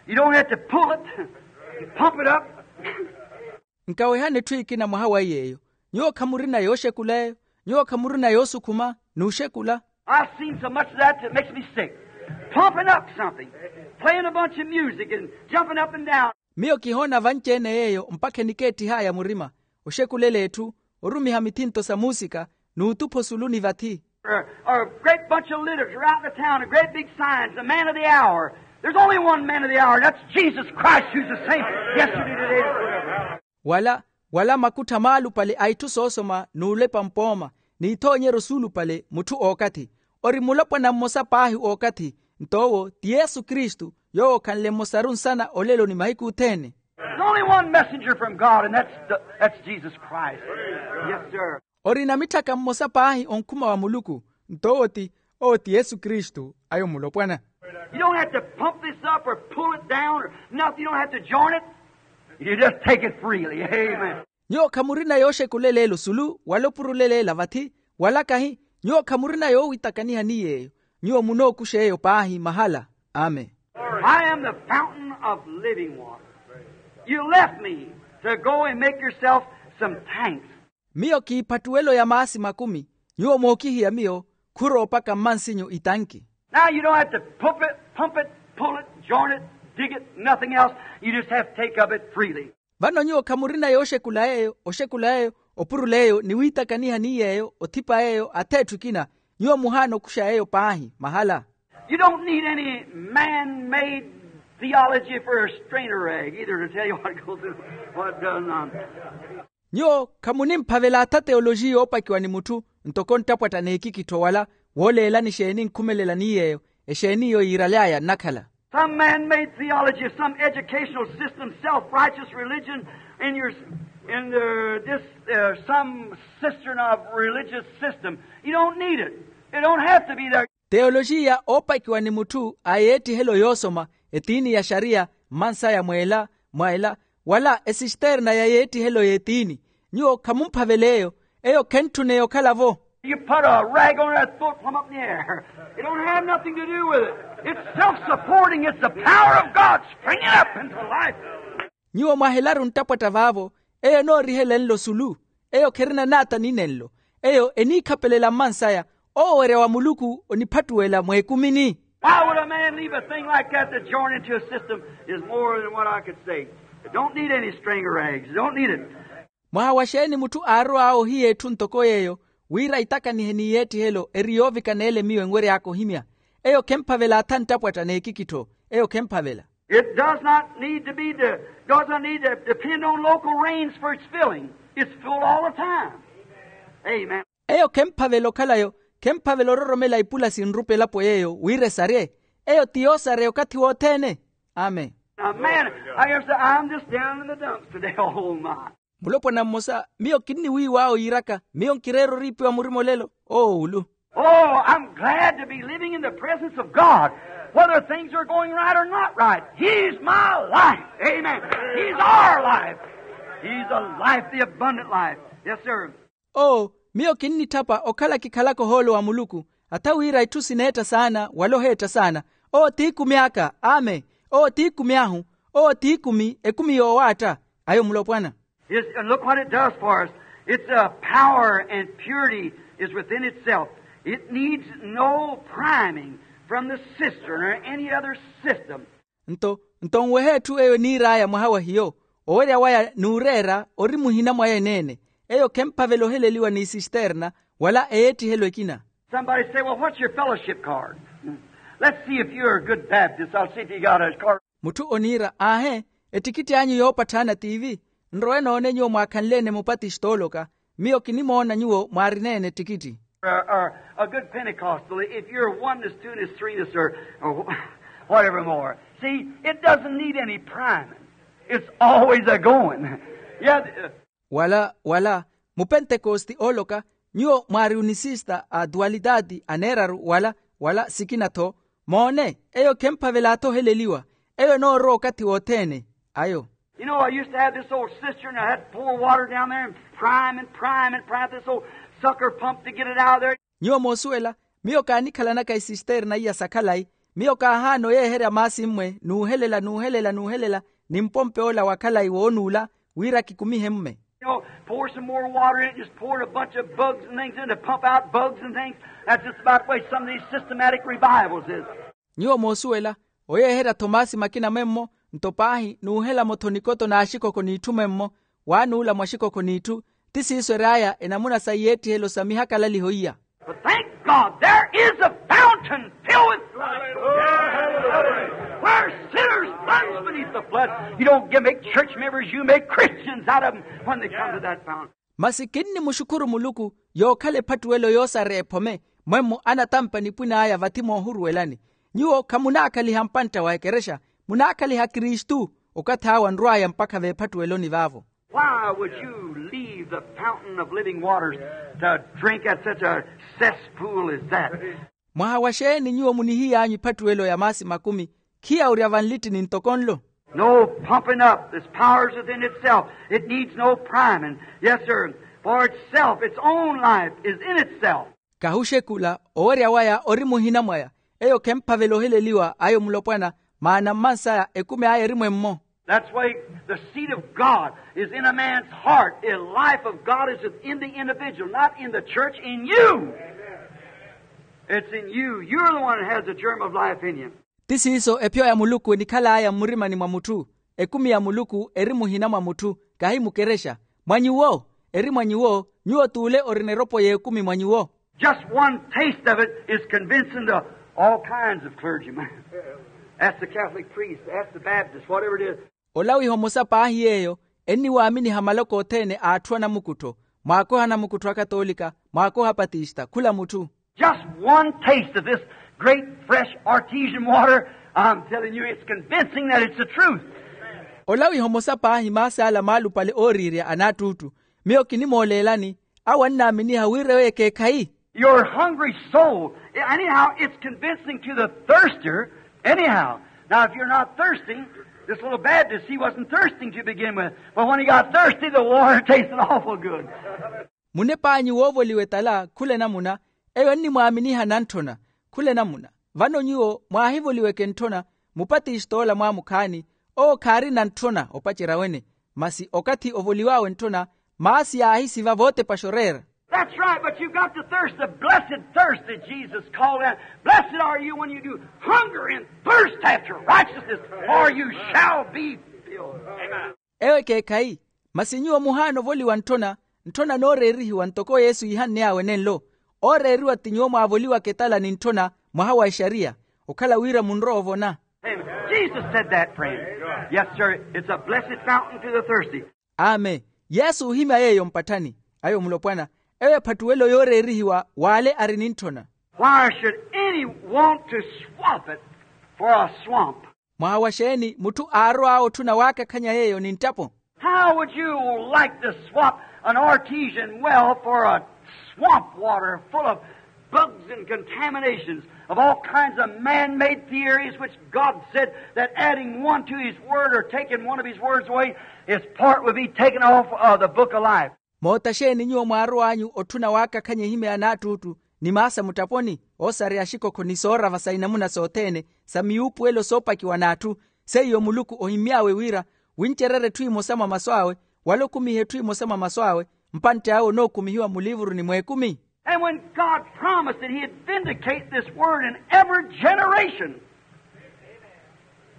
You don't have to pull it. You pump it up. Nkawehani etthu ekina mwaha wa iy'eyo. Nyuwo khamurina yooxekula eyo. Nyuwo khamurina yoosukhuma n'uxekula. I've seen so much of that that makes me sick. Pumping up something, playing a bunch of music and jumping up and down. Miyo kihoona vanci-ene yeeyo mpakha enikeettih'aya murima, oxekulela etthu, orumiha mithinto sa muusika, n'utupha osulu ni vathi. Or a great bunch of leaders around the town, a great big signs, the man of the hour. There's only one man of the hour, and that's Jesus Christ, who's the same yesterday, today, and forever. Wala wala makuttha maalupale a itthu soosoma n'ulepa mpooma, n'ithoonyeryo suulupale mutthu ookathi. Ori mulopwana mmosa paahi ookathi, nto owo ti yesu kristu, yoowo okhanle mmosaru nsana olelo ni mahiku othene. There's only one messenger from God, and that's the, that's Jesus Christ. Yes, sir. Orina mitthaka mmosa paahi onkhuma wa muluku, nto owo ti owo ti yesu kristu ayo mulopwana. You don't have to pump this up or pull it down or nothing. You don't have to join it. You just take it freely. Amen. Nyuwo khamurina yooxekulela ela osulu wala opurulela ela vathi, wala kahi. Nyuwo khamurina yoowitakaniha ni yeeyo. Nyuwo munookuxa eyo paahi mahala. Amen. I am the fountain of living water. You left me to go and make yourself some tanks. Miyo kiiphattuwelo ya maasi makumi. Nyuwo mookihiya miyo khuroopaka mmansinyu itanki. Now you don't have to pump it, pump it, pull it, join it, dig it, nothing else. You just have to take of it freely. Vano nyuwo khamurina yooxekula yeeyo oxekula yeeyo, opurula eyo ni wiitakaniha ni yeeyo othipa yeeyo atheetthu ekina. Nyuwo muhaana okuxa yeeyo paahi mahala. You don't need any man-made theology for a strainer rag either to tell you what goes in, what does not. Nyuwo khamunimphavela atha teolojiya oopakiwa ni mutthu, ntoko nttapwatta n'ekikittho wala wooleelani exeeni nkhumelela ni yeeyo, exeeni iyo yiiraly'aya nnakhala. Some man-made theology, some educational system, self-righteous religion in your, in the, this, uh, some cistern of religious system. You don't need it. It don't have to be there. Teolojiya oopakiwa ni mutthu a yeettihelo yoosoma, etiini ya xariya, mmansaya mweela mwa ela, wala esisterna ya yeettihelo y'etiini. Nyuwo khamumphavela eyo. Eyo khentthuna eyo okhala-vo. You put a rag on it, throw it plumb up in the air. It don't have nothing to do with it. It's self-supporting. It's the power of God springing up into life. Nyuwo mwahelaru nttapwatta vaavo. Eyo enoorihelenle osulu. Eyo kherina naata ni nenlo. Eyo eniikhapelela mmansaya. Owo owerya wa muluku oniphattuwela mweekumini. Why would a man leave a thing like that to join into a system is more than what I could say. It don't need any string or rags. It don't need it. Mwaha wa xeeni mutthu aarow'awe ohiya etthu ntoko yeeyo, wira aitakanihe ni yeettihelo eri yoovikana ele miyo enwery'aka ohimya? Eyo khemphavela atha nttapwatta n'ekikittho. Eyo khemphavela. It does not need to be the, does not need to depend on local rains for its filling. It's full all the time. Amen. Eyo khemphavela okhalayo. Khemphavela ororomela ipula sinrupa elapo yeeyo wira esarye. Eyo ti yoosareya okathi wothene. Amen. Now, man, I guess I'm just down in the dumps today. Oh my. Mulopwana mmosa, miyo kinniwiiw'awe yiiraka, miyo nkireera oriipiwa murima olelo. Oowulu. Oh, I'm glad to be living in the presence of God, whether things are going right or not right. He's my life. Amen. He's our life. He's the life, the abundant life. Yes, sir. Oo, miyo kinnitthapa okhala kikhalaka ohoolo wa muluku, Atha wira itthu sineetta saana wala oheetta saana. Owo t'ikumi aka. Amen. Owo t'ikumi ahu. Owo t'ikumi ekumi yoowaatta. Ayo mulopwana. Is, and look what it does for us. It's a power and purity is within itself. It needs no priming from the cistern or any other system. Nto nto nweha etthu eyo eniir'aya mwaha wa hiyo. Owerya waya n'ureera ori muhina mwaya eneene. Eyo khemphavela oheleliwa ni sisterna wala eyeettihelo ekina. Somebody say, well, what's your fellowship card? Let's see if you're a good Baptist. I'll see if you got a card. Mutthu oniira aahe, ettikitthi anyu yoopatthaana tiivi? Nrowe noone nyuwo mwaakhanle-ene mupatistooloka. Miyo kinimoona nyuwo mwaarineene ettikitthi. Or, or a good Pentecostal, if you're a oneness, twoness, threeness, or, or whatever more. See, it doesn't need any priming. It's always a going. Yeah. Wala wala mupentekosti ooloka, nyuwo mwaari unisista a duwalitati aneeraru wala wala sikina-tho. Moone, eyo khemphavela-tho oheleliwa. Eyo enoorowa okathi wothene. Ayo. You know, I used to have this old cistern. I had pour water down there and prime and prime and prime this old sucker pump to get it out of there. Nyuwo moosuwela, miyo kaanikhalanaka isisterna iya sa khalayi. Miyo kaahaana oyeeherya maasi mmwe n'uhelela n'uhelela n'uhelela ni mpompey'ola wa khalayi woonuula wira kikumihe mme. You know, pour some more water in it, just pour a bunch of bugs and things in to pump out bugs and things. That's just about the way some of these systematic revivals is. Nyuwo moosuwela, oyeeherya-tho maasi makina mwemmo nto paahi n'uhela-mo-tho nikoto n'axikokho n'itthu mwemmo. Waanuula mwaxikokho n'itthu. Ti siiso ery'aya enamuna sa iyeettihelo sa mihakalaliho iya. But thank God there is a fountain filled with blood where sinners plunge beneath the flood. You don't get, make church members, you make Christians out of them when they come to that fountain. Masi kinnimuxukhuru muluku yookhala ephattuwelo yoosareya ephome mwemmo anatampa nipwin'aya vathi moohuruwelani. Nyuwo khamunaakhaliha mpantta wa ekerexa, munaakhaliha kristu. Okathi awo anrw'aya mpakha veephattuweloni vaavo. Why would you leave the fountain of living waters to drink at such a cesspool as that? Mwaha wa xeeni nyuwo munihiy'anyu ephattuwelo ya maasi makumi khiyawurya vanlittini ntoko nlo? No pumping up. This power's within itself. It needs no priming. Yes, sir. For itself, its own life is in itself. Kahuxekula owerya waya ori muhina mwaya. Eyo khemphavela oheleliwa ayo mulopwana. Maana mmansaya ekumi aya eri mwemmo. That's why the seed of God is in a man's heart. The life of God is within the individual, not in the church, in you. It's in you. You're the one that has the germ of life in you. Ti siiso epyo ya muluku enikhal'aya mmurimani mwa mutthu. Ekumi ya muluku eri muhina mwa mutthu, kahi mukerexa. Mwa nyuwo. Eri mwa nyuwo. Nyuwo t'ule orina eropo y'ekumi mwa nyuwo. Just one taste of it is convincing to all kinds of clergymen. Ask the Catholic priest, ask the Baptist, whatever it is. Olawiha omosa paahi yeeyo enniwaaminiha maloko othene a atthu anamukuttho. Mwaakoha anamukuttho akatolika, mwaakoha apatista khula mutthu. Just one taste of this great fresh artesian water, I'm telling you, it's convincing that it's the truth. Olawiha omosa paahi maasi ala maalupale ooriirya anaattuuttu. Miyo kinimooleelani awo annaaminiha wira eyo ekeekhayi. Your hungry soul, anyhow, it's convincing to the thirster, anyhow. Now, if you're not thirsting, this little Baptist, he wasn't thirsting to begin with, but when he got thirsty, the water tasted awful good. Munep'anyu woovoliwa etala khula enamuna. Eyo ennimwaaminiha nantthona khula enamuna. Vano nyuwo mwaahivoliweke ntthona, mupatist'ola mwaamukhaani owo khaarina ntthona opacerya wene. Masi okathi ovoliw'awe ntthona, maasi yaahisiva vootepaxa oreera. That's right, but you've got to thirst the blessed thirst that Jesus called out. Blessed are you when you do hunger and thirst after righteousness, for you shall be filled. Amen. Eyo ekeekhayi. Masi nyuwo muhaana ovoliwa ntthona, ntthona nooreerihiwa ntoko yesu iihanney'awe nenlo. Ooreeriwa ti nyuwo mwaavoliwaka etala ni ntthona mwaha wa exariya, okhala wira munrowa ovona. Amen. Jesus said that, friend. Yes, sir. It's a blessed fountain to the thirsty. Amen. Yesu oohimya yeeyo mpatthani. Ayo mulopwana, eyo ephattuwelo yooreerihiwa w'ale ari ni ntthona. Why should any want to swap it for a swamp? Mwaha wa xeeni mutthu aarow'awe otthuna waakakhanya yeeyo ni nttapo? How would you like to swap an artesian well for a swamp water full of bugs and contaminations of all kinds of man-made theories, which God said that adding one to his word or taking one of his words away, his part will be taken off of the book of life. Moota xeeni nyuwo mwaarow'anyu otthuna waakakhanya ehimya ya naattuuttu ni maasa mutthaponi, oosareya axikokho ni soorava sa inamuna sothene, sa miyuupuwelo soopakiwa n'atthu. Seiyo muluku ohimmy'awe wira wincererye etthu emosa mwa masu awe, wala okumihe etthu emosa mwa masu awe, mpantte awe onookumihiwa muliivuruni mw'ekumi. And when God promised that he'd vindicate this word in every generation,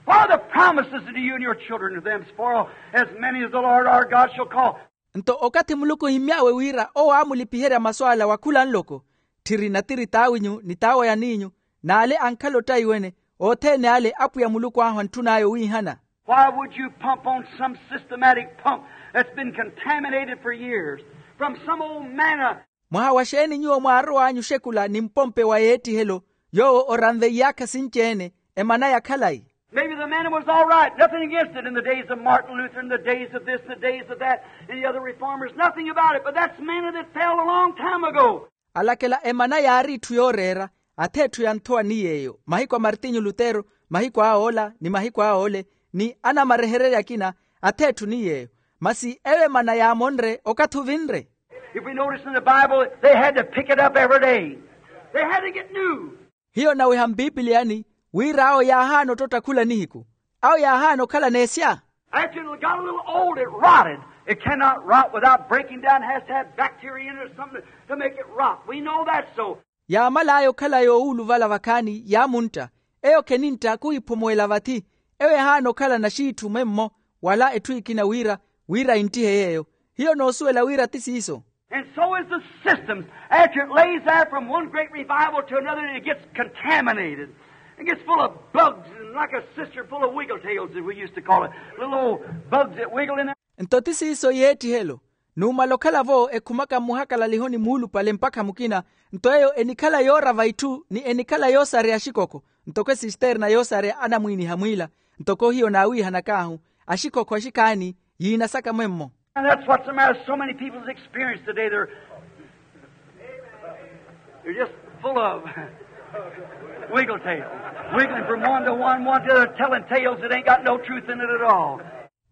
for the promises unto you and your children, to them spoil, as many as the Lord our God shall call. Nto okathi muluku ohimmy'awe wira owo aamulipiherya masu ala wa khula nloko, tthiri natiri t'awinyu ni t'awo yaniinyu, n'ale ankhala ottaiwene, othene ale apwiya muluku ahu antthun'aya owiihana. Why would you pump on some systematic pump that's been contaminated for years from some old manna? Mwaha wa xeeni nyuwo mwaarow'anyu oxekula ni mpompe wa yeettihelo, yoowo oranve iyaakha sinci-ene, emana ya khalayi? Maybe the manna was all right, nothing against it in the days of Martin Luther, in the days of this, the days of that, and the other reformers, nothing about it. But that's manna that fell a long time ago. Alakela emana yaari itthu yooreera, ath'etthu ya nthowa ni yeeyo, mahiku a martinyu lutero, mahiku a oola ni mahiku a oole, ni anamarehererye akina, ath'etthu ni yeeyo. Masi eyo emana yaamonre okathi ovinre. If we notice in the Bible, they had to pick it up every day. They had to get new. Hiyo naweha mpipiliyani, wira awo yaahaana ottotta khula nihiku. Awo yaahaana okhala n'esya. After it got a little old, it rotted. It cannot rot without breaking down. It has to have bacteria in it or something to make it rot. We know that so. Yaamal'aya okhala yoowuluvala vakhaani yaamuntta. Eyo khenintta khuhiphumuwela vathi. Eyo ehaana okhala naxiitthu mwemmo, wala etthu ekina wira, wira inttihe yeeyo. Hiyo noosuwela wira ti siiso. And so is the systems. After it lays there from one great revival to another, it gets contaminated. It gets full of bugs and like a cistern full of wiggle tails, as we used to call it. Little old bugs that wiggle in there. Nto ti siiso yeettihelo. Numala okhala-vo ekhumaka mmuhakalalihoni muulupale mpakha mukina, nto eyo enikhala yoorava itthu ni enikhala yoosareya axikokho, ntoko esisterna yoosareya anamwiiniha mwiila. Ntoko hiyo naawiihanak'ahu, axikokho axikhaani yiinasaka mwemmo. And that's what's the matter with so many people's experience today. They're, they're just full of wiggle tails, wiggling from one to one, one to the other, telling tales that ain't got no truth in it at all.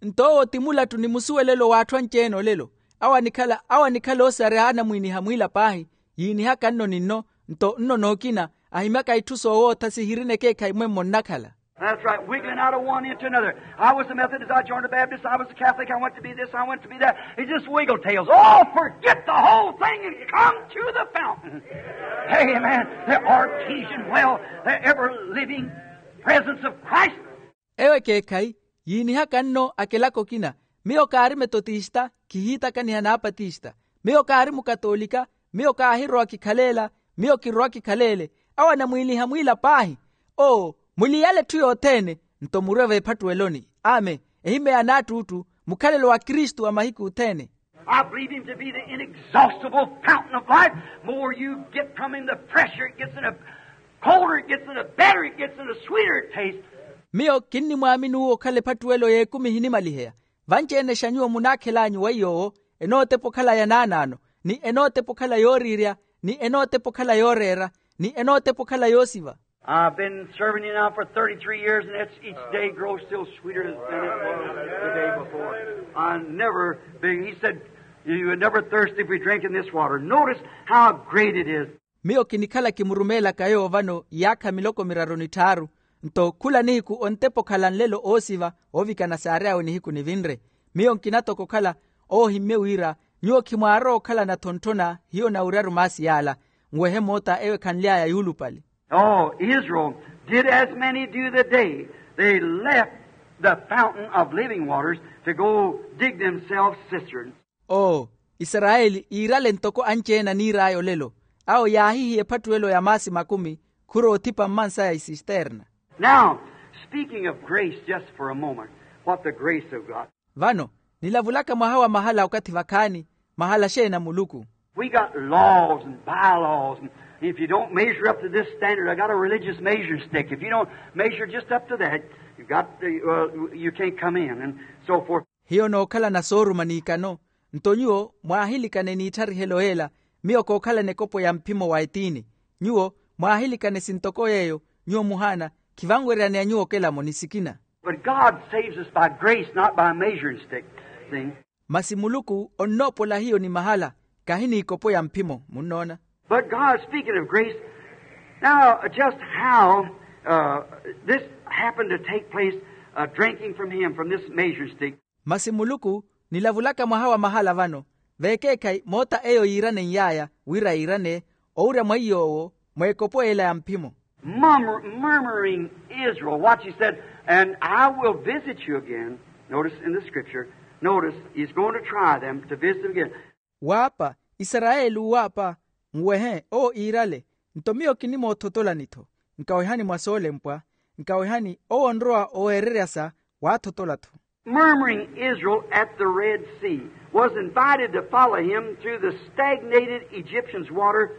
Nto owo ti mulattu ni musuwelelo w'atthu anci-ene olelo. Awo anikhala awo anikhala oosareya anamwiiniha mwiila paahi, yiinihaka nno ni nno, nto nno nookina, ahimyaka itthu soowootha sihirina ekeekhayi mwemmo nnakhala. That's right, wiggling out of one into another. I was a Methodist, I joined a Baptist, I was a Catholic, I went to be this, I went to be that. It's just wiggle tails. Oh, forget the whole thing and come to the fountain. Amen. The artesian well, the ever living presence of Christ. Eyo ekeekhayi yiinihaka nno akelaka okina. Miyo kaari metotista, khihiitakaniha n'apatista. Miyo kaari mukatoolika, miyo kaahirowa kikhaleela, miyo kirowa kikhaleele. Awo anamwiiniha mwiila paahi. Oo, muliyale etthu yothene, nto murwe veephattuweloni. Amen. Ehimeya n'attuuttu, mukhalelo wa kristu wa mahiku othene. I believe him to be the inexhaustible fountain of life. More you get from him, the fresher it gets, and the colder it gets, and the better it gets, and the sweeter it tastes. Miyo kinnimwaaminuwa okhala ephattuwelo y'ekumi ehinimaliheya. Vanci-ene xa nyuwo munaakhel'anyu wa iy'owo, enootepa okhala ya naanaano, ni enootepa okhala yooriirya, ni enootepa okhala yooreera, ni enootepa okhala yoosiva. I've been serving you now for thirty-three years, and it's each day grows still sweeter than it was the day before. I never, he said, you would never thirst if we drink in this water. Notice how great it is. Miyo kinikhala kimurumeelaka yoowo vano iyaakha miloko miraru ni tthaaru, nto khula nihiku ontepa okhala nlelo oosiva, oovikana saary'awe nihiku nivinre. Miyo nkina toko okhala oohimmye wira nyuwo khimwaarowa okhalana thonthona hiyo nawiryaru maasi yaala, nwehe moota eyo ekhanly'aya yuulupale. Oh, Israel did as many do the day. They left the fountain of living waters to go dig themselves cisterns. Oo, isarayeli iirale ntoko anci-ene aniir'aya olelo. Awo yaahihiya ephattuwelo ya maasi makumi, khurowa othipa mmansaya isisterna. Now, speaking of grace just for a moment, what the grace of God. Vano, nilavulaka mwaha wa mahala okathi vakhaani, mahala xeeni a muluku. We got laws and bylaws, and if you don't measure up to this standard, I got a religious measuring stick. If you don't measure just up to that, you got the, uh, you can't come in, and so forth. Hiyo nookhalana sooruma n'ikano. Nto nyuwo mwaahilikane n'itharihelo y'ela, miyo kookhalana ekopo ya mphimo wa etiini. Nyuwo mwaahilikane sintoko yeeyo, nyuwo muhaana, khivanweryaneya nyuwo okelamo ni sikina. But God saves us by grace, not by measuring stick. See? Masi muluku onnoopola hiyo ni mahala, kahi n'ikopo ya mphimo. Munnoona? But God, speaking of grace, now, just how, uh, this happened to take place, uh, drinking from him, from this measuring stick. Masi muluku nilavulaka mwaha wa mahala vano, vekeekhayi moota eyo yiiranen'yaya wira yiirane owurya mwa iy'owo, mweekopo ela ya mphimo. Murmur- murmuring Israel, watch, he said, and I will visit you again. Notice in the scripture, notice, he's going to try them to visit them again. Waapa, isarayeli uwaapa, nwehe owo iirale, nto miyo kinimoothotolani-tho, nkawehani mwa soolempwa, nkawehani owo onrowa oweererya sa, waathotola-tho. Murmuring Israel at the Red Sea was invited to follow him through the stagnated Egyptian's water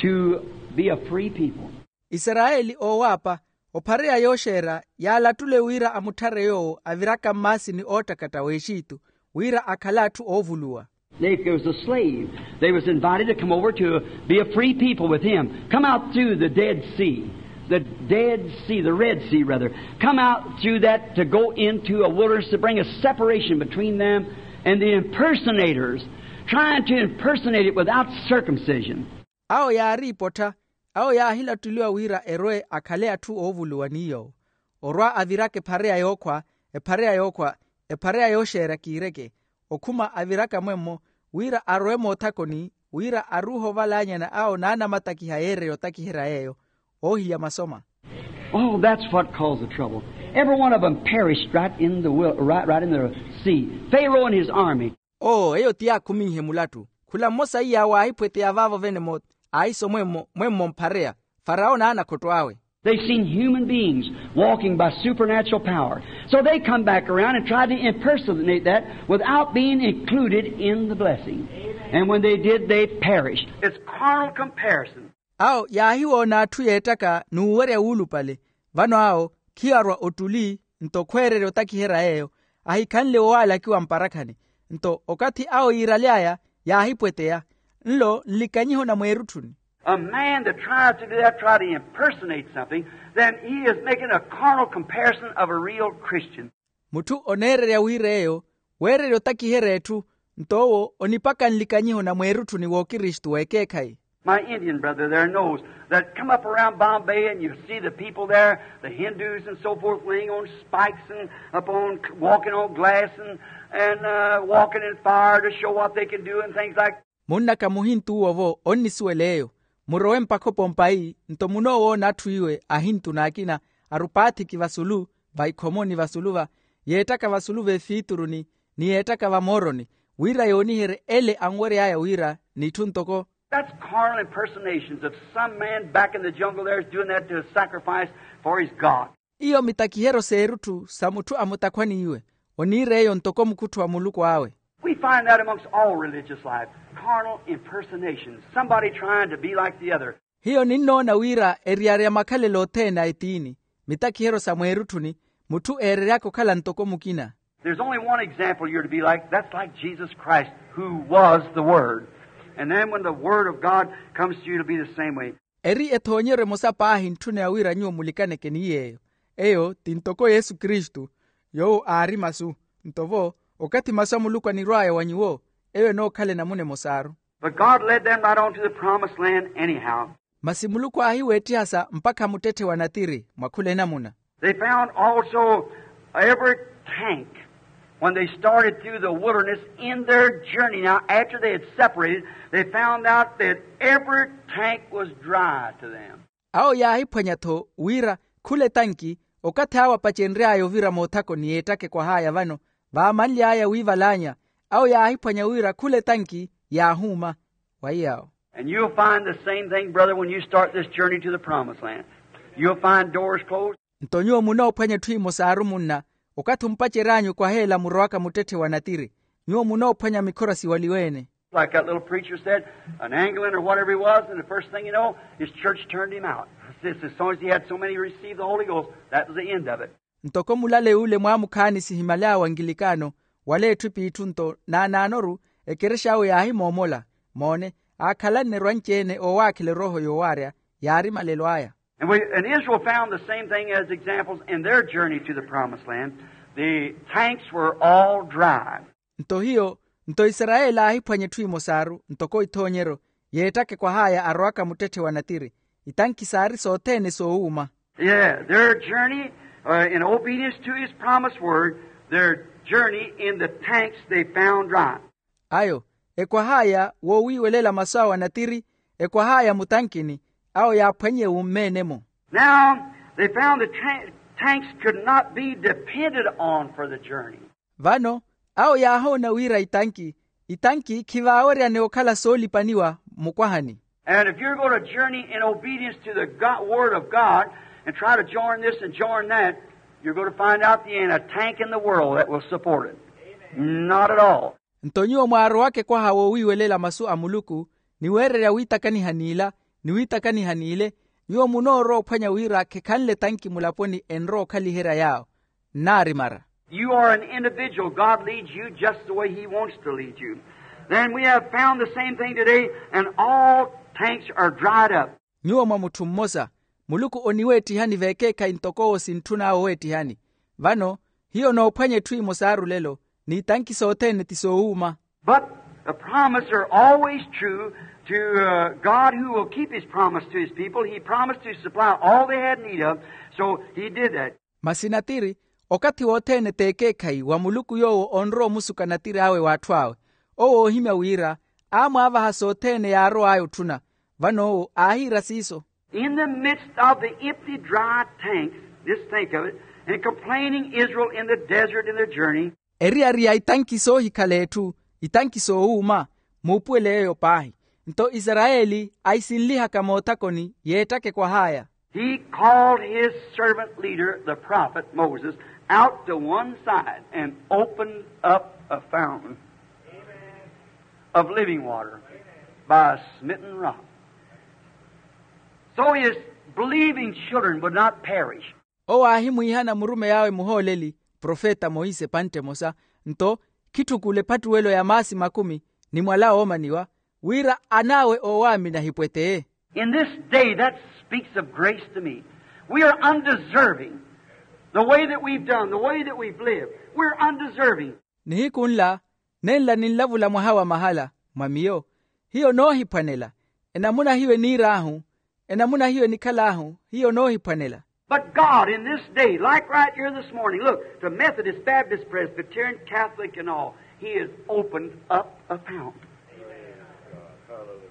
to be a free people. Isarayeli oowaapa, ophareya yooxeera yaalattule wira amutthare yoowo aviraka mmaasini oottakatta w'exitu, wira akhale atthu oovuluwa. They, it was a slave. They was invited to come over to be a free people with him. Come out through the Dead Sea. The Dead Sea, the Red Sea, rather. Come out through that to go into a wilderness to bring a separation between them and the impersonators, trying to impersonate it without circumcision. Awo yaariipottha, awo yaahilattuliwa wira erwe akhale atthu oovuluwa ni yoowo, orwa aviraka ephareya yookhwa, ephareya yookhwa, ephareya yooxeera kiireke, okhuma aviraka mwemmo, wira arwe moothakoni, wira aruuhe ovalaanyana awo naanamatakiha yeereya otakiherya yeeyo, oohiya masoma. Oh, that's what caused the trouble. Every one of them perished right in the wil- right, right in the sea. Pharaoh and his army. Oo eyo ti yaakhuminhe mulattu. Khula mmosa iya waahiphweteya vaavo vene mo, aahiso mwemmo mwemmo mphareya, farawo n'anakhotto awe. They've seen human beings walking by supernatural power. So they come back around and try to impersonate that without being included in the blessing. And when they did, they perished. It's carnal comparison. Awo yaahiwoona atthu yeettaka n'uwerya wuulupale. Vano awo khiyo arwa ottuli, nto khweererya otakiherya yeeyo, ahikhanle woowalakiwa mparakhani. Nto okathi awo yiiraly'aya yaahipweteya, nlo nlikanyiho na mweerutthuni. A man that tries to do that, try to impersonate something, then he is making a carnal comparison of a real Christian. Mutthu oneererya wira eyo weererya otakiherya etthu, nto owo onipaka nlikanyiho na mweerutthuni w'okristu w'ekeekhayi. My Indian brother there knows that. Come up around Bombay and you see the people there, the Hindus and so forth, laying on spikes and upon, walking on glass and, and uh, walking in fire to show what they can do and things like. Munnaka muhintu uwo vo onnisuwela eyo. Murowe mpakha opompai, nto munoowoona atthu iwe ahintu n'akina, arupaathiki vasulu, vaikhomoni vasulu va, yeettaka vasulu v'efiituruni, ni yeettaka vamooroni, wira yooniherye ele anwery'aya wira n'itthu ntoko. That's carnal impersonations of some man back in the jungle there is doing that to a sacrifice for his God. Iyo mitakiheryo s'erutthu sa mutthu a mutakhwani iwe, oniira eyo ntoko mukuttho wa muluku awe. We find that amongst all religious life, carnal impersonations, somebody trying to be like the other. Hiyo ninnoona wira eriyari ya makhalelo othene a etiini, mitakiheryo sa mweerutthuni, mutthu eereryaka okhala ntoko mukina. There's only one example you're to be like. That's like Jesus Christ, who was the Word. And then when the Word of God comes to you, it'll be the same way. Eri ethoonyeryo emosa paahi ntthuna ya wira nyuwo mulikaneke ni yeeyo. Eyo ti ntoko yesu kristu, yoowo aari masu. Nto vo, okathi masu a muluku anirw'aya wa nyuwo, eyo enookhala enamuna emosaaru. But God led them right on to the promised land anyhow. Masi muluku aahiweettiha sa mpakha muttetthe wa natiri mwa khula enamuna. They found also every tank when they started through the wilderness in their journey. Now, after they had separated, they found out that every tank was dry to them. Awo yaahiphwanya-tho wira khula etanki, okathi awo apacenry'aya ovira moothakoni yeettaka ekwah'aya vano, vaamanly'aya wiivalaanya, awo yaahiphwanya wira khula etanki yaahuuma. Wa iy'awo. And you'll find the same thing, brother, when you start this journey to the promised land. You'll find doors closed. Nto nyuwo munoophwanya etthu imosaaru munna, okathi omupacery'anyu okwaheela murowaka muttetthe wa natiri, nyuwo munoophwanya mikhora siwaliwe-ene. Like that little preacher said, an Anglican or whatever he was, and the first thing you know, his church turned him out. As soon as he had so many received the Holy Ghost, that was the end of it. Ntoko mulale yule mwaamukhaani sihimaly'awe angilikano, wala etthu ep'itthu nto naanaanoru, ekerex'awe yaahimoomola. Moone, aakhalanne erwanci-ene oowaakhela erooho yoowaarya, yaari malelo aya. And we, and Israel found the same thing as examples in their journey to the promised land. The tanks were all dry. Nto hiyo, nto isarayeli aahiphwanya etthu imosaaru ntoko ithoonyeryo, yeettaka ekwah'aya arowaka muttetthe wa natiri. Itanki saari sothene soowuuma. Yeah, their journey, uh, in obedience to his promised word, their journey in the tanks they found dry. Ayo, ekwah'aya woowiiwelela masu awe a natiri, ekwah'aya mutankini, awo yaaphwanye wummene-mo. Now, they found the tra- tanks could not be depended on for the journey. Vano, awo yaahoona wira itanki, itanki khivaaweryane okhala soolipaniwa mukwahani. And if you're going to journey in obedience to the God, word of God and try to join this and join that, you're going to find out there ain't a tank in the world that will support it. Not at all. Nto nyuwo mwaarowaka ekwaha woowiiwelela masu a muluku, ni weererya wiitakaniha n'ila, ni wiitakaniha n'ile, nyuwo munoorowa ophwanya wira khekhanle tanki mulaponi enrowa okhaliherya yaawo. Nnaari mara. You are an individual. God leads you just the way he wants to lead you. Then we have found the same thing today, and all tanks are dried up. Nyuwo mwa mutthu mmosa, muluku oniweettihani veekeekhayi ntoko owo sintthun'awe oweettihani. Vano, hiyo noophwanya etthu emosa arulelo, n'itanki sothene ti soowuuma. But the promise are always true to, uh, God, who will keep his promise to his people. He promised to supply all they had need of, so he did that. Masi natiri, okathi wothene t'ekeekhayi wa muluku yoowo onrowa omusuka natiri awe w'atthu awe. Owo oohimya wira, aamwaavaha sothene yaarow'aya otthuna. Vano owo aahiira siiso. In the midst of the empty, dry tanks, just think of it, and complaining Israel in the desert in their journey. Eriyari ya itanki soohikhala etthu, itanki soowuuma, muupuwele yeeyo paahi. Nto isarayeli aisinlihaka moothakoni yeettaka ekwah'aya. He called his servant leader, the prophet Moses, out to one side and opened up a fountain of living water by a smitten rock. So his believing children would not perish. Owo aahimwiihana murumeyi awe muhooleli profeta monse epantte emosa, nto khitthukule ephattuwelo ya maasi makumi ni mwala oomaniwa, wira an'awe oowaamini ahipweteye. In this day, that speaks of grace to me. We are undeserving. The way that we've done, the way that we've lived, we're undeserving. Nihiku nla, nenla ninlavula mwaha wa mahala mwa miyo, hiyo noohiphwanela. Enamuna hiyo eniir'ahu, enamuna hiyo enikhal'ahu, hiyo noohiphwanela. But God, in this day, like right here this morning, look, to Methodist, Baptist, Presbyterian, Catholic, and all, he has opened up a fountain.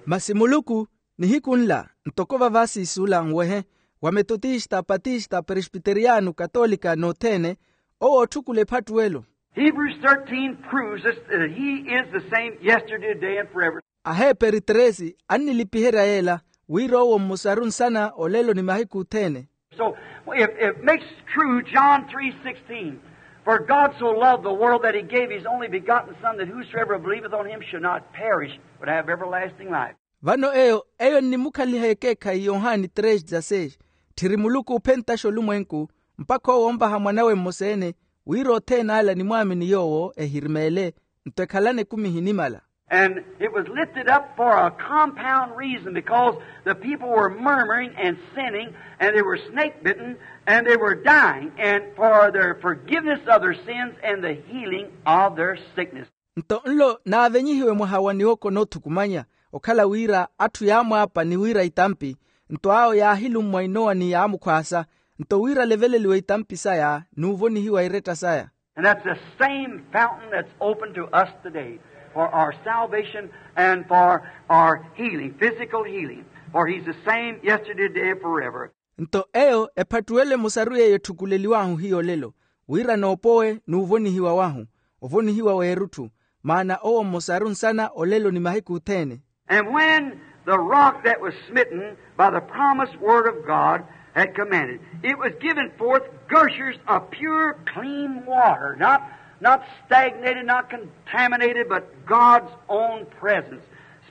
Masi muluku, nihiku nla, ntoko vava siisuula nwehe, wa metotista, patista, presbiteriyano, katolika n'othene, owo ootthukula ephattuwelo. Hebrews thirteen proves us that he is the same yesterday, today, and forever. Aheperi tresi annilipiherya yeela, wira owo mmosaru nsana olelo ni mahiku othene. So, if it makes true John three sixteen, "For God so loved the world that he gave his only begotten Son, that whosoever believeth on him should not perish, but have everlasting life." Vano eyo, eyo nnimukhaliha ekeekhayi yohani tresi dezasseis, tthiri muluku oophentaxa olumwenku, mpakha owo onvaha mwanawe mmosa-ene, wira othene ala animwaamini yoowo ehirimeele, nto ekhalane ekumi ehinimala. And it was lifted up for a compound reason, because the people were murmuring and sinning, and they were snake bitten, and they were dying, and for their forgiveness of their sins and the healing of their sickness. Nto nlo naavenyihiwe mwaha wa niwoko noothukumanya, okhala wira atthu yaamwaapa ni wiira itampi, nto awo yaahilummwa inowa ni yaamukhwaasa, nto wira aleveleliwe itampi saya n'uvonihiwa iretta saya. And that's the same fountain that's open to us today for our salvation and for our healing, physical healing. For he's the same yesterday, today, and forever. Nto eyo ephattuwelo emosaru yeeyo etthukuleliw'ahu hiyo olelo, wira noopowe n'uvonihiwa wahu, ovonihiwa w'erutthu, maana owo mmosaru nsana olelo ni mahiku othene. And when the rock that was smitten by the promised word of God had commanded, it was given forth gushers of pure, clean water, not, not stagnated, not contaminated, but God's own presence,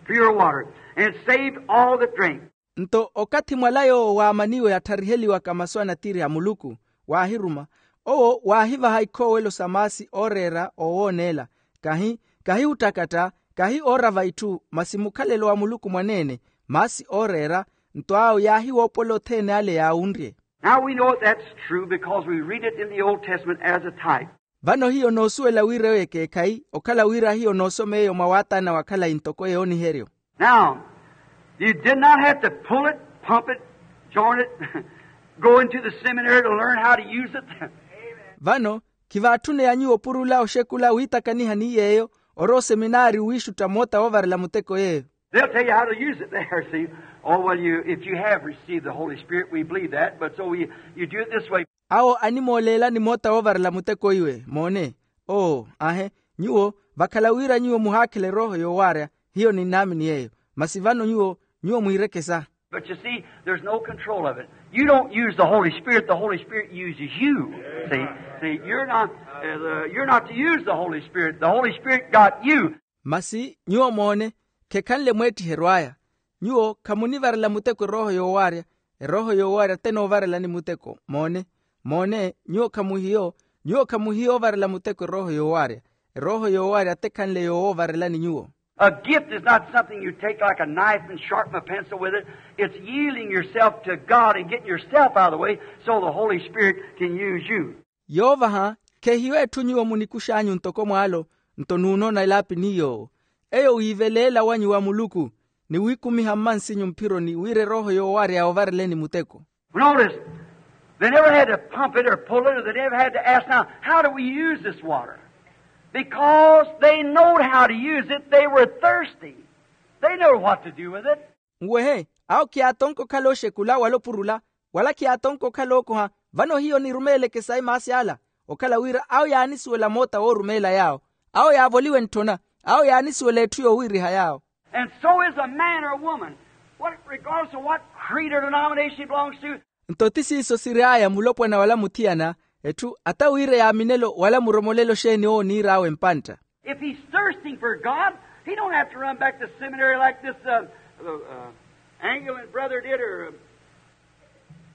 pure water, and saved all that drank. Nto okathi mwala yoowo waamaniwe atthariheliwaka masu a natiri a muluku, waahiruma, owo waahivaha ikhoowelo sa maasi ooreera oowooneela, kahi, kahi ottakatta, kahi oorava itthu, masi mukhalelo wa muluku mwaneene, maasi ooreera, nto awo yaahiwoopola othene ale yaawunrye. Now we know that's true because we read it in the Old Testament as a type. Vano hiyo noosuwela wira eyo ekeekhayi, okhala wira hiyo noosoma eyo mwa waataana wa khalayi ntoko yooniheryo. Now, You did not have to pull it, pump it, join it, go into the seminary to learn how to use it. Vano, khivaatthune ya nyuwo opurula oxekula wiitakaniha ni yeeyo, orowa oseminaari wiixutta moota woovarela muteko yeeyo. They'll tell you how to use it there, see. Oh, well, you, if you have received the Holy Spirit, we believe that, but so we, you do it this way. Awo animooleelani moota woovarela muteko iwe moone. Oo, ahe, nyuwo vakhala wira nyuwo muhaakhela erooho yoowaarya, hiyo ninnaamini yeeyo. Masi vano nyuwo, nyuwo mwiirekesa. But you see, there's no control of it. You don't use the Holy Spirit, the Holy Spirit uses you. See, see, you're not, uh, the, you're not to use the Holy Spirit. The Holy Spirit got you. Masi nyuwo moone, khekhanle mweettiheryo aya. Nyuwo khamunivarela muteko erooho yoowaarya, erooho yoowaarya te enoovarelani muteko. Moone, moone, nyuwo khamuhiyo, nyuwo khamuhiyo ovarela muteko erooho yoowaarya. Erooho yoowaarya te ekhanle yoowoovarelani nyuwo. A gift is not something you take like a knife and sharpen a pencil with it. It's yielding yourself to God and getting yourself out of the way so the Holy Spirit can use you. Yoovaha, khehiyo etthu nyuwo munikux'anyu ntoko mwaalo, nto nuunoona elaapi ni yoowo. Eyo wiiveleela wanyu wa muluku, ni wiikumiha mmansinyu mphironi wira erooho yoowaarya yoovareleni muteko. Notice, they never had to pump it or pull it, or they never had to ask, "Now, how do we use this water?" Because they knowed how to use it, they were thirsty. They know what to do with it. Nwehe, awo khiyaatonka okhala oxekula wala opurula, wala khiyaatonka okhala ookoha. Vano hiyo nirumeeleke sayi maasi ala, okhala wira awo yaanisuwela moota woorumeela yaawo. Awo yaavoliwe ntthona, awo yaanisuwela etthu yoowiiriha yaawo. And so is a man or a woman, what, regardless of what creed or denomination he belongs to. Nto ti siiso sir'aya mulopwana wala muthiyana, etthu ata wira yaaminelo wala muromolelo xeeni owo oniir'awe mpantta. If he's thirsting for God, he don't have to run back to seminary like this, uh, uh, uh, Anglican brother did, or, uh,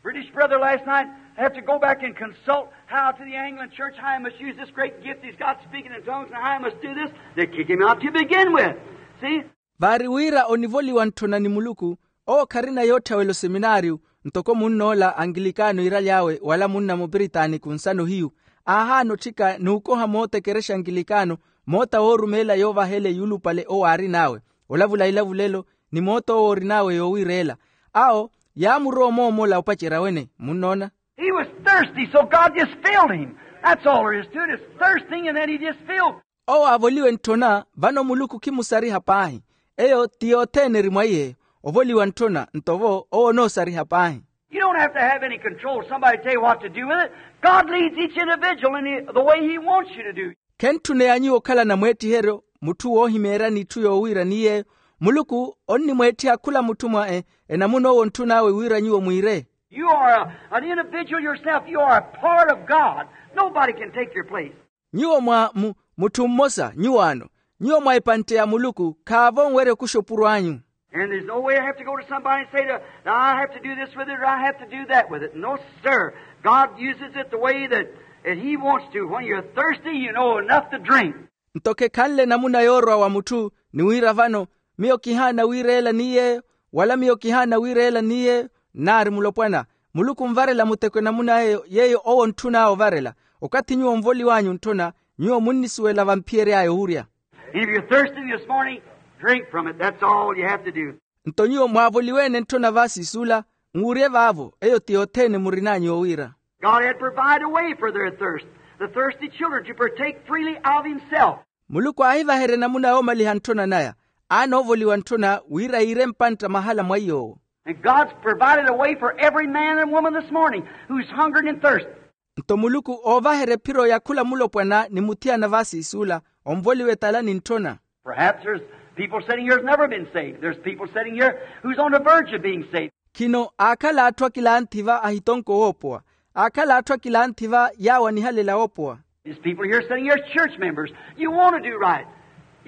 British brother last night, have to go back and consult how to the Anglican church, how he must use this great gift he's got, speaking in tongues, and how he must do this. They kick him out to begin with. See? Vaari wira onivoliwa ntthona ni muluku, owo kharina yoottha wela oseminaariyu, ntoko munn'ola angilikano iiraly'awe wala munna mupiritaaniku nsano hiyu, aahaana otthika n'ukoha moota ekerexa angilikano, moota woorumeela yoovahela eyulupale owo aarin'awe, olavula ilavulelo, ni moota owo orin'awe yoowiireela. Awo yaamurowa omoomola opacerya wene. Munnoona? He was thirsty, so God just filled him. That's all there is to it. It's thirsting, and then he just filled. Owo aavoliwe ntthona, vano muluku khimusariha paahi. Eyo ti yothene eri mwa iye. Ovoliwa ntthona nto vo owo onoosariha paahi. You don't have to have any control, somebody tell you what to do with it. God leads each individual in the, the way he wants you to do. Khentthuneya nyuwo okhalana mweettiheryo, mutthu woohimeeryani itthu yoowiira ni yeeyo. Muluku onnimweettiha khula mutthu mwa e, enamuna owo ontthun'awe wira nyuwo mwiire. You are a, an individual yourself. You are a part of God. Nobody can take your place. Nyuwo mwa mu, mutthu mmosa nyuwaano. Nyuwo mwa epantte ya muluku khaavo onwerya okuxa opuro anyu. And there's no way I have to go to somebody and say, "Now I have to do this with it, or I have to do that with it." No, sir. God uses it the way that, that he wants to. When you're thirsty, you know enough to drink. Nto khekhanle namuna yoorwa wa mutthu ni wira vano, miyo kihaana wiireela ni yeeyo, wala miyo kihaana wiireela ni yeeyo, nnaari mulopwana. Muluku onvarela muteko enamuna eyo yeeyo owo ontthun'awe ovarela. Okathi nyuwo onvoliw'anyu ntthona, nyuwo munnisuwela vamphiyery'aya owurya. And if you're thirsty this morning, drink from it. That's all you have to do. Nto nyuwo mwaavoliwe-ene ntthona vaasiisula, nwurye vaavo, eyo ti yothene murin'anyu yoowiira. God had provided a way for their thirst, the thirsty children to partake freely of himself. Muluku aahivaherya enamuna yoomaliha ntthona naya, aana oovoliwa ntthona wira yiire mpantta mahala mwa iy'owo. And God's provided a way for every man and woman this morning who's hungering and thirsty. Nto muluku oovaherya ephiro ya khula mulopwana ni muthiyana vaasiisula, onvoliwe tala ni ntthona. Perhaps there's people sitting here who's never been saved. There's people sitting here who's on the verge of being saved. Khino aakhala atthu akilanthi va ahitonko woopowa. Aakhala atthu akilanthi va yaawo anihalela woopowa. There's people here sitting here as church members. You want to do right,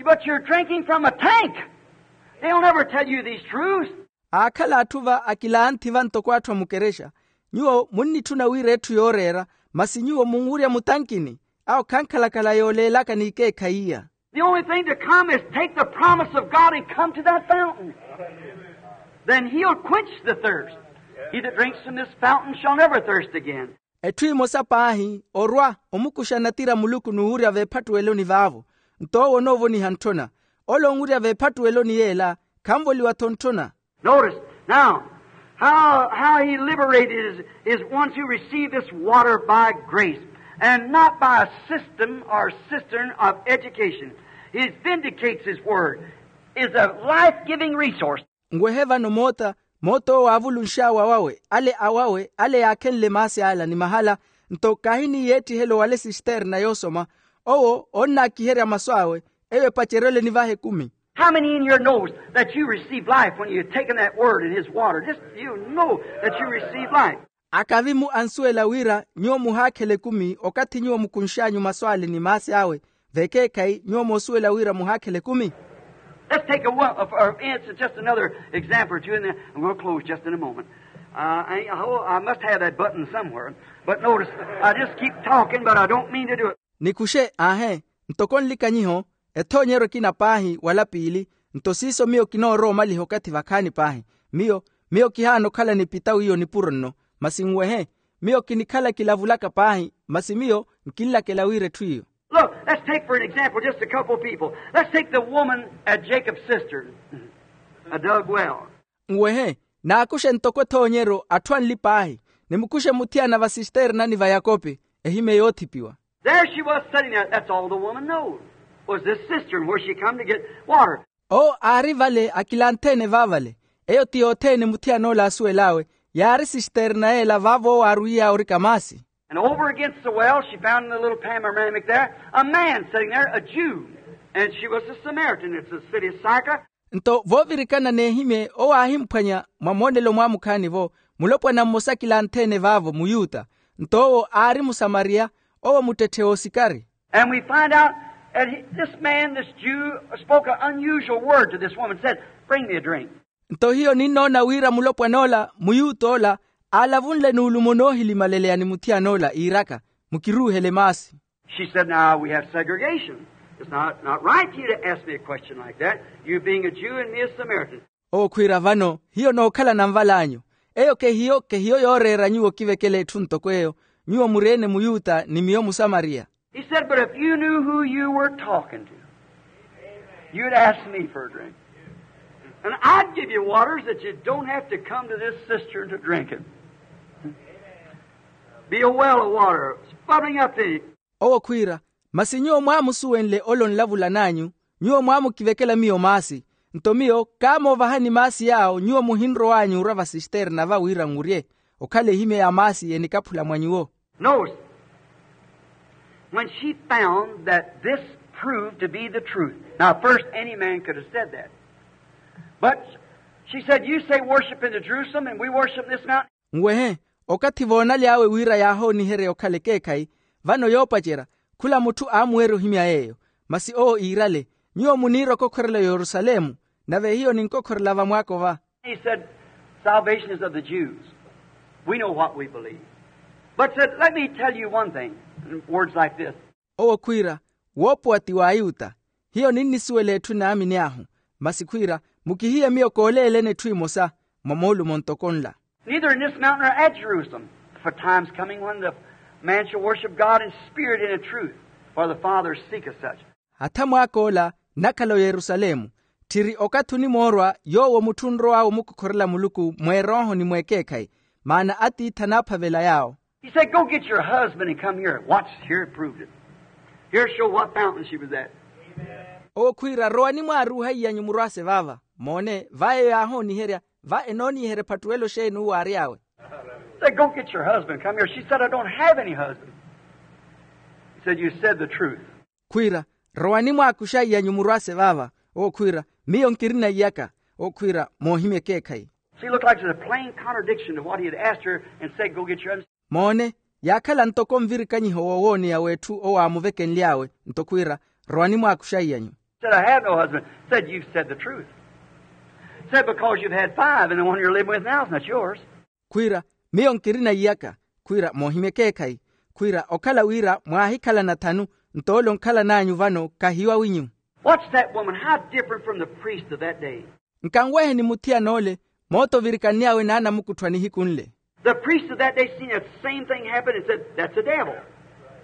but you're drinking from a tank. They'll never tell you these truths. Aakhala atthu va akilanthi va ntoko atthu a mukerexa. Nyuwo munnitthuna wira etthu yooreera, masi nyuwo munwurya mutankini. Awo khankhalakhala yooleelaka n'ikeekhayi iya. The only thing to come is take the promise of God and come to that fountain. Then he'll quench the thirst. He that drinks from this fountain shall never thirst again. Etthu emosa paahi orwa omukuxa natira muluku n'uwurya veephattuweloni vaavo. Nto owo onoovoniha ntthona. Ole onwurya veephattuweloni yeela khanvoliwa-tho ntthona. Notice now how, how he liberated is, is ones who receive this water by grace and not by a system or cistern of education. He vindicates his word, is a life-giving resource. Nwehe vano moota, moota owo aavulunx'awe awawe ale awawe ale yaakhenle maasi ala ni mahala. Nto kahi ni yeettihelo wale sisterna yoosoma, owo onnaakiherya masu awe, eyo epacerye ole nivaha ekumi. How many in here knows that you received life when you taken that word in his water? Just you know that you received life. Akavi-mu ansuwela wira nyuwo muhaakhela ekumi okathi nyuwo mukunx'anyu masu ale ni maasi awe, vekeekhayi nyuwo moosuwela wira muhaakhela ekumi. Let's take a one for instance, just another example or two, and then we'll close just in a moment. Uh, I, I, I must have that button somewhere, but notice, I just keep talking, but I don't mean to do it. Nikuxe aahe, ntoko nlikanyiho, ethoonyeryo ekina paahi wala piili. Nto siiso miyo kinoorowa omaliha okathi vakhaani paahi. Miyo miyo kihaana okhala nipita wiiyo nipuro nno. Masi nwehe, miyo kinikhala kilavulaka paahi, masi miyo nkinlakela wira etthu iyo. Look, let's take for an example just a couple of people. Let's take the woman at Jacob's cistern, a dug well. Nwehe, naakuxe ntoko ethoonyeryo atthu anli paahi, nimukuxe muthiyana va sisternani va yakope, ehimye yoothipiwa. There she was sitting there. That's all the woman knows, was this cistern where she come to get water. Owo aari vale akilanthe-ene vaavale. Eyo ti yothene muthiyan'ola aasuwel'awe, yaari sisterna yeela vaavo owo aarwiya orika maasi. And over against the well she found in the little panoramic there a man sitting there, a Jew, and she was a Samaritan. It's the city of Sychar. Nto voovirikana n'ehimye owo aahimphwanya mwa moonelo mwamukhaani-vo, mulopwana mmosa akilanthe-ene vaavo muyuta. Nto owo aari musamariya, owo muttetthe oosikari. And we find out that he, this man, this Jew, spoke an unusual word to this woman, said, "Bring me a drink." Nto hiyo ninnoona wira mulopwan'ola muyuta ola aalavunle nuulumo noohilimaleleya ni muthiyan'ola iiraka, mukiruuhele maasi. She said, "Now we have segregation. It's not, not right for you to ask me a question like that, you being a Jew and me a Samaritan." Owo khwiira, vano hiyo nookhalana nval'anyu. Eyo kehiyo kehiyo yooreera nyuwo okivekela etthu ntoko eyo, nyuwo muri-ene muyuta ni miyo musamariya. He said, "But if you knew who you were talking to, you'd ask me for a drink. And I'd give you waters that you don't have to come to this cistern to drink it. Be a well of water, bubbling up to you." Owo khwiira, masi nyuwo mwaamusuwenle ole onlavulan'anyu, nyuwo mwaamukivekela miyo maasi. Nto miyo kaamoovahani maasi yaawo nyuwo muhinrow'anyu orwa va sisterna va wira nrye, okhala ehimye ya maasi enikaphula mwa nyuwo. Notice, when she found that this proved to be the truth. Now, first, any man could have said that. But she said, "You say worship in the Jerusalem, and we worship in this mountain." Nwehe, okathi voonaly'awe wira yaahooniherya okhala ekeekhayi, vano yoopacerya, khula mutthu aamuwerya ohimya yeeyo. Masi owo iirale, nyuwo muniira okokhorela oyerusalemu, nave hiyo ninkokhorela vamwaakova. He said, "Salvation is of the Jews. We know what we believe." But said, "Let me tell you one thing," in words like this. Owo khwiira, woopuwa ti w'ayuta. Hiyo ninnisuwela etthu naamini ahu. Masi khwiira, mukihiye miyo kooleeleni etthu emosa mwa moolumo ntoko nla. "Neither in this mountain or at Jerusalem, for time's coming when the man shall worship God in spirit and in truth, for the Father seeketh such." Hatha mwaak'ola nnakhala oyerusalemu, tthiri okathi onimoorwa yoowo mutthu onrow'awe omukokhorela muluku mw'erooho ni mw'ekeekhayi, maana atiithi anaaphavela yaawo. He said, "Go get your husband and come here." Watch, here it proved it. Here show what fountain she was at. Owo khwiira, rowani mwaaruuha iy'anyu murwaase vaava. Moone, va eyo yaahooniherya, va enooniherya ephattuwelo xeeni uwo aary'awe. Said, "Go get your husband, come here." She said, "I don't have any husband." He said, "You said the truth." Khwiira, rowani mwaakuxa iy'anyu murwaase vaava. Owo khwiira, miyo nkirina iyaka. Owo khwiira, moohimya ekeekhayi. She looked like it was a plain contradiction to what he had asked her and said, "Go get your husband." Moone, yaakhala ntoko nvirikanyiho wowooneya w'etthu owo aamuvekenly'awe. Nto khwiira, rowani mwaakuxa iy'anyu. Said, "I have no husband." Said, "You've said the truth." Said, "Because you've had five, and the one you're living with now is not yours." Khwiira, miyo nkirina iyaka. Khwiira, moohimya ekeekhayi. Khwiira, okhala wira mwaahikhalana thanu, nto ole onkhalan'anyu vano kahiwawinyu. Watch that woman, how different from the priest of that day. Nkanweheni muthiyana ole, moota ovirikann'awe n'anamukuttho a nihiku nle. The priest of that day seen that same thing happen and said, "That's a devil,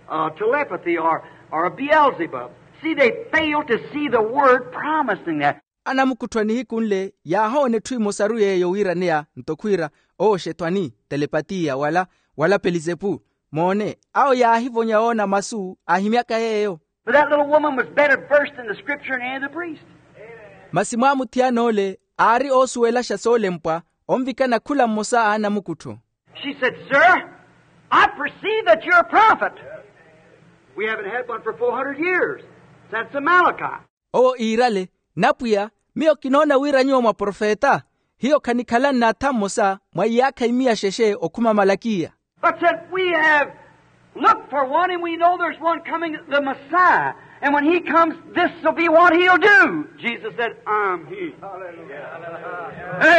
uh, telepathy, or, or a Beelzebub." See, they failed to see the word promising that. Anamukutthwa nihiku nle yaahoona etthu emosaru yeeyo wiiraneya nto khwiira, owo xetwani, telepatiya wala, wala pelizepu. Moone, awo yaahivonya woona masu ahimyaka yeeyo. But that little woman was better versed in the scripture than any of the priests. Masi mwaamuthiyana ole aari oosuwelaxa soolempwa onvikana khula mmosa a anamukuttho. She said, "Sir, I perceive that you're a prophet. We haven't had one for four hundred years, since Malachi." Owo iirale, "Napwiya, miyo kinoona wira nyuwo mwaprofeta. Hiyo khanikhala nnatha mmosa mwa iyaakha imiya xexe okhuma malakiya." But said, "We have looked for one, and we know there's one coming, the Messiah. And when he comes, this will be what he'll do." Jesus said, "I'm he."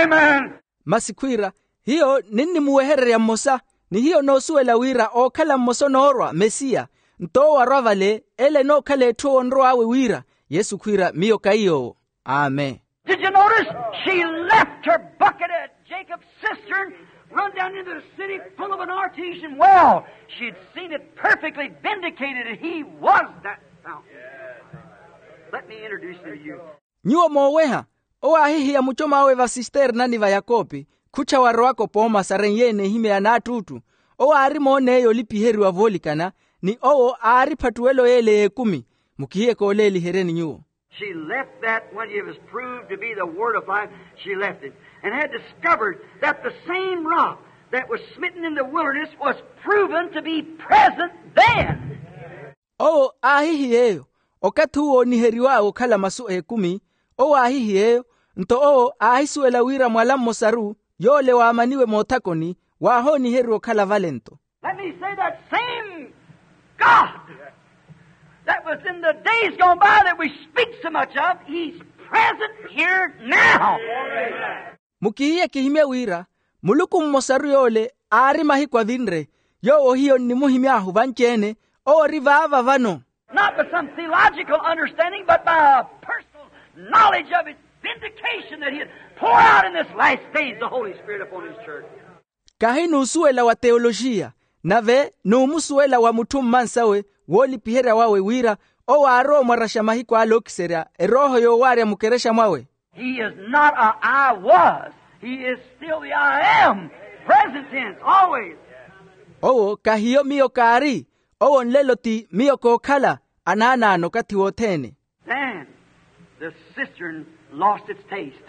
Amen. Masi khwiira, hiyo ninnimuwehererya mmosa, ni hiyo noosuwela wira ookhala mmosa onoorwa mesiya. Nto owo arwa vale ele enookhala etthu owo onrow'awe wira, yesu khwiira miyo kaiy'owo. Amen. Did you notice? She left her bucket at Jacob's cistern, run down into the city full of an artesian well. She'd seen it perfectly vindicated that he was that fountain. Let me introduce him to you. Nyuwo mooweha, owo aahihiya mucom'awe vasisternani va yakopi, khuttha warowaka opooma sarenyeene ehimya ya naattuuttu. Owo aari moon'eyo olipiheriwa voolikana, ni owo aari ephattuwelo y'ele y'ekumi. Mukihiye kooleeliheryeni nyuwo. She left that when it was proved to be the word of life. She left it and had discovered that the same rock that was smitten in the wilderness was proven to be present then. Owo aahihiyeeyo, okathi uwo ooniheriw'awe okhala masu ekumi. Owo aahihiyeeyo, nto owo aahisuwela wira mwala mmosaru yoole waamaniwe moothakoni, waahooniheriwa okhala vale nto. Let me say, that same God that was in the days gone by that we speak so much of, he's present here now. Mukihiye kihimye wira muluku mmosaru yoole aari mahiku avinre, yoowo hiyo nnimuhimy'ahu vanci-ene, owo ori vaava vano. Not by some theological understanding, but by a personal knowledge of his vindication that he had poured out in this last days the Holy Spirit upon his church. Kahi n'usuwela wa teyoloxiya, nave n'umusuwela wa mutthu mmansawe woolipiherya wawe wira owo aarowa omwaraxa mahiku ale ookiserya erooho yoowaarya mukerexa mwawe. He is not a "I was." He is still the "I am." Present tense, always. Owo kahiyo miyo kaari, owo nlelo ti miyo kookhala, anaanaano okathi wothene. Then the cistern lost its taste.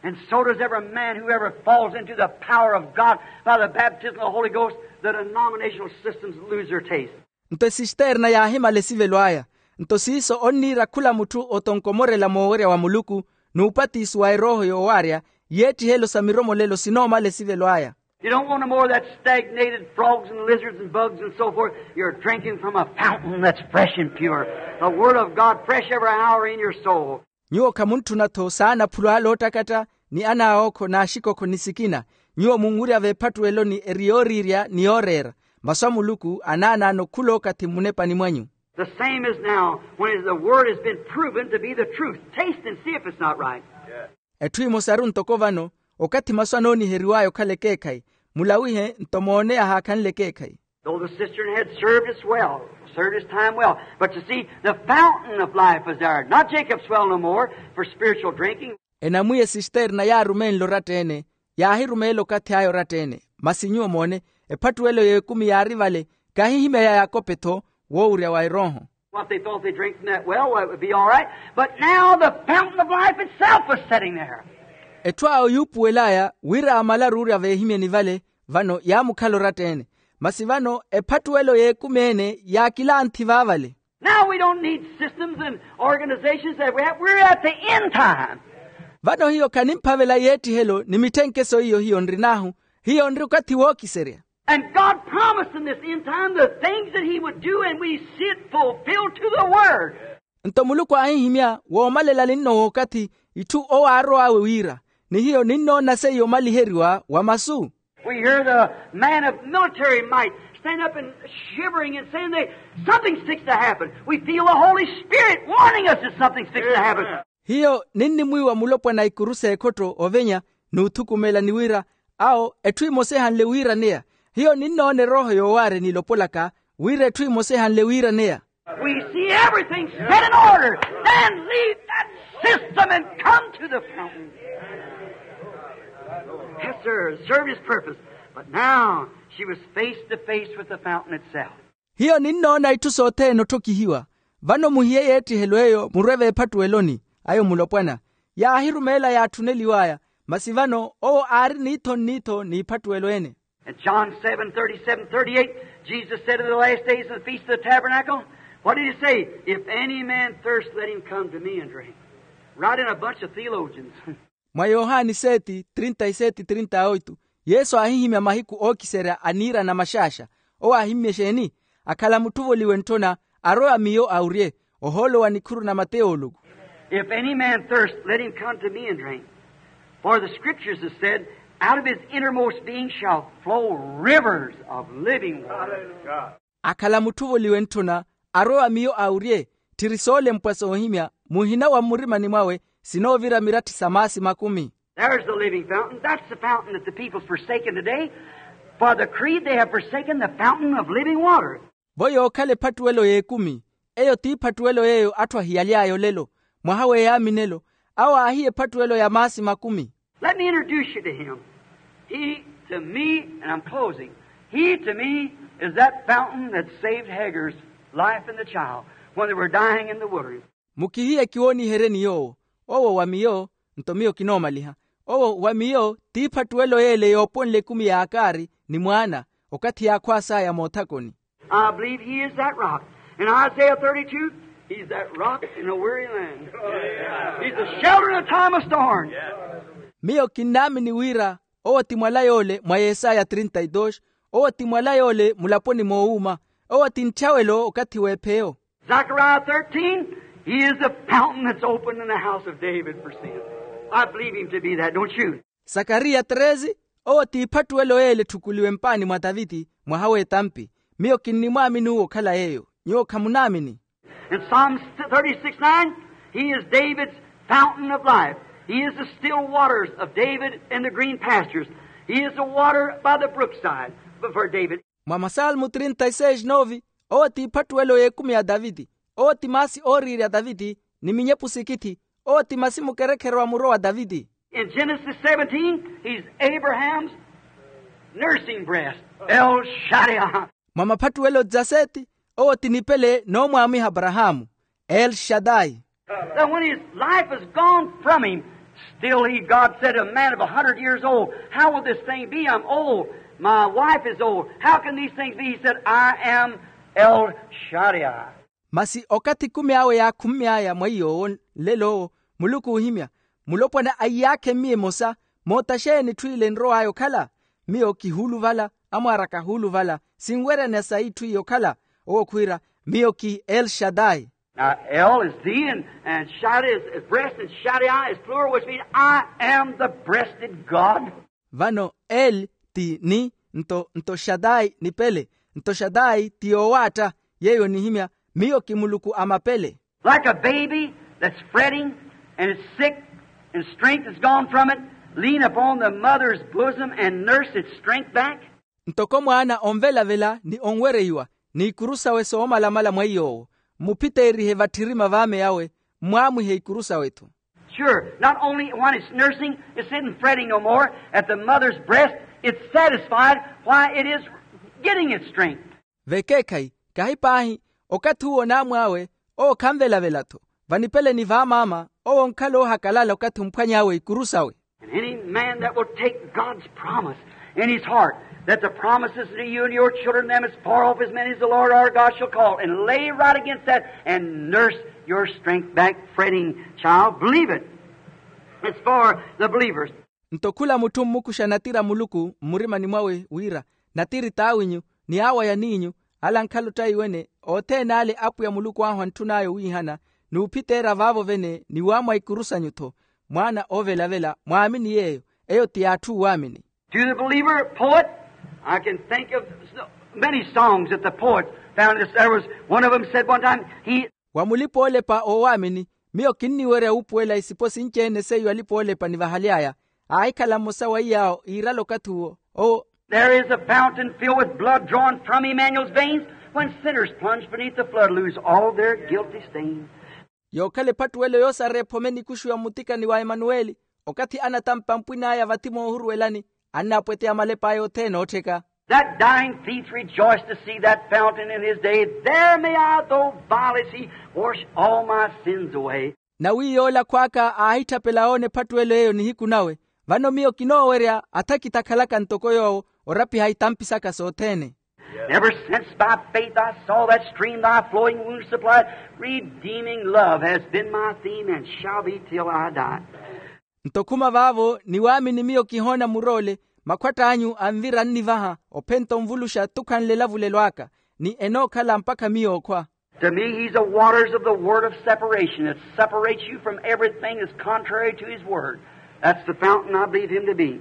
And so does every man who ever falls into the power of God by the baptism of the Holy Ghost, the denominational systems lose their taste. Nto esisterna yaahimala esivelo aya. Nto siiso onniira khula mutthu otonkomorela moowerya wa muluku, n'upatiso wa erooho yoowaarya, yeettihelyo sa miromolelo sinoomala esivelo aya. You don't want no more of that stagnated frogs and lizards and bugs and so forth. You're drinking from a fountain that's fresh and pure. The word of God fresh every hour in your soul. Nyuwo khamuntthuna-tho saana aphulu ale oottakatta, ni anaawookho n'axikokho ni sikina. Nyuwo munwirya v'ephattuweloni eri yooriirya ni yooreera. Masu a muluku anaanaano khula okathi mmunepani mwanyu. The same as now, when the word has been proven to be the truth. Taste and see if it's not right. Etthu emosaru ntoko vano, okathi masu anooniheriw'aya okhala ekeekhayi. Mulawihe nto moone ahaakhanle ekeekhayi. Though the cistern had served its well, served its time well, but you see, the fountain of life was there, not Jacob's well no more, for spiritual drinking. Enamwiya esisterna yaarumeenle oratta-ene, yaahirumeela okathi aya oratta-ene. Masi nyuwo moone, ephattuwelo y'ekumi yaari vale, kahi ehimya ya yakope-tho, woowurya wa erooho. What they thought they drank from that well, well, it would be all right. But now the fountain of life itself was sitting there. Etthu awo yuupuwel'aya wira aamalaru orya veehimyeni vale, vano yaamukhala oratta-ene. Masi vano ephattuwelo y'ekumi-ene yaakilanthi vaavale. Now we don't need systems and organizations that we have. We're at the end time. Vano hiyo khanimphavela yeettihelo ni mitthenkeso iyo hiyo nrin'ahu. Hiyo nri okathi wookiserya. And God promised in this end time the things that he would do, and we see it fulfilled to the word. Nto muluku aahihimya woomalela ninno w'okathi itthu owo aarow'awe wira, ni hiyo ninnoona seiyo omaliheriwa wa masu. We hear the man of military might stand up and shivering and saying, they, "Something's fixed to happen." We feel the Holy Spirit warning us that something's fixed to happen. Hiyo ninnimwiiwa mulopwana a ikuru s'ekhotto ovenya n'uthukumela ni wira, awo etthu emosa ehanle wiiraneya. Hiyo ninnoona erooho yoowaarya n'ilopolaka wira etthu emosa ehanle wiiraneya. We see everything set in order. Then leave that System and come to the fountain. Yes, sir. Served his purpose. But now she was face to face with the fountain itself. Hiyo ninnoona itthu sothene otthokihiwa. Vano muhiye yeettihelo eyo murwe veephattuweloni. Ayo mulopwana yaahirumeela yaatthuneliw'aya. Masi vano owo aari niitho nniitho n'iiphattuwelo ene. In John seven thirty-seven thirty-eight, Jesus said in the last days in the Feast of the Tabernacle, what did he say? If any man thirst, let him come to me and drink. Right in a bunch of theologians. Mwa yohani seti trinta y seti trinta y oitu, yesu aahihimya mahiku ookiserya a niira na maxaaxa. Owo aahimmye exeeni? Akhala mutthuvoliwe ntthona, arwe wa miyo awurye. Ohoolo wa nikhuru na mateyooluku. If any man thirst, let him come to me and drink. For the scriptures have said, out of his innermost being shall flow rivers of living water. Akhala mutthuvoliwe ntthona, arwe wa miyo awurye. Tthiri soolempwa soohimya, muhina wa mmurimani mwawe sinoovira miratthi sa maasi makumi. There's the living fountain. That's the fountain that the people's forsaken today. For the creed, they have forsaken the fountain of living water. Vo yookhala ephattuwelo y'ekumi. Eyo t'iphattuwelo yeeyo atthu ahiyaly'aya olelo. Mwaha w'eyaaminelo, awo aahiya ephattuwelo ya maasi makumi. Let me introduce you to him. He to me, and I'm closing, he to me is that fountain that saved Hagar's life and the child when they were dying in the wilderness. Mukihiye kiwooniheryeni yoowo. Owo wa miyo, nto miyo kinoomaliha. Owo wa miyo t'iphattuwelo y'ele yooponle ekumi ya akaari ni mwaana, okathi yaakhwaas'aya moothakoni. I believe he is that rock. In Isaiah thirty-two, he's that rock in a weary land. He's the shelter in a time of storm. Miyo kinnaamini wira owo ti mwala yoole mwa yesaya trinta y dos. Owo ti mwala yoole mulaponi moowuuma. Owo ti ntthawelo okathi w'epheyo. Zechariah thirteen, he is the fountain that's opened in the house of David for sin. I believe him to be that, don't you? Sakariya treze, owo t'iphattuwelo y'ele etthukuliwe mpaani mwa taviti mwaha w'etampi. Miyo kinnimwaamini uwo okhala yeeyo. Nyuwo khamunaamini? In Psalms thirty-six nine, he is David's fountain of life. He is the still waters of David and the green pastures. He is the water by the brookside for David. Mwa masalmu trinta y seis nove, owo t'iphattuwelo y'ekumi ya taviti. Owo ti maasi ooriirya taviti ni minyepu sikhithi. Owo ti masi mukerekherwa muro wa taviti. In Genesis seventeen, he's Abraham's nursing breast, El Shaddai. Mwa maphattuwelo dzaseeti, owo ti nipele n'omwaamiha aparahaamu, El Shaddai. That when his life is gone from him, still he, God said, a man of a hundred years old, how will this thing be? I'm old. My wife is old. How can these things be? He said, I am El Shaddai. Masi okathi ekumi awe yaakhummy'aya mwa iy'owo nlelo owo, muluku oohimya, mulopwana a iyaakhe mmiyo emosa. Moota xeeni etthu ile enrow'aya okhala? Miyo kihuuluvala, amwaar'aka ahuuluvala. Sinweryana sayi etthu iyo okhala? Owo khwiira, miyo ki El Shaddai. Now, El is thee, and, and Shaddai is, is breast, and Shaddai is plural, which means, I am the breasted God. Vano El ti ni, nto nto Shaddai nipele. Nto Shaddai ti yoowaatta. Yeeyo onihimya, miyo ki Muluku a mapele. Like a baby that's fretting and is sick and strength is gone from it, lean upon the mother's bosom and nurse its strength back. Ntoko mwaana onvelavela ni onwereiwa, n'ikuru sawe soomalamala mwa iy'owo, mmuphiteerihe vatthirima v'ame awe, mmwaamwihe ikuru sawe-tho. Sure, not only when it's nursing, it's sitting fretting no more at the mother's breast, it's satisfied why it is getting its strength. Vekeekhayi, kahi paahi, okathi uwo n'amw'awe, owo khanvelavela-tho. Vanipeleni v'amaama, owo onkhala oohakalala okathi omphwany'awe ikuru sawe. And any man that will take God's promise in his heart, that the promise is to you and your children, them as far off as many as the Lord our God shall call, and lay right against that and nurse your strength back, fretting child, believe it. It's for the believers. Nto khula mutthu mmukuxa natiri a Muluku mmurimani mwawe wira, natiri t'awinyu, ni awo a yaniinyu, ala ankhala otthaiwene, othene ale Apwiya Muluku ahu antthun'aya owiihana, n'uphiteera vaavo vene ni waamwa ikuru sanyu-tho. Mwaana oovelavela mwaamini yeeyo. Eyo ti y'atthu oowaamini. To the believer poet, I can think of so many songs that the poet found. There was one of them said one time, he Wa mulipa-oolepa oowaamini, miyo kinniwerya wuupuwela isipo sinci-ene seiyo alipa-oolepa nivahaly'aya. Aahikhala mmosa wa iy'awo iirala okathi uwo, owo. There is a fountain filled with blood drawn from Emmanuel's veins, when sinners plunge beneath the flood lose all their guilty stains. Yookhala ephattuwelo yoosareya ephome nikuxu ya mmutikani wa emanuweli, okathi anatampa mpwin'aya vathi moohuruwelani, annaapweteya malep'aya othene oottheka. That dying thief rejoiced to see that fountain in his day. There may I, though vile as he, wash all my sins away. Nawi yoola khw'aka aahitthapela oona ephattuwelo eyo nihiku nawe. Vano miyo kinoowerya athakitha akhalaka ntoko yoowo orapiha itampi saka sothene. Ever since by faith I saw that stream thy flowing wounds supplied, redeeming love has been my theme and shall be till I die. Nto khuma vaavo ni waamini miyo kihoona muroole, makhwatt'anyu anvira annivaha ophenta onvuluxa tukhanle elavulelo aka, ni enookhala mpakha miyo okhwa. To me he's the waters of the word of separation that separates you from everything that's contrary to his word. That's the fountain I believe him to be.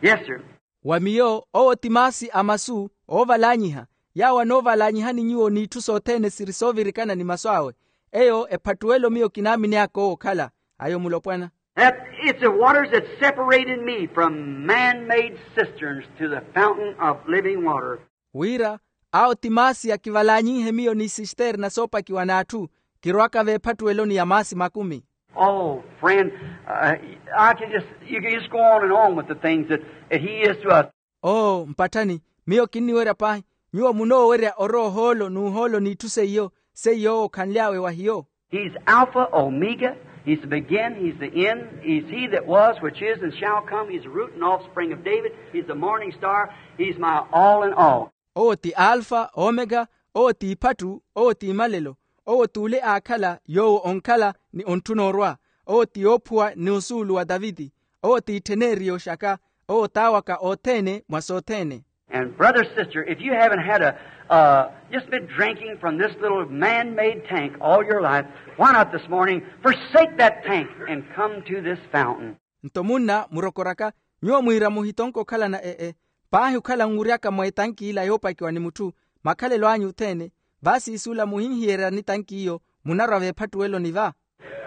Yes, sir. Wa miyo owo ti maasi a masu oovalaanyiha, yaawo anoovalaanyihani nyuwo n'itthu sothene siri soovirikana ni masu awe. Eyo ephattuwelo miyo kinaamini aka owo okhala ayo mulopwana. That it's the waters that separated me from man-made cisterns to the fountain of living water. Wira awo ti maasi akivalaanyinhe miyo n'isisterna soopakiwa n'atthu, kirwaka veephattuweloni ya maasi makumi. Oh, friend, uh, I can just, you can just go on and on with the things that, that he is to us. Oo mpatthani, miyo kinniwerya paahi, nyuwo munoowerya orowa ohoolo n'uhoolo n'itthu seiyo, seiyo owo okhanly'awe wa hiyo. He's Alpha, Omega. He's the begin, he's the end. He's he that was, which is, and shall come. He's the root and offspring of David. He's the morning star. He's my all in all. Owo ti alfa omeka, owo ti iphattu, owo ti imalelo, owo t'ule aakhala yoowo onkhala ni ontthuna orwa, owo ti yoophuwa ni osuulu wa taviti, owo ti ittheneriyo xaka, owo t'awaka othene mwa sothene. And brother, sister, if you haven't had a, uh, just been drinking from this little man-made tank all your life, why not this morning forsake that tank and come to this fountain? Nto munna murokoraka, nyuwo mwiira muhitonke okhalana e-e paahi okhala nwuryaka mwa etanki ila yoopakiwa ni mutthu, makhalelo anyu othene, vaasiisula muhinhiyerya ni tanki iyo, munarwa veephattuweloni va.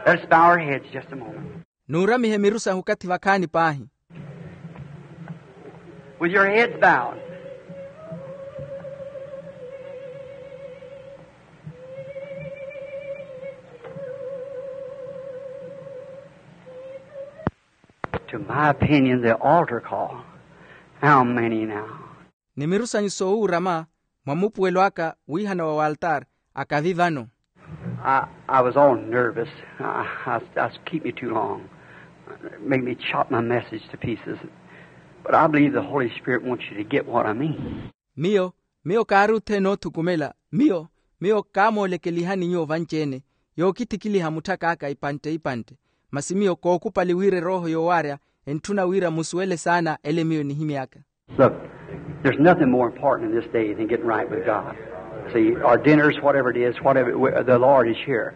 Let's bow our heads just a moment. Nuuramihe miru sahu okathi vakhaani paahi. With your heads bowed. To my opinion, the altar call. How many now? Ni miru sanyu soowuurama mwa mupuwelo aka wiihana wa waltaari, akavi vano. I, I was all nervous. I, I, I was keeping you too long. Made me chop my message to pieces. But I believe the Holy Spirit wants you to get what I mean. Miyo, miyo kaari othene oothukumela, miyo, miyo kaamoolekelihani nyuwo vanci-ene, yookithikiliha mutthaka aka ipantte ipantte. Masi miyo kookupali wira erooho yoowaarya entthuna wira musuwele saana ele miyo enihimy'aka. Look, there's nothing more important in this day than getting right with God. See, our dinners, whatever it is, whatever, the Lord is here.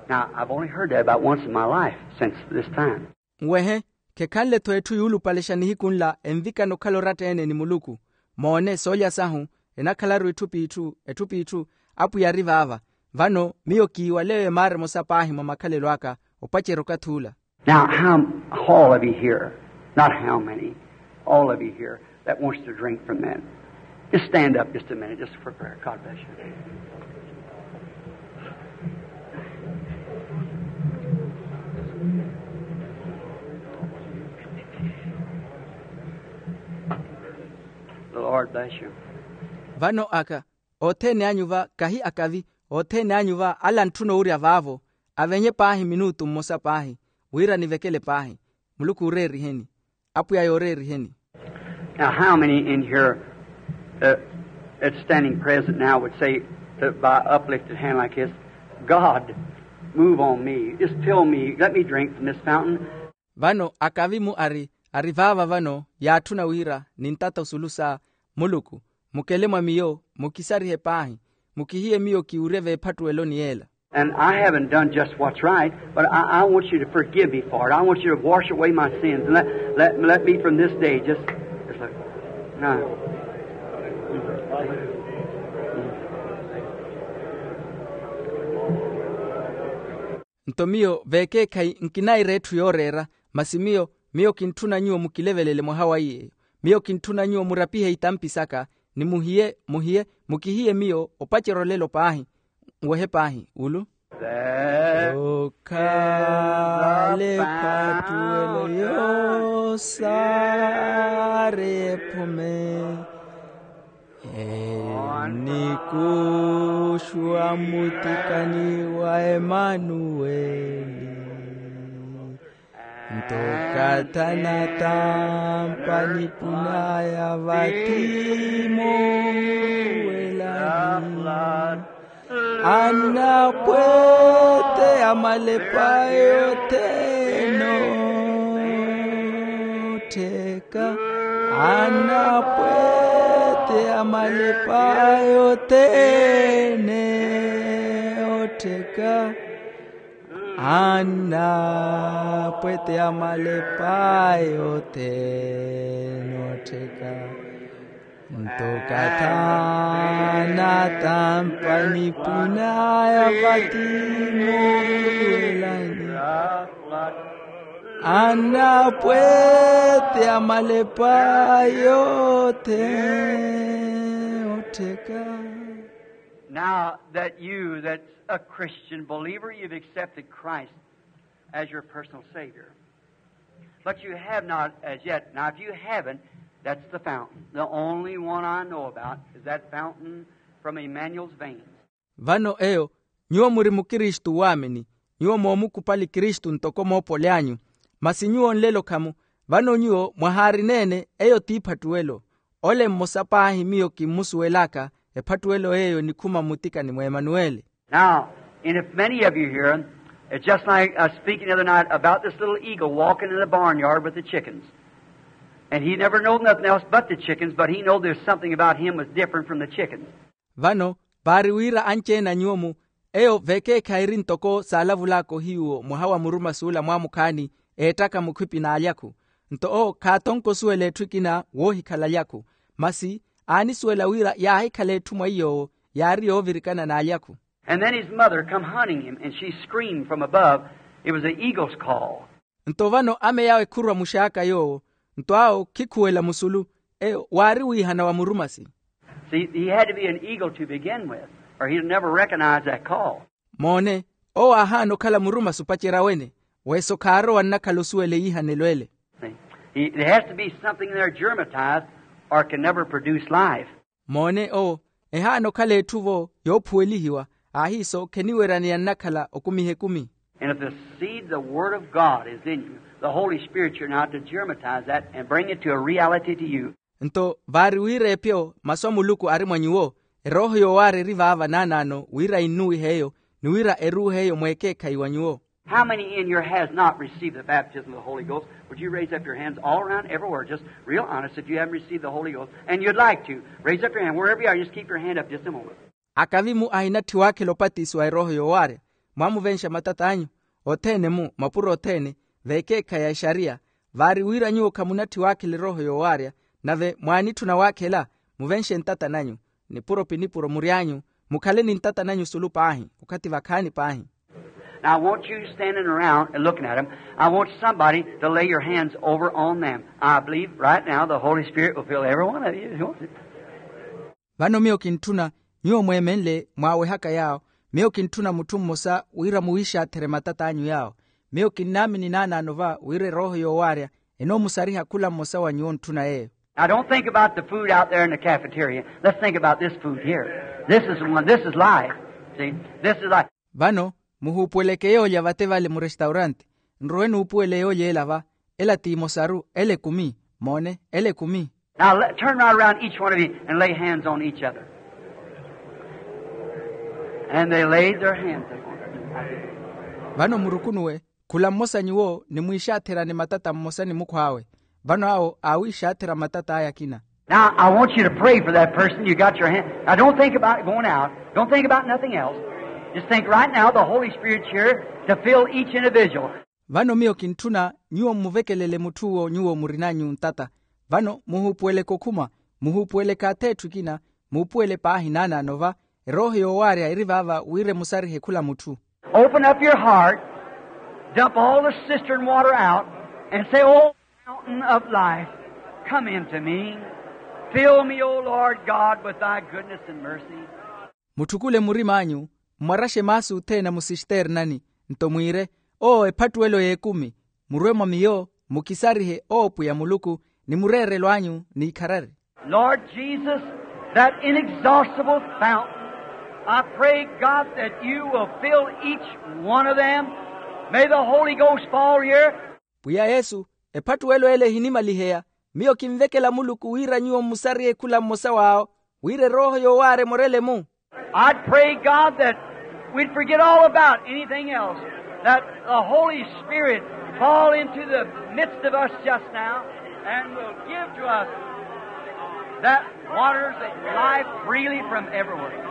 Now, I've only heard that about once in my life since this time. Nwehe, khekhanle-tho etthu yuulupalexa nihiku nla envikana okhala oratta-ene ni muluku. Moone soolya sahu enakhalaru etthu p'itthu, etthu p'itthu, apwiya ari vaava. Vano miyo kiiwaleyo emaara emosa paahi mwa makhalelo aka opacerya okathi ula. Now, how, all of you here, not how many, all of you here that wants to drink from that, just stand up just a minute, just for prayer. God bless you. The Lord bless you. Vano aka, othene anyu va kahi akavi, othene anyu va ala antthuna owurya vaavo, avenye paahi minutu mmosa paahi, wira nivekele paahi. Muluku ooreeriheni. Apwiya yooreeriheni. Now, how many in here, uh, that's standing present now would say, uh, by uplifted hand like this, "God, move on me. Just fill me. Let me drink from this fountain." Vano akavi-mu ari, ari vaava vano yaatthuna wira nintata osulu sa, "Muluku, mukele mwa miyo, mukisarihe paahi, mukihiye miyo kiwurye veephattuweloni yeela." And I haven't done just what's right, but I, I want you to forgive me for it. I want you to wash away my sins and let, let, let me from this day just, just look. Now. Nto miyo vekeekhayi nkinaira etthu yooreera, masi miyo, miyo kintthuna nyuwo mukilevelele mwaha wa iy'eyo. Miyo kintthuna nyuwo murapihe itampi saka, ni muhiye, muhiye, mukihiye miyo opacerya olelo paahi. Nwehe paahi ulu. Okhala ephattuwelo yoosaari ephume. Enikuxuwa mutikani wa emanuweli. Nto okathi anatampa nipun'aya vathi moomuwelani, anapwete a malepa yothene ottheka, anapwete a malepa yothene ottheka, anapwete a malepa yothene ottheka. Nto okathi anatampa nipun'aya vathi moomuwelani, anapwete a malepa yothene ottheka. Now that you, that's a Christian believer, you've accepted Christ as your personal Savior. But you have not as yet. Now, if you haven't, that's the fountain. The only one I know about is that fountain from Emmanuel's veins. Vano eyo, nyuwo muri mukristu waamini, nyuwo moomukupali kristu ntoko moopoli anyu. Masi nyuwo nlelo khamu, vano nyuwo mwahaarina-ene, eyo t'iphattuwelo. Ole mmosa paahi miyo kimmusuwel'aka, ephattuwelo eyo enikhuma mmutikani mw'emanuweli. Now, and if many of you here, it's just like I was speaking the other night about this little eagle walking in the barnyard with the chickens. And he never knowed nothing else but the chickens, but he knowed there's something about him was different from the chickens. Vano, vaari wira anci-ene a nyuwo-mu, eyo vekeekhayi eri ntoko saalavul'aka ohiyuwo mwaha wa murumasi ola mwaamukhaani, eettaka mukhwipi n'alyakhu. Nto owo khaatonke osuwela etthu ekina woohikhala alyakhu, masi aanisuwela wira yaahikhala etthu mwa iy'owo yaari yoovirikana n'alyakhu. And then his mother come hunting him, and she screamed from above. It was the eagle's call. Nto vano ame yawe khurwa muxaaka yoowo, nto awo khikhuwela musulu, eyo waari wiihana wa murumasi. See, he had to be an eagle to begin with, or he'd never recognize that call. Moone, owo aahaana okhala murumasi opacerya wene, weso khaarowa nnakhala osuwela eyihanelo ele. See, he, there has to be something there germatized, or it can never produce life. Moone owo, ehaana okhala etthu-vo yoophuwelihiwa, ahiiso kheniweryaneya nnakhala okumiha ekumi. And if the seed, the Word of God, is in you, the Holy Spirit, you're now to germatize that and bring it to a reality to you. Nto vaari wira epyo masu a muluku ari mwa nyuwo, erooho yoowaarya eri vaava naanaano wira innuwihe eyo, ni wira eruuhe eyo mweekeekhayi wa nyuwo. How many in here has not received the baptism of the Holy Ghost? Would you raise up your hands all around, everywhere, just real honest, if you haven't received the Holy Ghost, and you'd like to? Raise up your hand wherever you are. Just keep your hand up just a moment. Akavi-mu ahinatthi waakhela opatisiwa erooho yoowaarya? Mwaamuvenxa matat'anyu, othene-mu, mapuro othene, veekeekhayi a exariya. Vaari wira nyuwo khamunatthi waakhela erooho yoowaarya, nave mwaanitthuna waakhela, muvenxe ntata nanyu, nipuro pi nipuro mury'anyu, mukhale ni ntata nanyu sulu paahi, okhathi vakhaani paahi. Now, I want you standing around and looking at 'em, I want somebody to lay your hands over on them. I believe right now the Holy Spirit will fill every one of you. Vano miyo kintthuna, nyuwo mweemenle mwaawehaka yaawo, miyo kintthuna mutthu mmosa wira muwiixaatherye matat'anyu yaawo. Miyo kinnaamini naanaano va wira erooho yoowaarya enoomusariha khula mmosa wa nyuwo ontthuna yeeyo. Now, don't think about the food out there in the cafeteria. Let's think about this food here. This is the one. This is life. See? This is life. Vano, muhuupuweleke yoolya vate vale murestaurante. Nrowe nuupuwele yoolya ela va, ela t'imosaru, ela ekumi. Moone, ela ekumi. Now, let, turn right around each one of you and lay hands on each other. And they laid their hands upon her. Vano murukunuwe, khula mmosa nyuwo nimwiixaatherane matata mmosa ni mukhw'awe. Vano awo aawiixaathera matat'aya akina. Now, I want you to pray for that person. You got your hand. Now, don't think about going out. Don't think about nothing else. Just think right now the Holy Spirit's here to fill each individual. Vano miyo kintthuna nyuwo mmuvekelele mutth'uwo nyuwo murinanyu ntata. Vano muhuupuweleke okhuma, muhuupuweleke atheetthu ekina, muupuwele paahi naanaano va, erooho yoowaarya eri vaava wira emusarihe khula mutthu. Open up your heart, dump all the cistern water out, and say, "Oh, fountain of life, come into me. Fill me, O Lord God, with thy goodness and mercy." Mutthukule murim'anyu, mmwaraxe maasi othene a musisternani. Nto mwiire, oo ephattuwelo y'ekumi, murwe mwa miyo, mukisarihe oo pwiya muluku, ni mureerelo anyu n'ikharari. Lord Jesus, that inexhaustible fountain, I pray, God, that you will fill each one of them. May the Holy Ghost fall here. Pwiya yesu, ephattuwelo ele ehinimaliheya, miyo kinvekela muluku wira nyuwo mmusariye khula mmosa w'awo, wira erooho yoowaarya emorele-mu. I'd pray, God, that we'd forget all about anything else, that the Holy Spirit fall into the midst of us just now and will give to us that waters of life freely from everywhere.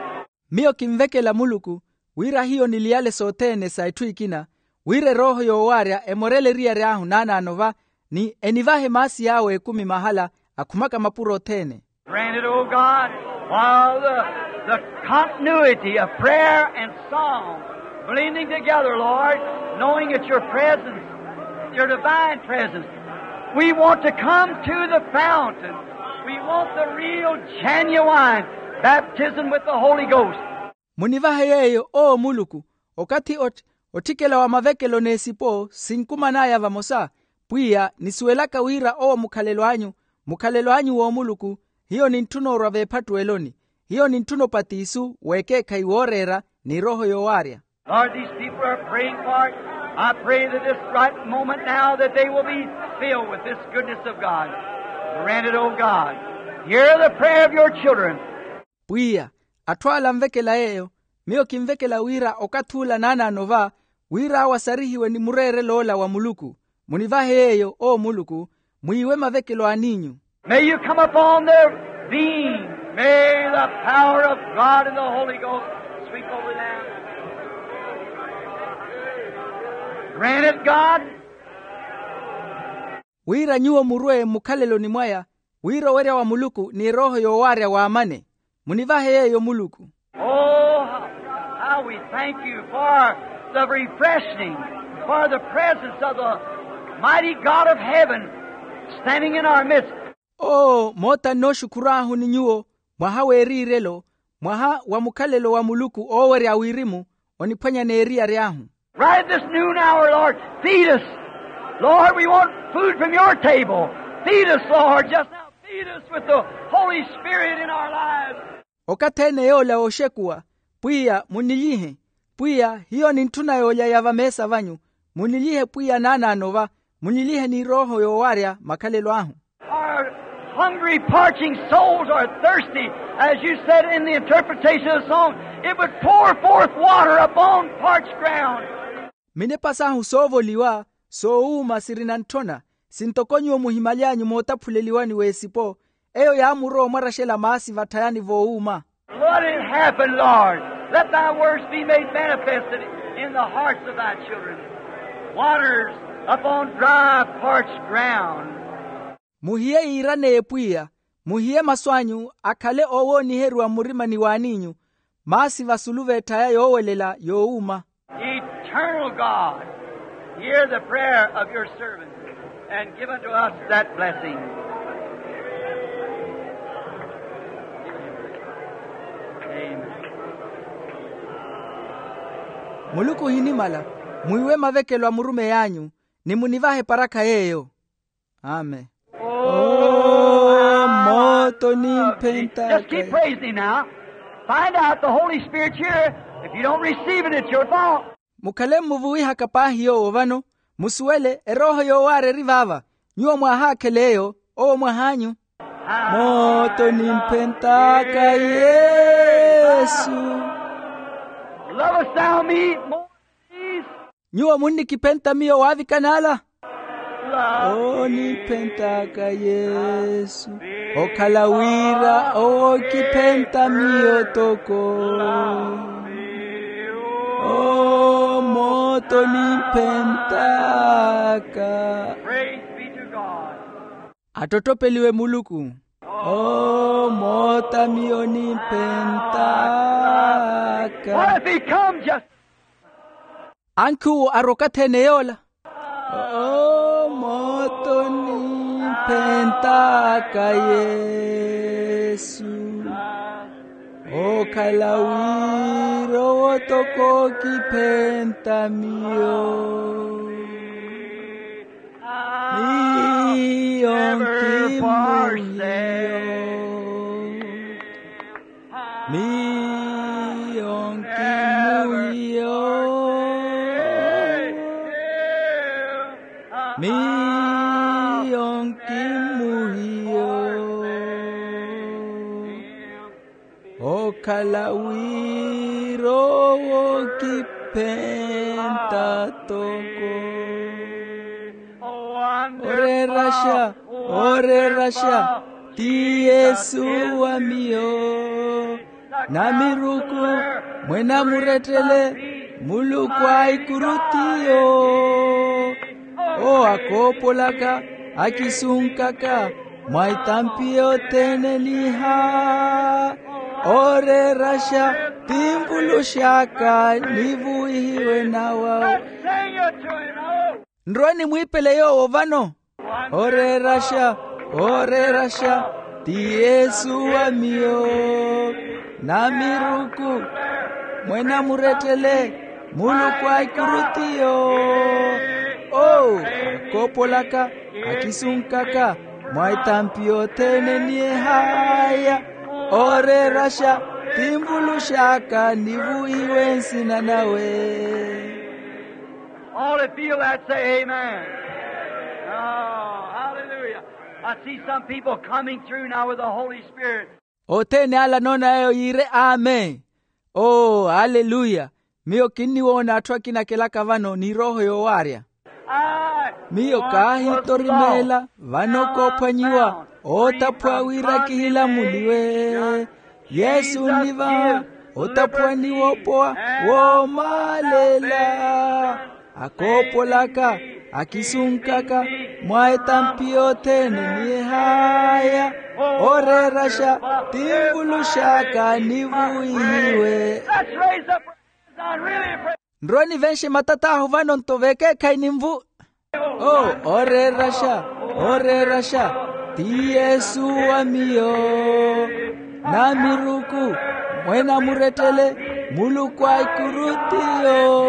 Miyo kinvekela muluku wira hiyo niliyale sothene sa etthu ekina, wira erooho yoowaarya emorele eriyari ahu naanaano va, ni enivahe maasi yaawe ekumi mahala akhumaka mapuro othene. Grant it, O God, while the, the continuity of prayer and song blending together, Lord, knowing it's your presence, your divine presence. We want to come to the fountain. We want the real, genuine baptism with the Holy Ghost. Munivahe yeeyo oo muluku, okathi otthikela wa mavekelo n'esipo sinkuman'aya vamosa. Pwiya nisuwelaka wira owo mukhalelo anyu, mukhalelo anyu w'omuluku. Hiyo nintthuna orwa veephattuweloni. Hiyo nintthuna opatisu w'ekeekhayi wooreera n'erooho yoowaarya. Lord, these people are praying for it. I pray that this right moment now that they will be filled with this goodness of God. Grant it, O God. Hear the prayer of your children. Pwiya, atthu ala anvekela yeeyo, miyo kinvekela wira okathi ula naanaano va, wira awo asarihiwe ni mureerelo ola wa muluku. Munivahe yeeyo oo muluku, mwiiwe mavekelo a an'inyu. May you come upon their being. May the power of God and the Holy Ghost sweep over them. Grant it, God. Wira nyuwo murwe mmukhaleloni mwaya, wira owerya wa muluku ni erooho yoowaarya waamane. Munivahe yeeyo muluku. Oh, how we thank you for the refreshing, for the presence of the mighty God of heaven standing in our midst. Oo moota nnooxukhur'ahu ni nyuwo, mwaha w'eriirelo, mwaha wa mukhalelo wa muluku oowerya wirimu, oniphwanya n'eriyari ahu. Right at this noon hour, Lord, feed us. Lord, we want food from your table. Feed us, Lord, just now. Feed us with the Holy Spirit in our lives. Okathi ene yoola wooxekuwa, pwiya munnilyihe. Pwiya hiyo nintthuna yoolya ya vameesa vanyu. Munnilyihe pwiya naanaano va, munnilyihe n'irooho yoowaarya makhalelo ahu. Our hungry, parching souls are thirsty, as you said in the interpretation of the song. It would pour forth water upon parched ground. Minepa sahu soovoliwa, soowuuma sirina ntthona, sintoko nyuwo muhimaly'anyu mootaphuleliwani w'esipo, eyo yaamurowa omwaraxela maasi vatthayani voowuuma. Let it happen, Lord. Let thy words be made manifested in the hearts of thy children. Waters upon dry, parched ground. Muhiye yiiraneye pwiya, muhiye masu anyu akhale oowooniheriwa mmurimani w'an'inyu, maasi vasulu v'etthaya yoowelela yoowuuma. Eternal God, hear the prayer of your servant and give unto us that blessing. Amen. Muluku ohinimala, mwiiwe mavekelo a murumeyi anyu, ni munivahe parakha yeeyo. Amen. Oh, mooto nimphentaka. Just keep praising him now. Find out the Holy Spirit's here. If you don't receive it, it's your fault. Mukhale mmuvuwihaka paahi yoowo vano, musuwele erooho yoowaarya eri vaava. Nyuwo mwaahaakhela eyo, owo mwah'anyu. Mooto nimphentaka Yesu. Lovest thou me more than these? Nyuwo munnikiphenta miyo waavikana ala? Oniphentt'aka Yesu, okhala wira owo okiphenta miyo toko. O mooto oniphentt'aka. Praise be to God. Attottopeliwe Muluku. O mooto miyo oniphentt'aka. What if he comes just Ankhi uwo arwa okathi ene yoola. O mooto oniphentt'aka Yesu. Okhala wira owo toko okiphenta miyo. Miyo nkimuhiyo. Miyo nkimuhiyo. Miyo nkimuhiyo. Okhala wira owo okiphenta toko. Oreeraxa, oreeraxa, ti yesu wa miyo. Namiruku, mwene amurettele, muluku a ikuru tiyo. Owo akoopolaka, akisunkaka mwa itampi yothene niha. Oreeraxa, ti nvuluxaka nivuwihiwe nawa. Nrowe nimwiipele yoowo vano. Oreeraxa, oreeraxa, ti yesu wa miyo. Namiruku, mwene amurettele, muluku a ikuru tiyo. Owo akoopolaka, akisunkaka mwa itampi yothene nihaya. Oreeraxa, ti nvuluxaka nivuwihiwe nsina nawe. All that feel that, say amen. Oh, hallelujah. I see some people coming through now with the Holy Spirit. Othene ala anoona yeeyo yiire amen. Oo, aleluya. Miyo kinniwoona atthu akina akelaka vano ni erooho yoowaarya. Miyo kaahitorimeela vano koophwanyiwa, ootaphuwa wira kihilamuliwe. Yesu onnivaha otaphuwani woopowa woomaalela. Akoopolaka, akisunkaka mwa etampi yothene nihaya. Oreeraxa, ti nvuluxaka nivuwihiwe. Nrowe nivenxe matat'ahu vano nto vekeekhayi ninvu. Oo, oreeraxa, oreeraxa, ti yesu wa miyo. Namiruku, mwene amurettele, muluku a ikuru tiyo.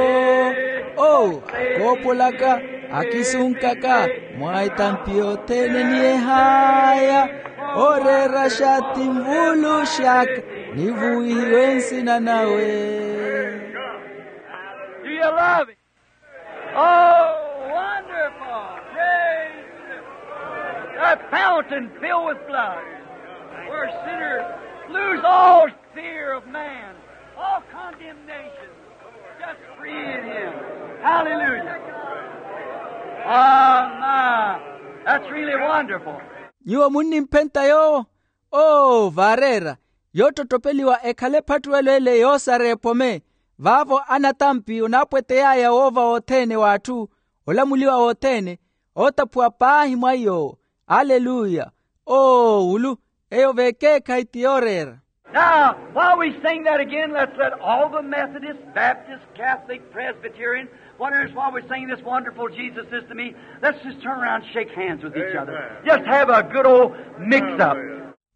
Oo, akoopolaka, akisunkaka mwa etampi yothene nihaya. Oreeraxa, ti nvuluxaka nivuwihiwe nsina nawe. Do you love him? Oh, wonderful. Praise him. That fountain filled with blood, where sinners lose all fear of man, all condemnation, just free in him. Hallelujah. Oh, my. That's really wonderful. Nyuwo munnimphenta yoowo. Oo, vaareera, yoottottopeliwa ekhale ephattuwelo ele yoosara epome. Vaavo anatampi onaapwetey'aya woova wothene w'atthu, olamuliwa wothene, ootaphuwa paahi mwa iy'owo. Aleluya. Oo, wulu, eyo vekeekhayi ti yooreera. Now, while we sing that again, let's let all the Methodists, Baptists, Catholic, Presbyterian, whatever it is, while we're singing this wonderful Jesus is to me, let's just turn around and shake hands with each other. Amen. Just have a good old mix-up.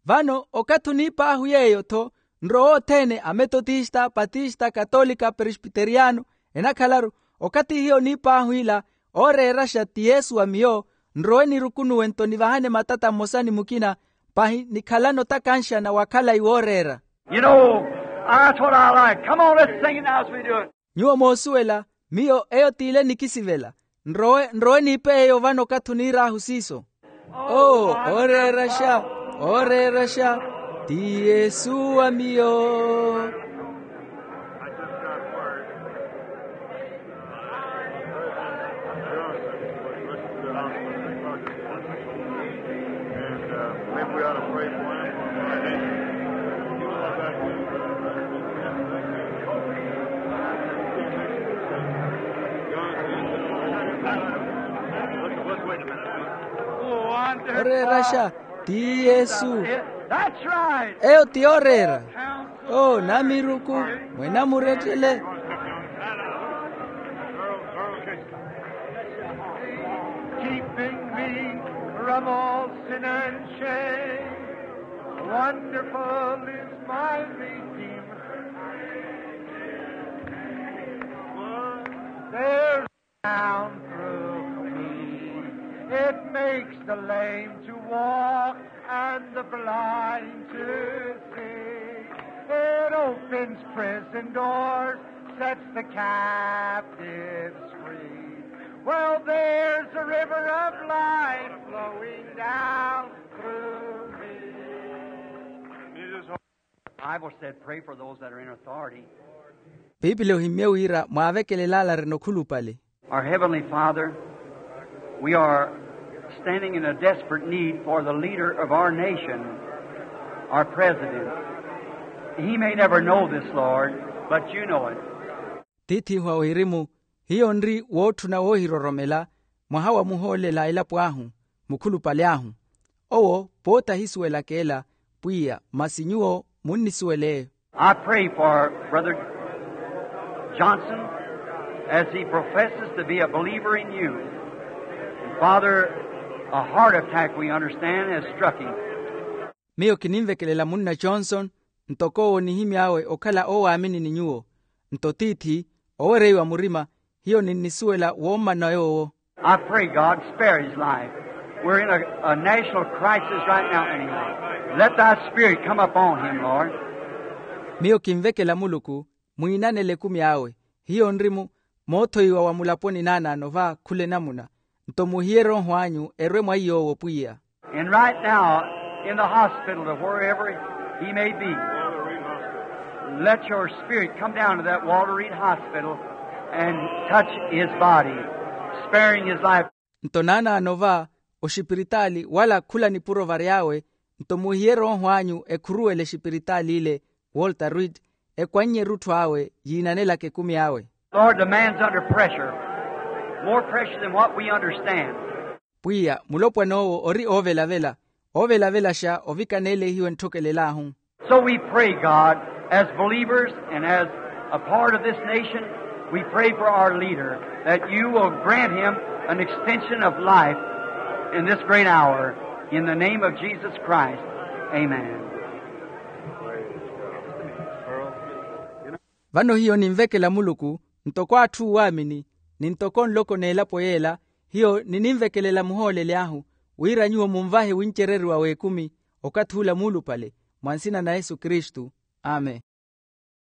Vano, okathi oniip'ahu yeeyo-tho, nrowe othene, ametotista, patista, katolika, presbiteriano, enakhalaru, okathi hiyo oniip'ahu ila, ooreeraxa ti yesu wa miyo, nrowe nirukunuwe nto nivahane matata mmosa ni mukina, pahi nikhalane otakanxana wa khalayi wooreera. You know, that's what I like. Come on, let's sing it now as we do it. Nyuwo moosuwela, miyo eyo t'ile nikisivela. Nrowe, nrowe niipe eyo vano okathi oniir'ahu siiso. Oo, ooreeraxa, ooreeraxa, ti yesu wa miyo. And, uh, maybe we ought to pray for him. Let's, let's wait a minute. Oreeraxa ti yesu. That's right. Eyo ti yooreera. Oo, namiruku, mwene amurettele. Keeping me from all sin and shame. Wonderful is my Redeemer. There's down through me. It makes the lame to walk and the blind to see. It opens prison doors, sets the captives free. Well, there's a river of life flowing down through me. Bible said, "Pray for those that are in authority." Piipili ohimmye wira mwaavekelele ale arina okhulupale. Our Heavenly Father, we are standing in a desperate need for the leader of our nation, our president. He may never know this, Lord, but you know it. Tiith'ihu a wirimu, hiyo nri wootthuna woohiroromela mwaha wa muhoolela a elapo ahu, mukhulupale ahu. Owo pooti ahisuwelaka ela, pwiya masi nyuwo munnisuwela eyo. I pray for Brother Johnson as he professes to be a believer in you. And Father, a heart attack, we understand, has struck him. Miyo kininvekelela munna Johnson, ntoko owo onihimy'awe okhala owaamini ni nyuwo. Nto tiithi, owereiwa murima, hiyo ninnisuwela woommana yoowo. I pray, God, spare his life. We're in a, a national crisis right now, anyway. Let thy spirit come upon him, Lord. Miyo kinvekela Muluku, mwiinanele ekumi awe. Hiyo nri mu moothoiwa wa mulaponi naanaano va khula enamuna. Nto muhiye erooho anyu erwe mwa iy'owo, pwiya. And right now, in the hospital or wherever he may be, let your spirit come down to that Walter Reed Hospital and touch his body, sparing his life. Nto naanaano va oxipiritaali wala khula nipuro vary'awe, nto muhiye erooho anyu ekhuruwele exipiritaali ile, Walter Reed, ekwannye erutthu awe yiinanelaka ekumi awe. Lord, the man's under pressure, more pressure than what we understand. Pwiya, mulopwana owo ori oovelavela, oovelavelaxa ovikaneelehiwe ntthokelelahu. So we pray, God, as believers and as a part of this nation, we pray for our leader, that you will grant him an extension of life in this great hour. In the name of Jesus Christ, amen. Vano hiyo ninvekela Muluku, ntoko atthu oowaamini, ni ntoko nloko n'elapo yeela, hiyo nininvekelela muhooleli ahu, wira nyuwo munvahe wincereriwa w'ekumi, okathi ula muulupale, mwa nsina na Yesu Kristu. Amen.